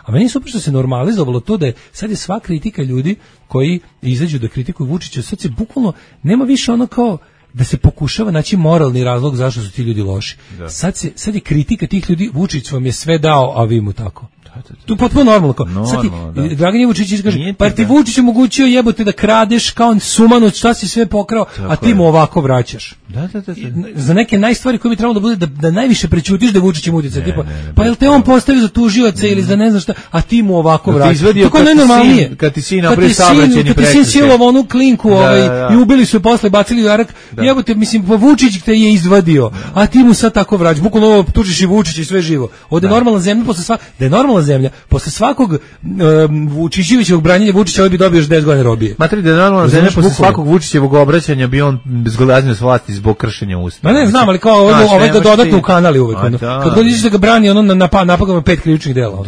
A meni je super što se normalizovalo to da je, sad je sva kritika ljudi koji izađu da kritikuju Vučića, sad se bukvalno, nema više ono kao, da se pokušava naći moralni razlog zašto su ti ljudi loši. Da. Sad je kritika tih ljudi, Vučić vam je sve dao, a vi mu tako. Tu potpuno normalno. Sad ti, Dragan Vučić kaže, pa ti Vučić omogućio jebote da kradeš kao sumanut, šta si sve pokrao, a ti mu ovako vraćaš. Da. Za neke najstvari koje bi trebalo da bude da najviše prećutiš da Vučić im utjeca. Pa jel te on postavi za tužioca ili za ne znam šta, a ti mu ovako vraćaš. Tako najnormalnije. Kad ti sin napravi saobraćajni prekršaj. Kad ti sin silovao onu klinku i ubili su je posle, bacili u jarak, jebote, mislim, Vučić te je izvadio, a ti mu sad tako vraćaš. Bukvalno ovo tužiš i Vučić i sve živo. Ovde je normalna zemlja posle sva, da je normalna zemlja. Posle svakog Vučićevićevog branjenja Vučića ovaj bi dobio još 10 godina robije. Matri da je normalna zemlja, posle svakog Vučićevog obraćanja bi on bezgolaznio s vlasti zbog kršenja ustava. Ma ne znam, ali kao ovaj ga dodatno u kanali uvek. Kad god ideš da ga brani, ono napakama 5 krivičnih dela.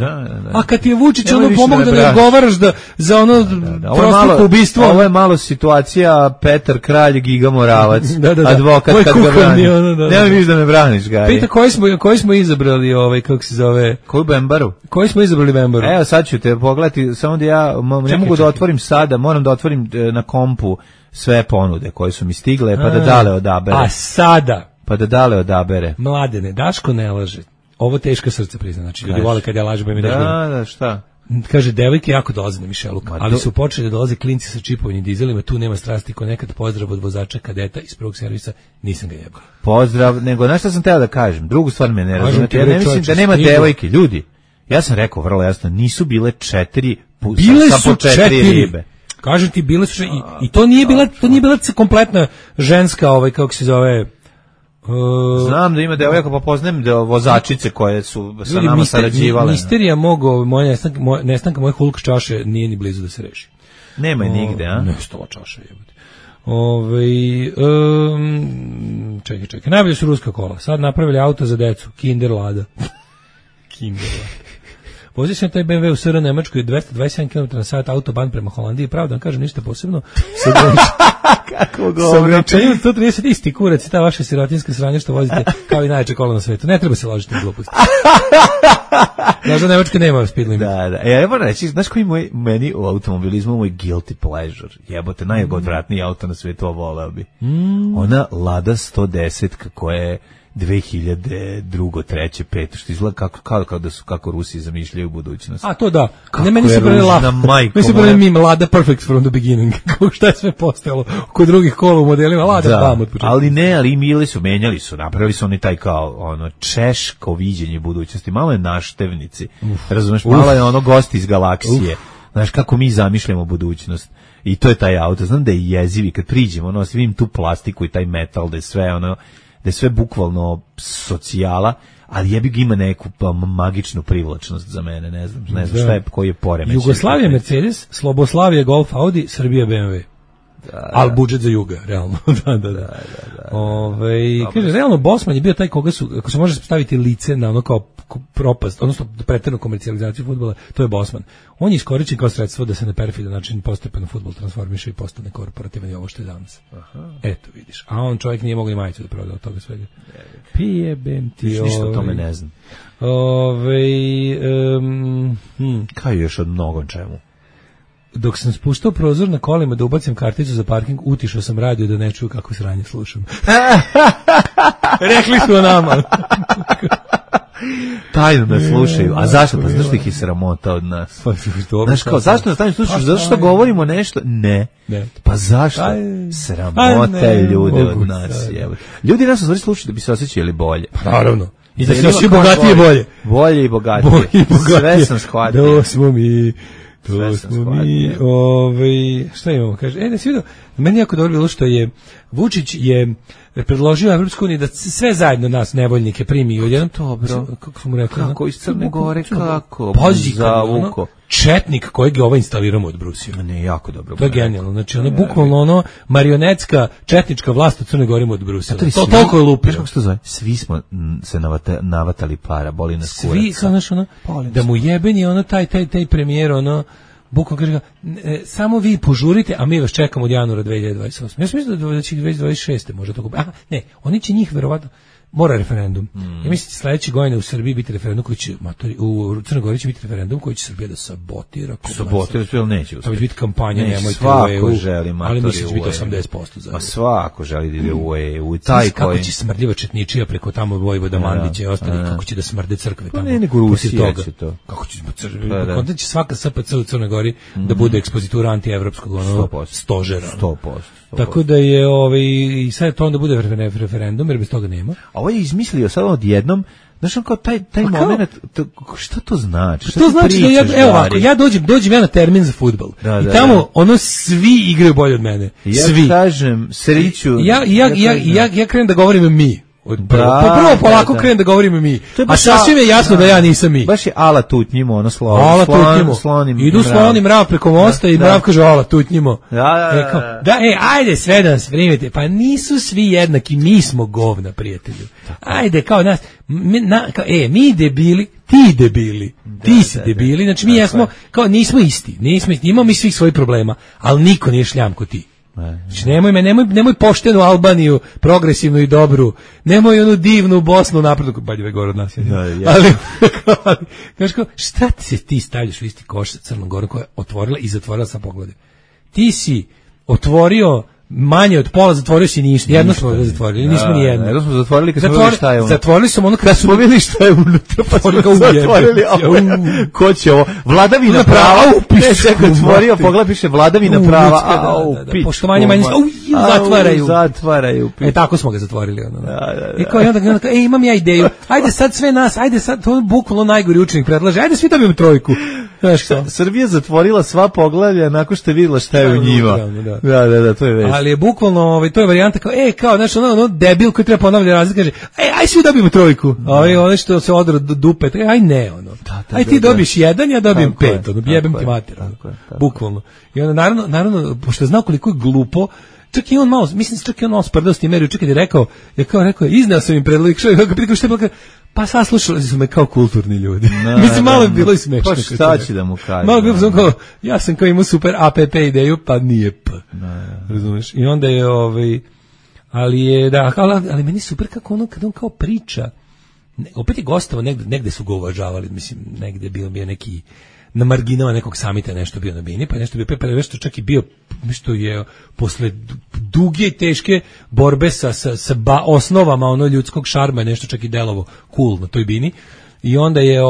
A kad ti je Vučić ono pomogao da ne odgovaraš za ono prosto ubistvo. Ovo je malo situacija Petar Kralj, Giga Moravac, advokat kad ga brani. Ne vidiš da me braniš, Gari. Pita koji smo izabrali, kako se zove? Koju Bembaru? Koji smo izabrali Bembaru? Evo sad ću te pogledati, samo da ja ne mogu da otvorim sada, moram da otvorim na kompu sve ponude koje su mi stigle, pa da Dale odabere. A sada? Pa da Dale odabere. Mladene, Daško ne laže. Ovo teška srce prizna, znači ljudi vole kad ja lažem, mi da, šta? Kaže, devojke jako dolaze na Mišeluk, ali su počeli da dolaze klinci sa čipovnim dizelima, tu nema strasti ko nekad. Pozdrav od vozača kadeta iz prvog servisa, nisam ga jebao. Pozdrav, nego znaš šta sam teo da kažem, drugu stvar me ne razumete, ja ne mislim da nema devojke, ljudi, ja sam rekao vrlo jasno, nisu bile 4 sa po 4 ribe. Kažem ti, bile su i to nije bila kompletna ženska, kako se zove. Znam da ima devojaka, pa poznajem da vozačice koje su sa nama sarađivale. Misterija nestanka moje Hulk čaše nije ni blizu da se reši. Nema je nigde, a? Nestala čaša, jebote. Čekaj. Najbolje su ruska kola. Sad napravili auto za decu. Kinder Lada. Kinder Lada. Vozio sam taj BMW u SR Nemačkoj 227 km na sat autoban prema Holandiji. Pravda, vam kažem ništa posebno. Sa ograničenjem 130 isti kurac i ta vaša sirotinska sranja što vozite kao i najjače kola na svetu. Ne treba se ložiti na gluposti. Znaš da Nemačka nema speed limit. Da. Ja moram reći, znaš koji meni u automobilizmu moj guilty pleasure? Jebote, najodvratniji auto na svetu, voleo bi. Ona Lada 110 koja je 2002, 3, 5, što izgleda kako Rusi zamišljaju budućnost. A to da. Ne, meni se prvi mim Lada perfect from the beginning. Kako šta je sve postojalo kod drugih kola u modelima Lada bam od početka. Ali menjali su, napravili su oni taj kao češko viđenje budućnosti. Malo je naštevnici. Razumeš, malo je gosti iz galaksije. Znaš kako mi zamišljamo budućnost. I to je taj auto. Znam da je jezivi kad priđemo, vidim tu plastiku i taj metal, da je sve da je sve bukvalno socijala, ali jebi ga ima neku magičnu privlačnost za mene, ne znam šta je, koji je poremećaj. Jugoslavija Mercedes, Sloboslavija Golf Audi, Srbija BMW. Ali budžet za Juga, realno. Da. Kaže, realno Bosman je bio taj koga su, ako se može staviti lice na kao propast, odnosno preteranu komercijalizaciju fudbala, to je Bosman. On je iskorišćen kao sredstvo da se na perfidan način postepeno fudbal transformiše i postane korporativan i ovo što je danas. Eto, vidiš. A on čovjek nije mogao ni majicu da proda od toga svega. Pijebem ti. Ništa o tome ne znam. Kao još od mnogom čemu. Dok sam spuštao prozor na kolima da ubacim karticu za parking, utišao sam radio da ne čuju kako sranje slušam. Rekli su o nama. Tajno nas slušaju. A zašto? Pa znaš li ih je sramota od nas? Znaš kao, zašto nas tajno slušaš? Zato što govorimo nešto? Ne. Pa zašto? Sramota je ljude od nas. Ljudi nas u stvari slušaju da bi se osjećali bolje. Naravno. I da se osjećaju bogatije i bolje. Bolje i bogatije. Sve sam shvatio. Da smo mi... šta imamo, kaže, da si vidio, meni jako dobro bilo što je Vučić je predložio Evropsku uniju da sve zajedno nas nevoljnike primi odjednom. Dobro. Kako su mu rekli? Kako iz Crne Gore, kako? Zavuko. Četnik kojeg je instaliramo od Brusija. Ne, jako dobro. To je genijalno. Znači, bukvalno marionetska četnička vlast u Crnoj Gori od Brusija. To toliko je lupio. Kako se to zove? Svi smo se navatali para, boli nas kurac. Svi, znaš, da mu jeben je taj premijer, bukvalno kaže, samo vi požurite, a mi vas čekamo od januara 2028. Ja sam mislio da će 2026. možda to kupiti. Ne, oni će njih verovatno, mora referendum. Ja mislim da sledeće godine u Srbiji biti referendum koji će, u Crnoj Gori će biti referendum koji će Srbija da sabotira. Sabotira, neće. To će biti kampanja, nemojte u EU, želi ali mislim da će biti 80% za EU. Pa svako želi da ide u EU. Kako će smrdljiva četničija preko tamo Vojvoda Mandića i ostali, kako će da smrde crkve tamo. Ne, nego Rusija će to. Kako će onda će svaka SPC u Crnoj Gori da bude ekspozitura antievropskog stožera. 100%. Tako da je i sad to onda bude referendum, jer bez toga nema. A ovo je izmislio sad odjednom, znaš kao taj moment, šta to znači? Što znači da evo ovako, ja dođem ja na termin za fudbal i tamo svi igraju bolje od mene. Ja kažem, Sreću. Ja krenem da govorim mi. Prvo polako krenem da govorimo mi. A sasvim je jasno da ja nisam mi. Baš je ala tutnjimo, ono slovo. Ala tutnjimo. Idu sloni mrav preko mosta i mrav kaže ala tutnjimo. Ajde sve da nas primite. Pa nisu svi jednaki, mi smo govna, prijatelju. Ajde, kao nas, mi debili, ti debili, ti si debili, znači mi jesmo, kao nismo isti, imamo mi svih svojih problema, ali niko nije šljam ko ti. Znači nemoj poštenu Albaniju, progresivnu i dobru, nemoj onu divnu Bosnu napredu, Baljeve gore od nas. Ali šta ti stavljaš u isti koš sa Crnom Gorom koja je otvorila i zatvorila sa pogledom? Ti si otvorio manje od pola, zatvorio si ništa. Jedno smo zatvorili, nismo ni jedno. Jedno smo zatvorili kad smo vidjeli šta je unutra. Zatvorili smo ono kad smo vidjeli šta je unutra, pa smo zatvorili. Ko će ovo? Vladavina prava. Otvorio, pogled piše vladavina prava. Poštovanje manjinska. Zatvaraju. Tako smo ga zatvorili. I kao i onda imam ja ideju. Ajde sad sve nas, ajde sad, to je bukvalno najgori učenik predlaže. Ajde svi dobijemo trojku. Srbija zatvorila sva poglavlja nakon što je vidjela šta je u njima. Da, to je već. Ali je bukvalno, to je varijanta kao, znaš, ono debil koji treba ponavljati razlike, kaže, aj svi dobijemo trojku. Ono što se odra dupe, aj ne, ono. Aj ti dobiš jedan, ja dobijem 5, ono, jebem ti mater, bukvalno. I onda, naravno, pošto je znao koliko je glupo, čak i on malo, mislim, čak i on malo sprdao s tim meriju, čak i je rekao, izneo sam im predlog, što je pitao, pa saslušali su me kao kulturni ljudi. Mislim, malo je bilo i smešno. Pa šta će da mu kaže? Malo je bilo kao, ja sam kao imao super APP ideju, pa nije P. Razumeš? I onda je, ali meni super kako ono, kada on kao priča, opet je gostavo, negde su ga uvažavali, mislim, negde bio neki, na marginama nekog samita nešto bio na bini, pa nešto bio nešto čak i bio, nešto je posle duge i teške borbe sa osnovama ono ljudskog šarma, nešto čak i delovo cool na toj bini. I onda je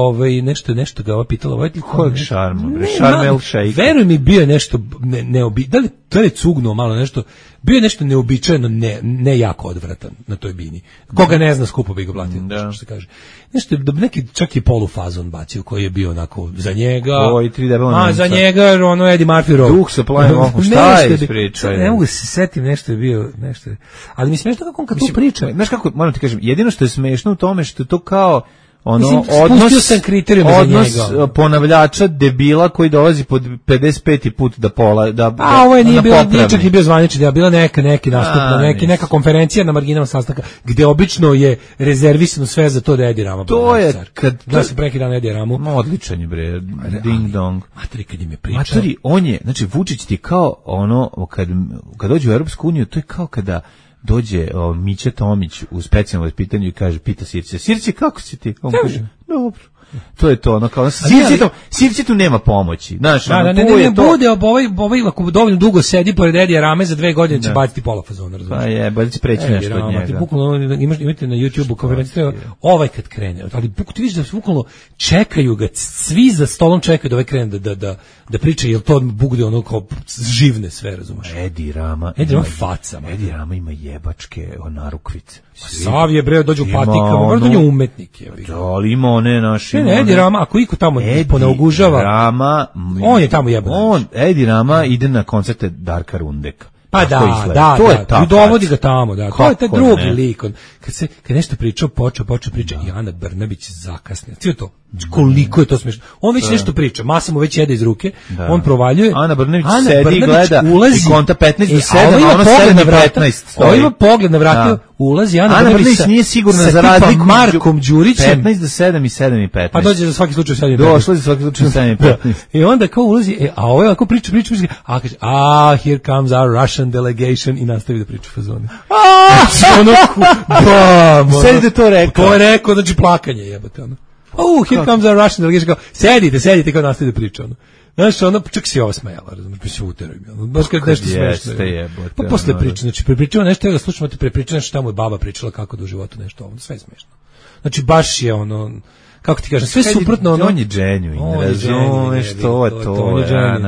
nešto ga pitalo, kojeg šarma? Šarm el šejk. Veruj mi, bio je nešto da li je cugnuo malo nešto, bio je nešto neobičajeno, ne jako odvratan na toj bini. Koga ne zna, skupo bi ga blatio, što se kaže. Nešto, neki čak i polufazon bacio koji je bio onako za njega. Za njega, ono Eddie Murphy Row. Duh sa plavim okom, šta je ispričao? Ne mogu se setim, nešto je bio, nešto. Ali mi je smešno kako on kad to priča. Znaš kako, moram ti kažem, jedino što je smešno u tome što je to kao odnos ponavljača debila koji dolazi pod 55. put da ovo je nije čak i bio zvanični, da je bila neki nastup, neka konferencija na marginama sastanka, gde obično je rezervisano sve za to da Edi Rama. To je kad da se preki dan Edi Ramu. Odličan je bre, ding dong. Materi kad im je pričao. Materi, on je, znači Vučić ti kao ono kad dođe u Europsku uniju, to je kao kada dođe Mića Tomić u specijalnom pitanju i kaže, pita Sirće, kako si ti? On kaže, dobro. To je to, ono kao, Sirće tu nema pomoći. Znaš, bude, ako dovoljno dugo sedi pored Edija Rame, za 2 godine će baciti pola fazona, razumiješ? Pa je, bolje će preći nešto od njega. Bukvalno, imate na YouTube-u konferenciju, kad krene, ali ti vidiš da se bukvalno čekaju ga, svi za stolom čekaju da krene da priča, jer to bude ono kao živne sve, razumiješ? Edi Rama faca. Edi Rama ima jebačke narukvice. Sav je bre, dođu u patikama, možda on je umetnik. Ali ima one naši... Edi Rama, ako iko tamo ponaugužava, on je tamo jeban. Edi Rama ide na koncerte Darka Rundeka. Pa da, i dovodi ga tamo, da. To je taj drugi lik. Kad nešto pričao, počeo priča i Ana Brnabić zakasnila. Cijelo to. Koliko je to smiješno. On već nešto priča, masa mu već jede iz ruke, on provaljuje. Ana Brnabić sedi i gleda i konta 15 do 7, a ono 7 i 15 stoji. Ovo ima pogled na vrata, ulazi Ana Brnabić nije sigurna za razliku Markom Đurićem. 15 do 7 i 7 i 15. Pa dođe za svaki slučaj 7 i 15. Došlo za svaki slučaj 7 i 15. I onda kao ulazi, a ovo je ako priča, a kaže, here comes our Russian delegation i nastavi da priča fazone. Sedi da to rekao. To je rekao, znači plakanje jebate, ono. Here comes our Russian delegation, kao, sedite, kao nastavi da priča, ono. Znaš, ono, čak si ovo smejala, razumiješ, pa se uteruj mi, ono, baš kad nešto smešno. Pa posle priče, znači, prepričava nešto, da slušamo ti prepričava nešto, tamo je baba pričala kako da u životu nešto, ono, sve je smešno. Znači, baš je ono, kako ti kažem, sve suprotno ono. On je genuine, razumeš to,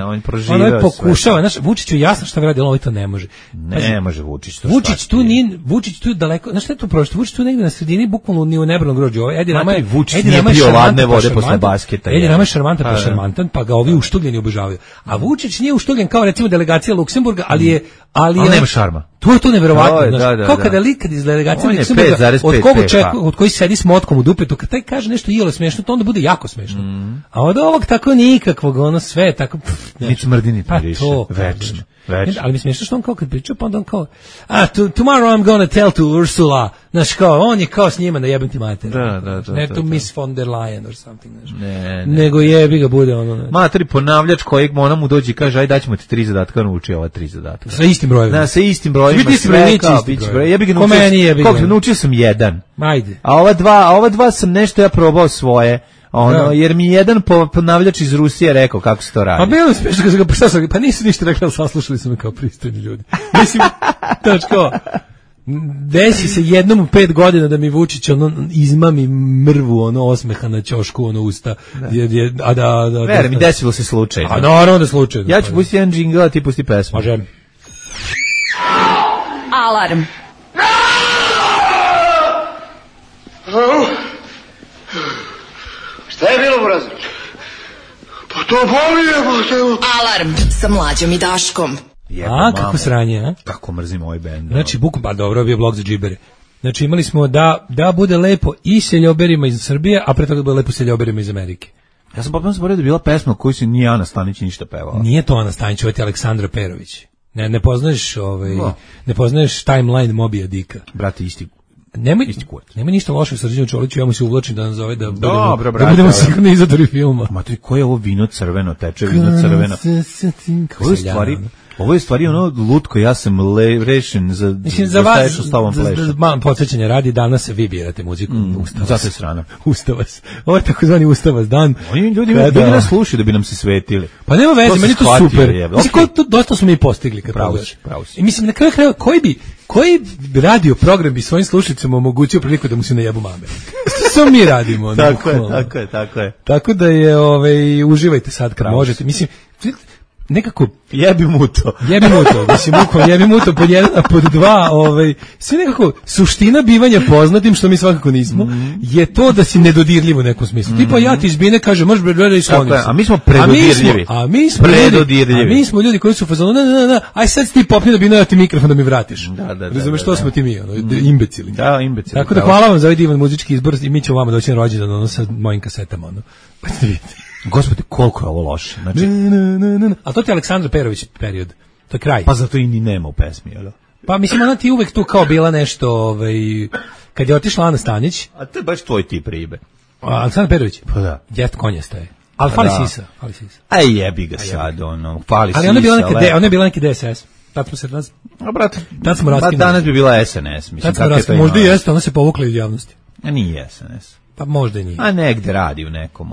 on proživeo sve. On pokušava, znaš, Vučiću jasno šta radi, ali to ne može. Ne može Vučić to. Vučić tu daleko, znaš šta je tu prošlo? Vučić tu negde na sredini, bukvalno ni u nebranom grođu. Edi Rama je Vučić nije pio ladne vode posle basketa. Edi Rama je šarmantan pa šarmantan, pa ga ovi uštugljeni obožavaju. A Vučić nije uštugljen kao recimo delegacija Luksemburga, ali nema šarma. To je to neverovatno, znaš. Kao kada likad iz delegacije Luksemburga, od koji sedi s motkom u dupetu, kad taj kaže nešto iole smešno, to onda bude jako smešno. A od ovog tako nikakvog, ono sve tako... Ni smrdi, ni miriše, večno. Ali mi smiješno što on kao kad pričao, pa onda on kao tomorrow I'm gonna tell to Ursula, znaš kao, on je kao s njima da jebem ti mater. Ne to Miss von der Leyen or something, znaš. Nego jebi ga bude ono. Materi ponavljač kojeg ona mu dođe i kaže, aj daćemo ti 3 zadatka, nauči ova 3 zadatka. Sa istim brojevima. Sa istim brojevima. Jebi ga naučio sam 1. Ajde. A ova dva sam nešto ja probao svoje. Jer mi jedan ponavljač iz Rusije rekao kako se to radi. A bilo smiješno kad sam ga poslušao, pa nisu ništa rekli, ali saslušali su me kao pristojni ljudi. Mislim, kao, desi se jednom u 5 godina da mi Vučić izmami mrvu, osmeha na ćošku, usta. Vere, mi desilo se slučajno. A naravno da slučajno. Ja ću pustiti jedan džingl, a ti pusti pesmu. Može. Alarm. Šta je bilo, Brazo? Pa to boli je, Alarm sa Mlađom i Daškom. Kako sranje, a? Kako mrzim ovaj bend. Znači, pa dobro, bio blog za džibere. Znači, imali smo da bude lepo i seljoberima iz Srbije, a pre toga da bude lepo seljoberima iz Amerike. Ja sam potpuno zaboravio da je bila pesma koju se nije Ana Stanić ništa pevala. Nije to Ana Stanić, ovo je Aleksandra Perović. Ne poznaješ ne poznaješ timeline Mobija Dika. Brate, isti. Nema ništa loše sa Srđanom Čoliću, ja mu se uvlačim da nas zove da budemo sigurni izadori filma. Matri, koje je ovo vino crveno, teče vino crveno. Ovo je stvari lutko, ja sam rešen za vas, podsjećanje radi, danas vi birate muziku. Zato je srana. Ustavas. Ovo je takozvani Ustavas dan. Oni ljudi nas slušaju da bi nam se svetili. Pa nema veze, meni to super. Mislim, dosta smo mi postigli. Pravo si. I mislim, na kraju krajeva, koji radio program bi svojim slušateljima omogućio priliku da mu se ne jebu mame? Što mi radimo? Tako je. Tako da je, uživajte sad kad možete. Mislim, nekako jebi mu to, mislim jebi mu to pod 1, a pod 2, sve nekako suština bivanja poznatim, što mi svakako nismo, je to da si nedodirljiv u nekom smislu. Tipa ja ti izbine kaže, možeš bre skloniti. A mi smo predodirljivi. A mi smo ljudi koji su fazonu, aj sad ti popni da bi ti mikrofon da mi vratiš. Razumeš što smo ti mi, imbecili. Da, imbecili. Tako da hvala vam za ovaj divan muzički izbor i mi ćemo vama doći na rođendan sa mojim kasetama. Pa ćete vidjeti. Gospode, koliko je ovo loše. Znači, a to ti je Aleksandra Perović period. To je kraj. Pa zato i ni nema u pesmi, jel? Pa mislim, ona ti uvek tu kao bila nešto, kad je otišla Ana Stanić. A to je baš tvoj tip ribe. Aleksandra Perović? Pa da. Jet konjasta je. Ali fali sisa. Aj jebi ga sad, fali sisa. Ali ona je bila neki DSS. Tad smo se tad smo raskinuli. Danas bi bila SNS, mislim. Možda i jeste, ona se povukla iz javnosti. A nije SNS. Pa možda i nije. A negde radi u nekom,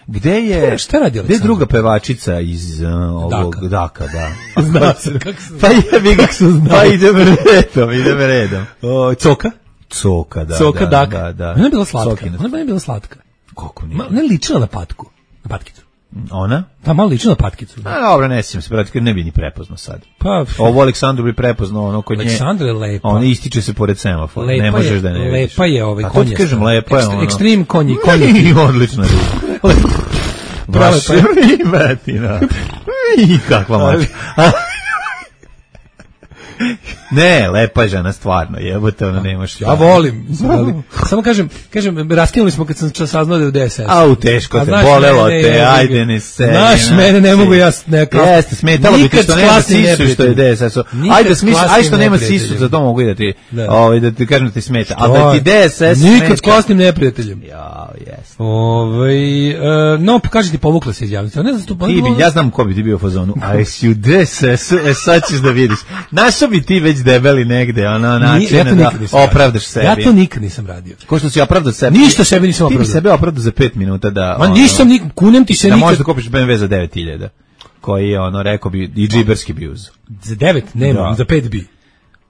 Gde je... Šta radi Aleksandra? Gde je druga pevačica iz ovog Daka, da. Zna se, kako se zna. Pa jebi ga, pa idem redom. Coka, da. Coka, da. Ona je bila slatka. Ona je bila slatka. Kako nije? Ona je ličila na patku. Na patkicu. Ona? Da, malo ličila na patkicu. A dobro, ne sjećam se, brate, ne bi ni prepoznao sad. Pa, ovo Aleksandru bi prepoznao, kod nje. Aleksandra je lepa. Ona ističe se pored semafora, ne možeš da ne vidiš. Lepa je konjasta. A to ti kažem, lepa je Extreme konji. Odlična riba. Baš ribatina. I kakva mačka. Ne, lepa je žena, stvarno, jebote, ona nemaš. Ja volim. Samo kažem, raskinuli smo kad sam saznao da je u DSS. Au, teško te, bolelo te, ajde ne se. Znaš, mene ne mogu ja nekako. Jeste, smetalo bi ti što nema sisu što je DSS. Ajde, aj što nema sisu, za to mogu i da ti kažem da ti smeta. Ali da ti DSS smeta. Nikad s klasnim neprijateljem. Ja, jes. No, kaži ti, povukla se iz javnosti. Ja znam ko bi ti bio u fazonu. A si u DSS, sad ćeš da vidiš. Našao bi ti već debeli negde, način da opravdaš sebi. Ja to nikad nisam radio. Ko što si opravdao sebi? Ništa sebi nisam opravdao. Ti bi sebe opravdao za 5 minuta da... Ma nisam, kunem ti se nikad... Da možeš da kupiš BMW za 9.000, koji je rekao bi, i džiberski bi uzeo. Za 9? Nema, za 5 bi.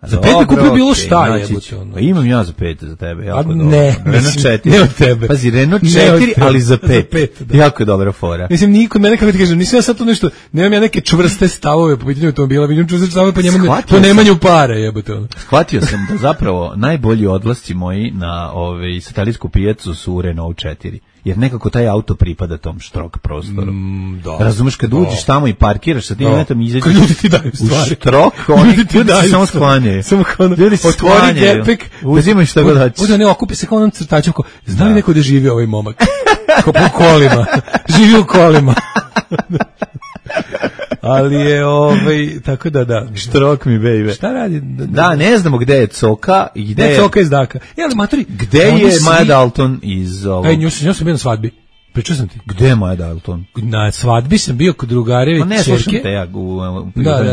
Za 5 kupio bilo šta jebote ono. Imam ja za 5 za tebe, jako dobro. Ne, Renault 4. Ne od tebe. Pazi, Renault 4, ali za 5. Jako je dobra fora. Mislim, niko mene, kako ti kažem, nisam ja sad to nešto, nemam ja neke čvrste stavove po pitanju automobila, vidim čvrste stavove po nemanju para, jebote ono. Shvatio sam da zapravo najbolji odlasci moji na satelitsku pijacu su u Renault 4. Jer nekako taj auto pripada tom štrok prostoru. Razumeš, kad uđeš tamo i parkiraš sa tim netom i izađeš ljudi ti daju stvari. U štrok, oni ti daju samo sklanjaju. Ljudi se sklanjaju. Uzimaju šta god hoćeš. Uđe, ne okupi se kao onom crtačom. Zna li neko da živi ovaj momak? Kao po kolima. Živi u kolima. Ali je tako da. Štrok mi, baby. Šta radi? Da, ne znamo gde je Coka i gde je Coka iz Daka. Ali matori, gde je Maja Dalton iz ovog? Nju sam bio na svadbi. Pričao sam ti. Gde je Maja Dalton? Na svadbi sam bio kod drugareve ćerke. Ne, slušam te ja u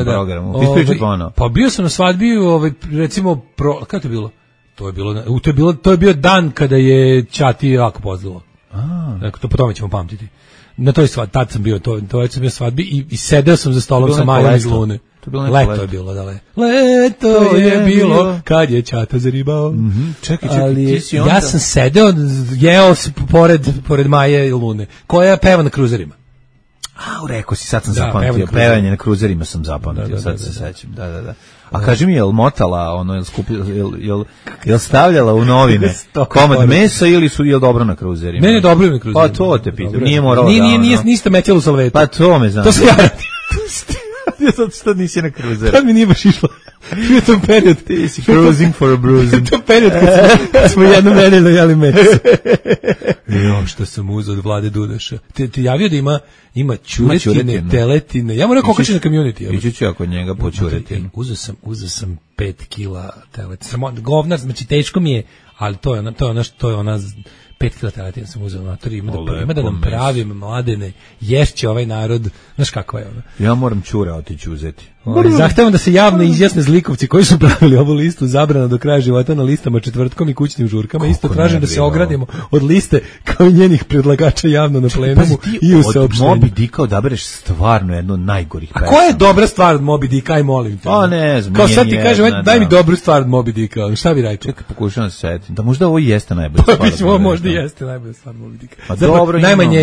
programu. Pa bio sam na svadbi, recimo, kako je bilo? To je bio dan kada je Ćati jako pozdilo. Dakle, to po tome ćemo pamtiti. Na toj svadbi, tad sam bio, to sam bio svadbi i sedeo sam za stolom sa Majom iz Lune. Leto je bilo, da leto je bilo kad je Ćata zaribao. Čekaj, ali ja sam sedeo, jeo pored Maje i Lune, koja peva na kruzerima. Rekao si, sad sam zapamtio, pevanje na kruzerima sam zapamtio, sad se sećam, da. A kaži mi, jel motala, jel stavljala u novine komad mesa ili jel dobro na kruzerima? Ne, dobro na kruzerima. Pa to te pitam, nije moralo da... Niste metjeli u salvetu. Pa to me znam. To se ja radim. Zato što nisi na kruzeru. Tad mi nije baš išlo. Bio tom period. Ti si cruising for a bruising. To period kad smo jednom nedeljno jeli meso. Što sam uzao od Vlade Dudaša. Ti javio da ima ćuretine, teletine. Ja moram kokači na community. Ići ću ja kod njega po ćuretinu. Uzeo sam 5 kila teletine. Govnar, znači teško mi je, ali to je ona 5 kila teletine sam uzeo na to, ima da nam pravim mladene, ješće ovaj narod, znaš kako je ono. Ja moram ćure otići uzeti. Zahtevam da se javno izjasne zlikovci koji su pravili ovu listu zabrana do kraja života na listama četvrtkom i kućnim žurkama. Isto tražim da se ogradimo od liste kao i njenih predlagača javno na plenumu i u saopštenju. Od Moby Dicka odabereš stvarno jednu od najgorih pesama. A koja je dobra stvar od Moby Dicka, aj molim te? Pa ne znam. Kao sad ti kažem, daj mi dobru stvar od Moby Dicka, šta bi rekao? Čekaj, pokušavam se setiti. Da možda ovo jeste najbolja stvar. Možda jeste najbolja stvar Moby Dicka. Pa dobro, najmanje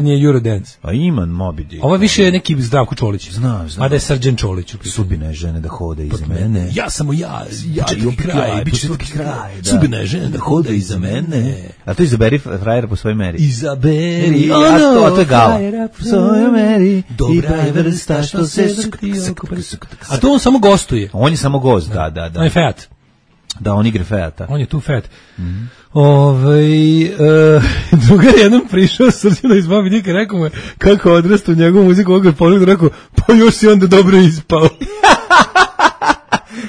je Eurodance. A ima Moby Dick. Ovo više je neki Zdravko Čolić. Znam. Mada je Srđan Čolić. Sudbine žene da hode iza mene. Ja samo ja i kraj, bit će četvrti kraj. Sudbine žene da hode iza mene. A to izaberi frajera po svojoj meri. Izaberi, a to je Gala. Po svojoj meri, dobra je vrsta što se skrti. A to on samo gostuje. On je samo gost, da. On je Feat. Da, on igra Feata. On je tu Feat. Drugar jednom prišao Srđana iz Moby Dicka, rekao mu je kako odrasta u njegovu muziku, ovog je pogledao, rekao, pa još si onda dobro ispao.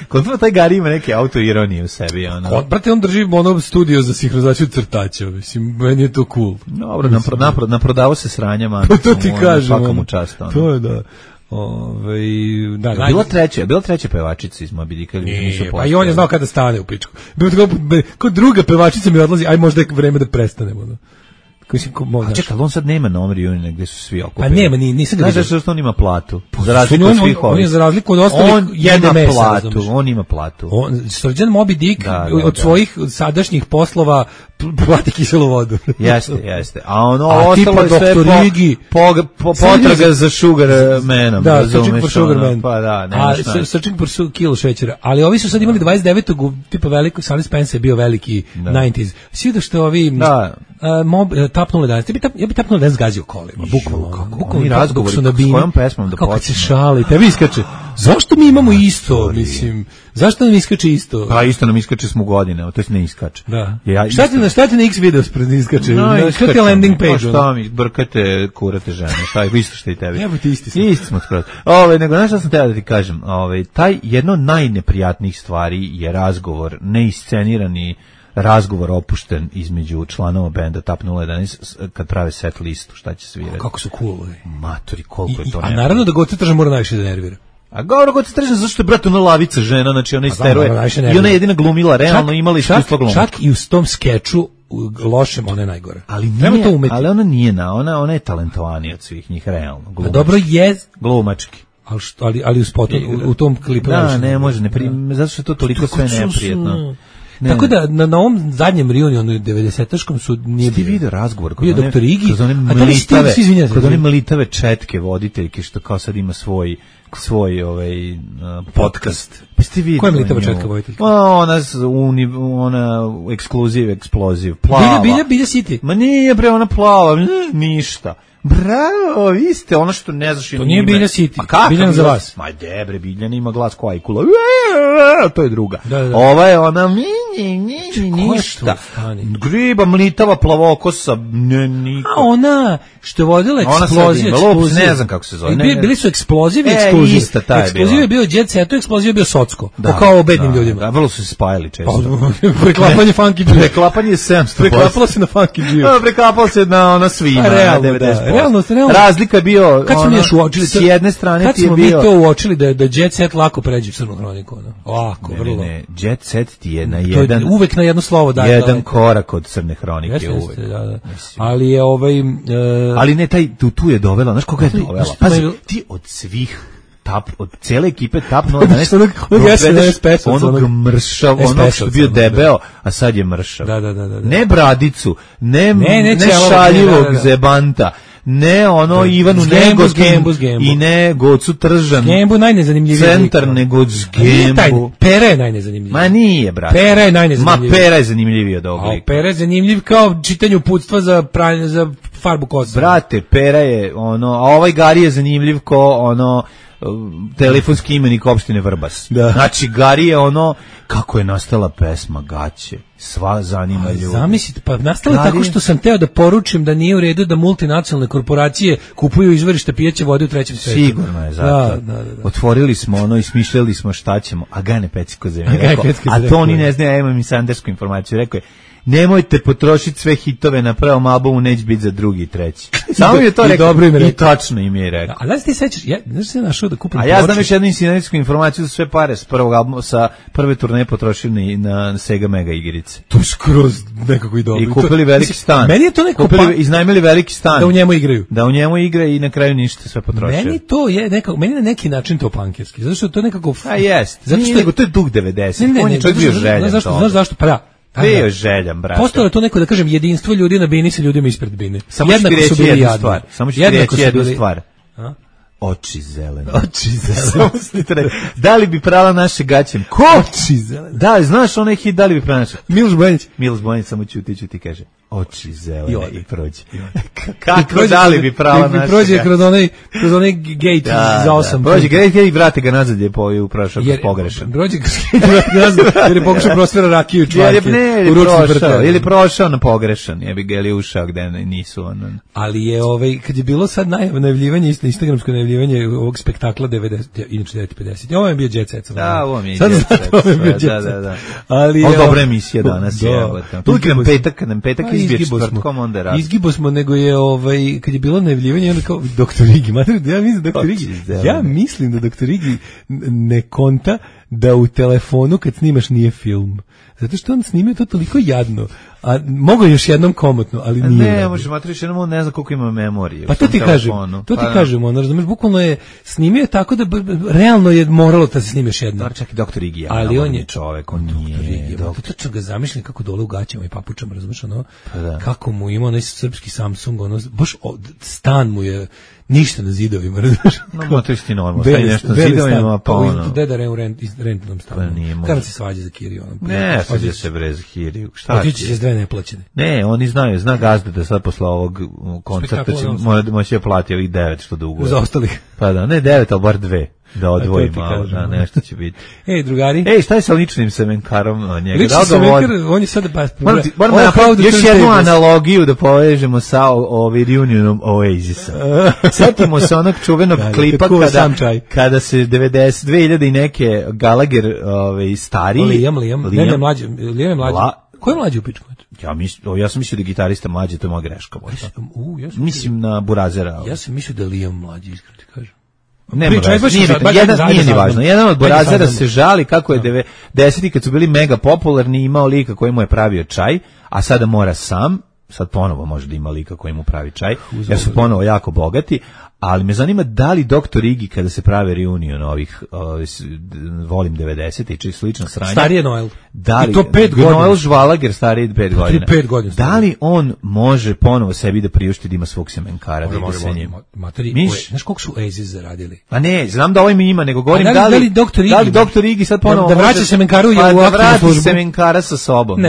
Kod taj Gari ima neke autoironije u sebi. Brate, on drži studio za sinhronizaciju crtača, mislim, meni je to cool. Dobro, naprodavo se sranjama. To ti kažem. To je da. Bila treća pevačica iz Moby Dicka. Pa i on je znao kada stane u pičku. Kao druga pevačica mi odlazi, aj možda je vreme da prestanemo. A čekaj, on sad nema na Omri gde su svi okupili. Pa nema, nisam ga vidio. Znaš što on ima platu? Za razliku od svih ovih. On je za razliku od ostalih jede mesa. On ima platu. Srđan Moby Dick od svojih sadašnjih poslova plati kiselu vodu. Jeste. A ono ostalo je sve potraga za Sugar Manom. Da, Searching for Sugar Man. Pa da, nemaš šta. Searching for kilo šećera. Ali ovi su sad imali 29. tipa veliko, Sally Spence je bio veliki 90s. Svi da što ovi... Tapnule danas. Ja bi tapnule danas gazio kolima, bukvalno. Oni razgovori s kojom pesmom da počne. Kako se šali, tebi iskače. Zašto mi imamo isto, mislim? Zašto nam iskače isto? Pa isto nam iskače smo godine, to je ne iskače. Da. Šta ti na X video spred iskače? Šta ti je landing page? Šta mi, brkate, kurate žene, šta je, isto što i tebi. Evo ti isti smo. Isti smo skroz. Nego, znaš šta sam teo da ti kažem? Taj jedno od najneprijatnijih stvari je razgovor, neiscenirani razgovor opušten između članova benda Tap 011 kad prave set listu, šta će svirati. Kako su cool. Matori, koliko je to A naravno da Goce Tržan mora najviše da nervira. A govor Goce Tržan, zašto je brate ona lavica žena, znači ona isteruje. I ona je jedina glumila, realno imala iskustvo glumila. Čak i u tom skeču lošem, ona je najgore. Ali ona nije ona je talentovanija od svih njih, realno. Dobro je glumački. ali u spotu, u tom klipu. Da, ne može, zato što je to toliko sve neprijetno. Ne. Tako da na ovom zadnjem reunionu 90-aškom su nije bio video razgovor kod doktor Igi, kod one mlitave četke voditeljke što kao sad ima svoj podcast. Koja je mlitava četka voditeljka? Ona eksploziv, plava. Bilja City. Ma nije bre, ona plava, ništa. Bravo, vi ste ono što ne znaš. To nije Bilja City, pa Biljan za vas. Ma debre, Biljan ima glas ko Ajkula. To je druga. Da. Ova je ona ništa. Griba, mlitava, plavokosa, niko. A ona što je vodila eksploziv. Ne znam kako se zove. Bili su eksploziv i eksploziv. Ista ta je bila. Eksploziv je bio Jet Set, eksploziv je bio Socko. Kao o bednim ljudima. Da, vrlo su se spajali često. Preklapanje Funky G. Preklapanje je 700%. Preklapalo se na Funky G. Preklapalo se na ona svima. Realno. Razlika je bio kad smo mi još uočili s jedne strane ti je bio. Kad smo mi to uočili da Jet Set lako pređe u Crnu hroniku, ovako vrlo. Ne, Jet Set ti je na jedan uvek na jedno slovo daje. Jedan korak od Crne hronike uvek. Da. Ali je ali ne taj tu je dovela, znaš koga je dovela? Pazi, ti od svih od cele ekipe Tap 012 onog mršav, onog što bio debeo, a sad je mršav. Da. Ne Bradicu, ne šaljivog zebanta, ne ono Ivanu Nego i ne Gocu Tržan. Gembu najnezanimljiviji. Centar nego Gembu. Pera je najnezanimljiviji. Ma nije, brate. Pera je najnezanimljiviji. Ma Pera je zanimljiviji od ovog lika. Pera je zanimljiv kao čitanje uputstva za farbu kosa. Brate, Pera je ono, a ovaj Gari je zanimljiv ko ono telefonski imenik opštine Vrbas. Da. Znači, Gari je ono, kako je nastala pesma Gaće. Sva zanima ljudi. Zamislite, pa nastala tako što sam teo da poručim da nije u redu da multinacionalne korporacije kupuju izvorište pijeće vode u trećem svetu. Sigurno je, zato. Da. Otvorili smo ono i smišljali smo šta ćemo. A Gane Peciko zemlje rekao. A to oni ne znaju, ja imam i sandersku informaciju. Rekao je, nemojte potrošiti sve hitove na prvom albumu, neće biti za drugi i treći. Samo mi je to rekao i tačno im je rekao. A da li ti sećaš, znaš se našao da kupim a ja znam još jednu insidentsku informaciju za sve pare s prvog albuma, sa prve turneje potrošili na Sega Mega igrice. To skroz nekako i dobro. I kupili veliki stan. Meni je to neko iznajmili veliki stan. Da u njemu igraju. Da u njemu igraju i na kraju ništa sve potrošili. Meni to je nekako, meni na neki način to pankerski. Zato što to je nekako jest. Zato što to je duh 90. On je čovjek bio željan. Znaš zašto? Pa da. Bio željan, brate. Postalo je to neko, da kažem, jedinstvo ljudi na bini sa ljudima ispred bine. Samo ću ti reći jednu stvar. Samo ću ti reći jednu stvar. Oči zelene. Da li bi prala naše gaće? Ko? Oči zelene. Da, znaš onaj hit, da li bi prala naše? Miloš Bojanić samo ćuti kaže. Oči zelene i prođe. Kako da li bi prala naše? Prođe kroz onaj gate za 8. Prođe gate i vrate ga nazad je prošao pogrešan. Prođe ga nazad jer je pokušao prosvjera rakiju čvarke. Ili prošao na pogrešan, jebi ga ili ušao gde nisu. Ali je kad je bilo sad najavljivanje, instagramsko najavljivanje ovog spektakla 90, inače 9:50. Ovo je bio Jet Set. Da, ovo mi je Jet Set. Da. Ali ovo dobra emisija danas je. Tu nam petak izbije četvrtkom, onda radi. Izgibo smo, nego je kad je bilo najavljivanje, onda kao Dr. Igi. Ja mislim da Dr. Igi ne konta da u telefonu kad snimaš nije film. Zato što on snimio to toliko jadno. A mogu još jednom komotno, ali nije. Ne, može matriš jednom, on ne zna koliko ima memorije. Pa to ti kažem, ono, razumeš, bukvalno je snimio tako da realno je moralo da se snimiš jednom. Čak i Dr. Igi, ali on je čovek, on nije. Točno ga zamišljam kako dole u gaćama i papučama, razumeš, ono, kako mu ima onaj srpski Samsung, ono, baš stan mu je ništa na zidovima, razumeš? No, to je isti normalno, staje nešto na zidovima, pa ono. Deda u rentnom stanu. Kada se svađa za Kiriju? Ne, svađa se bre za Kiriju. Šta ti? Otići će s 2 neplaćene. Ne, oni zna gazda da sad posle ovog koncerta će moći plati ovih 9 što dugo. Za ostalih. Pa da, ne 9, ali bar 2. Da odvoji malo, da, nešto će biti. Drugari. Šta je sa ličnim semenkarom njega? Lični semenkar, on je sada Moramo napraviti još jednu analogiju da povežemo sa reunionom Oasisa. Setimo se onog čuvenog klipa kada se 2000 i neke Gallagher stariji. Liam je mlađi. Ko je mlađi u pičku? Ja sam mislio da je gitarista mlađi, to je moja greška. Mislim na Burazera. Ja sam mislio da je Liam mlađi, iskreno ti kažem. Nije ni važno. Jedan od Burazera se žali kako je 90-ih kad su bili mega popularni imao lika koji mu je pravio čaj, a sada mora sam, sad ponovo može da ima lika koji mu pravi čaj, jer su ponovo jako bogati, ali me zanima da li Dr. Iggy kada se prave reunion ovih volim 90 i slično sranje. Starije Noel. Da li, i to 5 godina. Noel Žvalager stariji 5 godina. 5 godina. Da li on može ponovo sebi da priušti da ima svog semenkara? Znaš koliko su Oasis zaradili? Pa ne, znam da ovaj mi ima, nego govorim da li Dr. Iggy sad ponovo da vraća semenkaru u aktivnu službu. Semenkara sa sobom,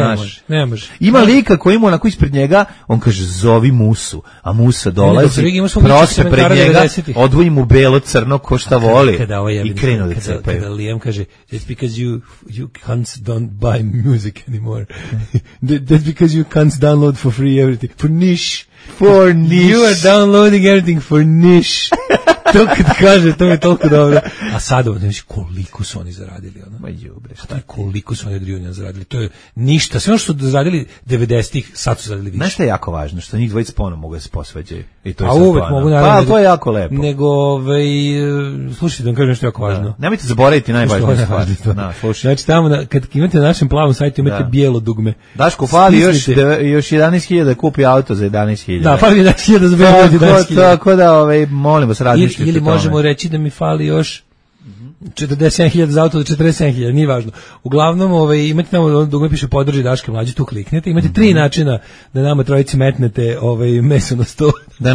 ne može. Ima lika koji ima onako ispred njega, on kaže zovi Musu, a Musa dolazi, prospe pred njega, odvoji mu belo crno ko šta voli i krenu da cepaju. Kada Liam kaže, that's because you cunts don't buy music anymore. That's because you cunts download for free everything. For niche. You are downloading everything for niche. To kad kaže, to mi je toliko dobro. A sada, znači, koliko su oni zaradili, ono? Ma jubre, šta koliko su oni od reuniona zaradili? To je ništa. Sve ono što su zaradili 90-ih, sad su zaradili više. Znaš šta je jako važno? Što njih dvojica ponovno mogu da se posvađaju. I to je a uvek mogu, naravno. Pa, to je jako lepo. Nego, slušajte, da vam kažem nešto jako važno. Nemojte zaboraviti najvažnije stvari. Znači, tamo, kad imate na našem plavom sajtu, imate bijelo dugme. Daško, fali još 11.000 da kupi auto za 11.000. Da, fali 11.000 za 11.000. Tako da, molim vas, razmišljite. Ili možemo reći da mi fali još 47.000 za auto do 47.000, nije važno. Uglavnom, imate tamo dugme piše podrži Daške mlađe, tu kliknete. Imate 3 načina da nama trojici metnete meso na sto. Da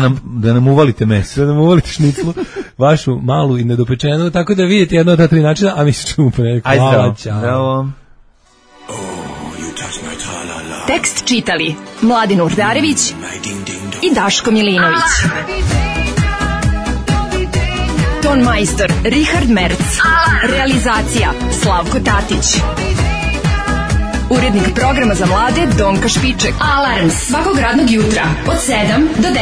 nam uvalite meso. Da nam uvalite šniclu, vašu malu i nedopečenu, tako da vidite jedno od ta 3 načina, a mi se čujemo ponedjeljak. Hvala, čao. Tekst čitali Mladin Urdarević i Daško Milinović. Ton majstor Richard Merc. Realizacija Slavko Tatić. Urednik programa za mlade Donka Špiček. Alarms svakog radnog jutra od 7 do 10.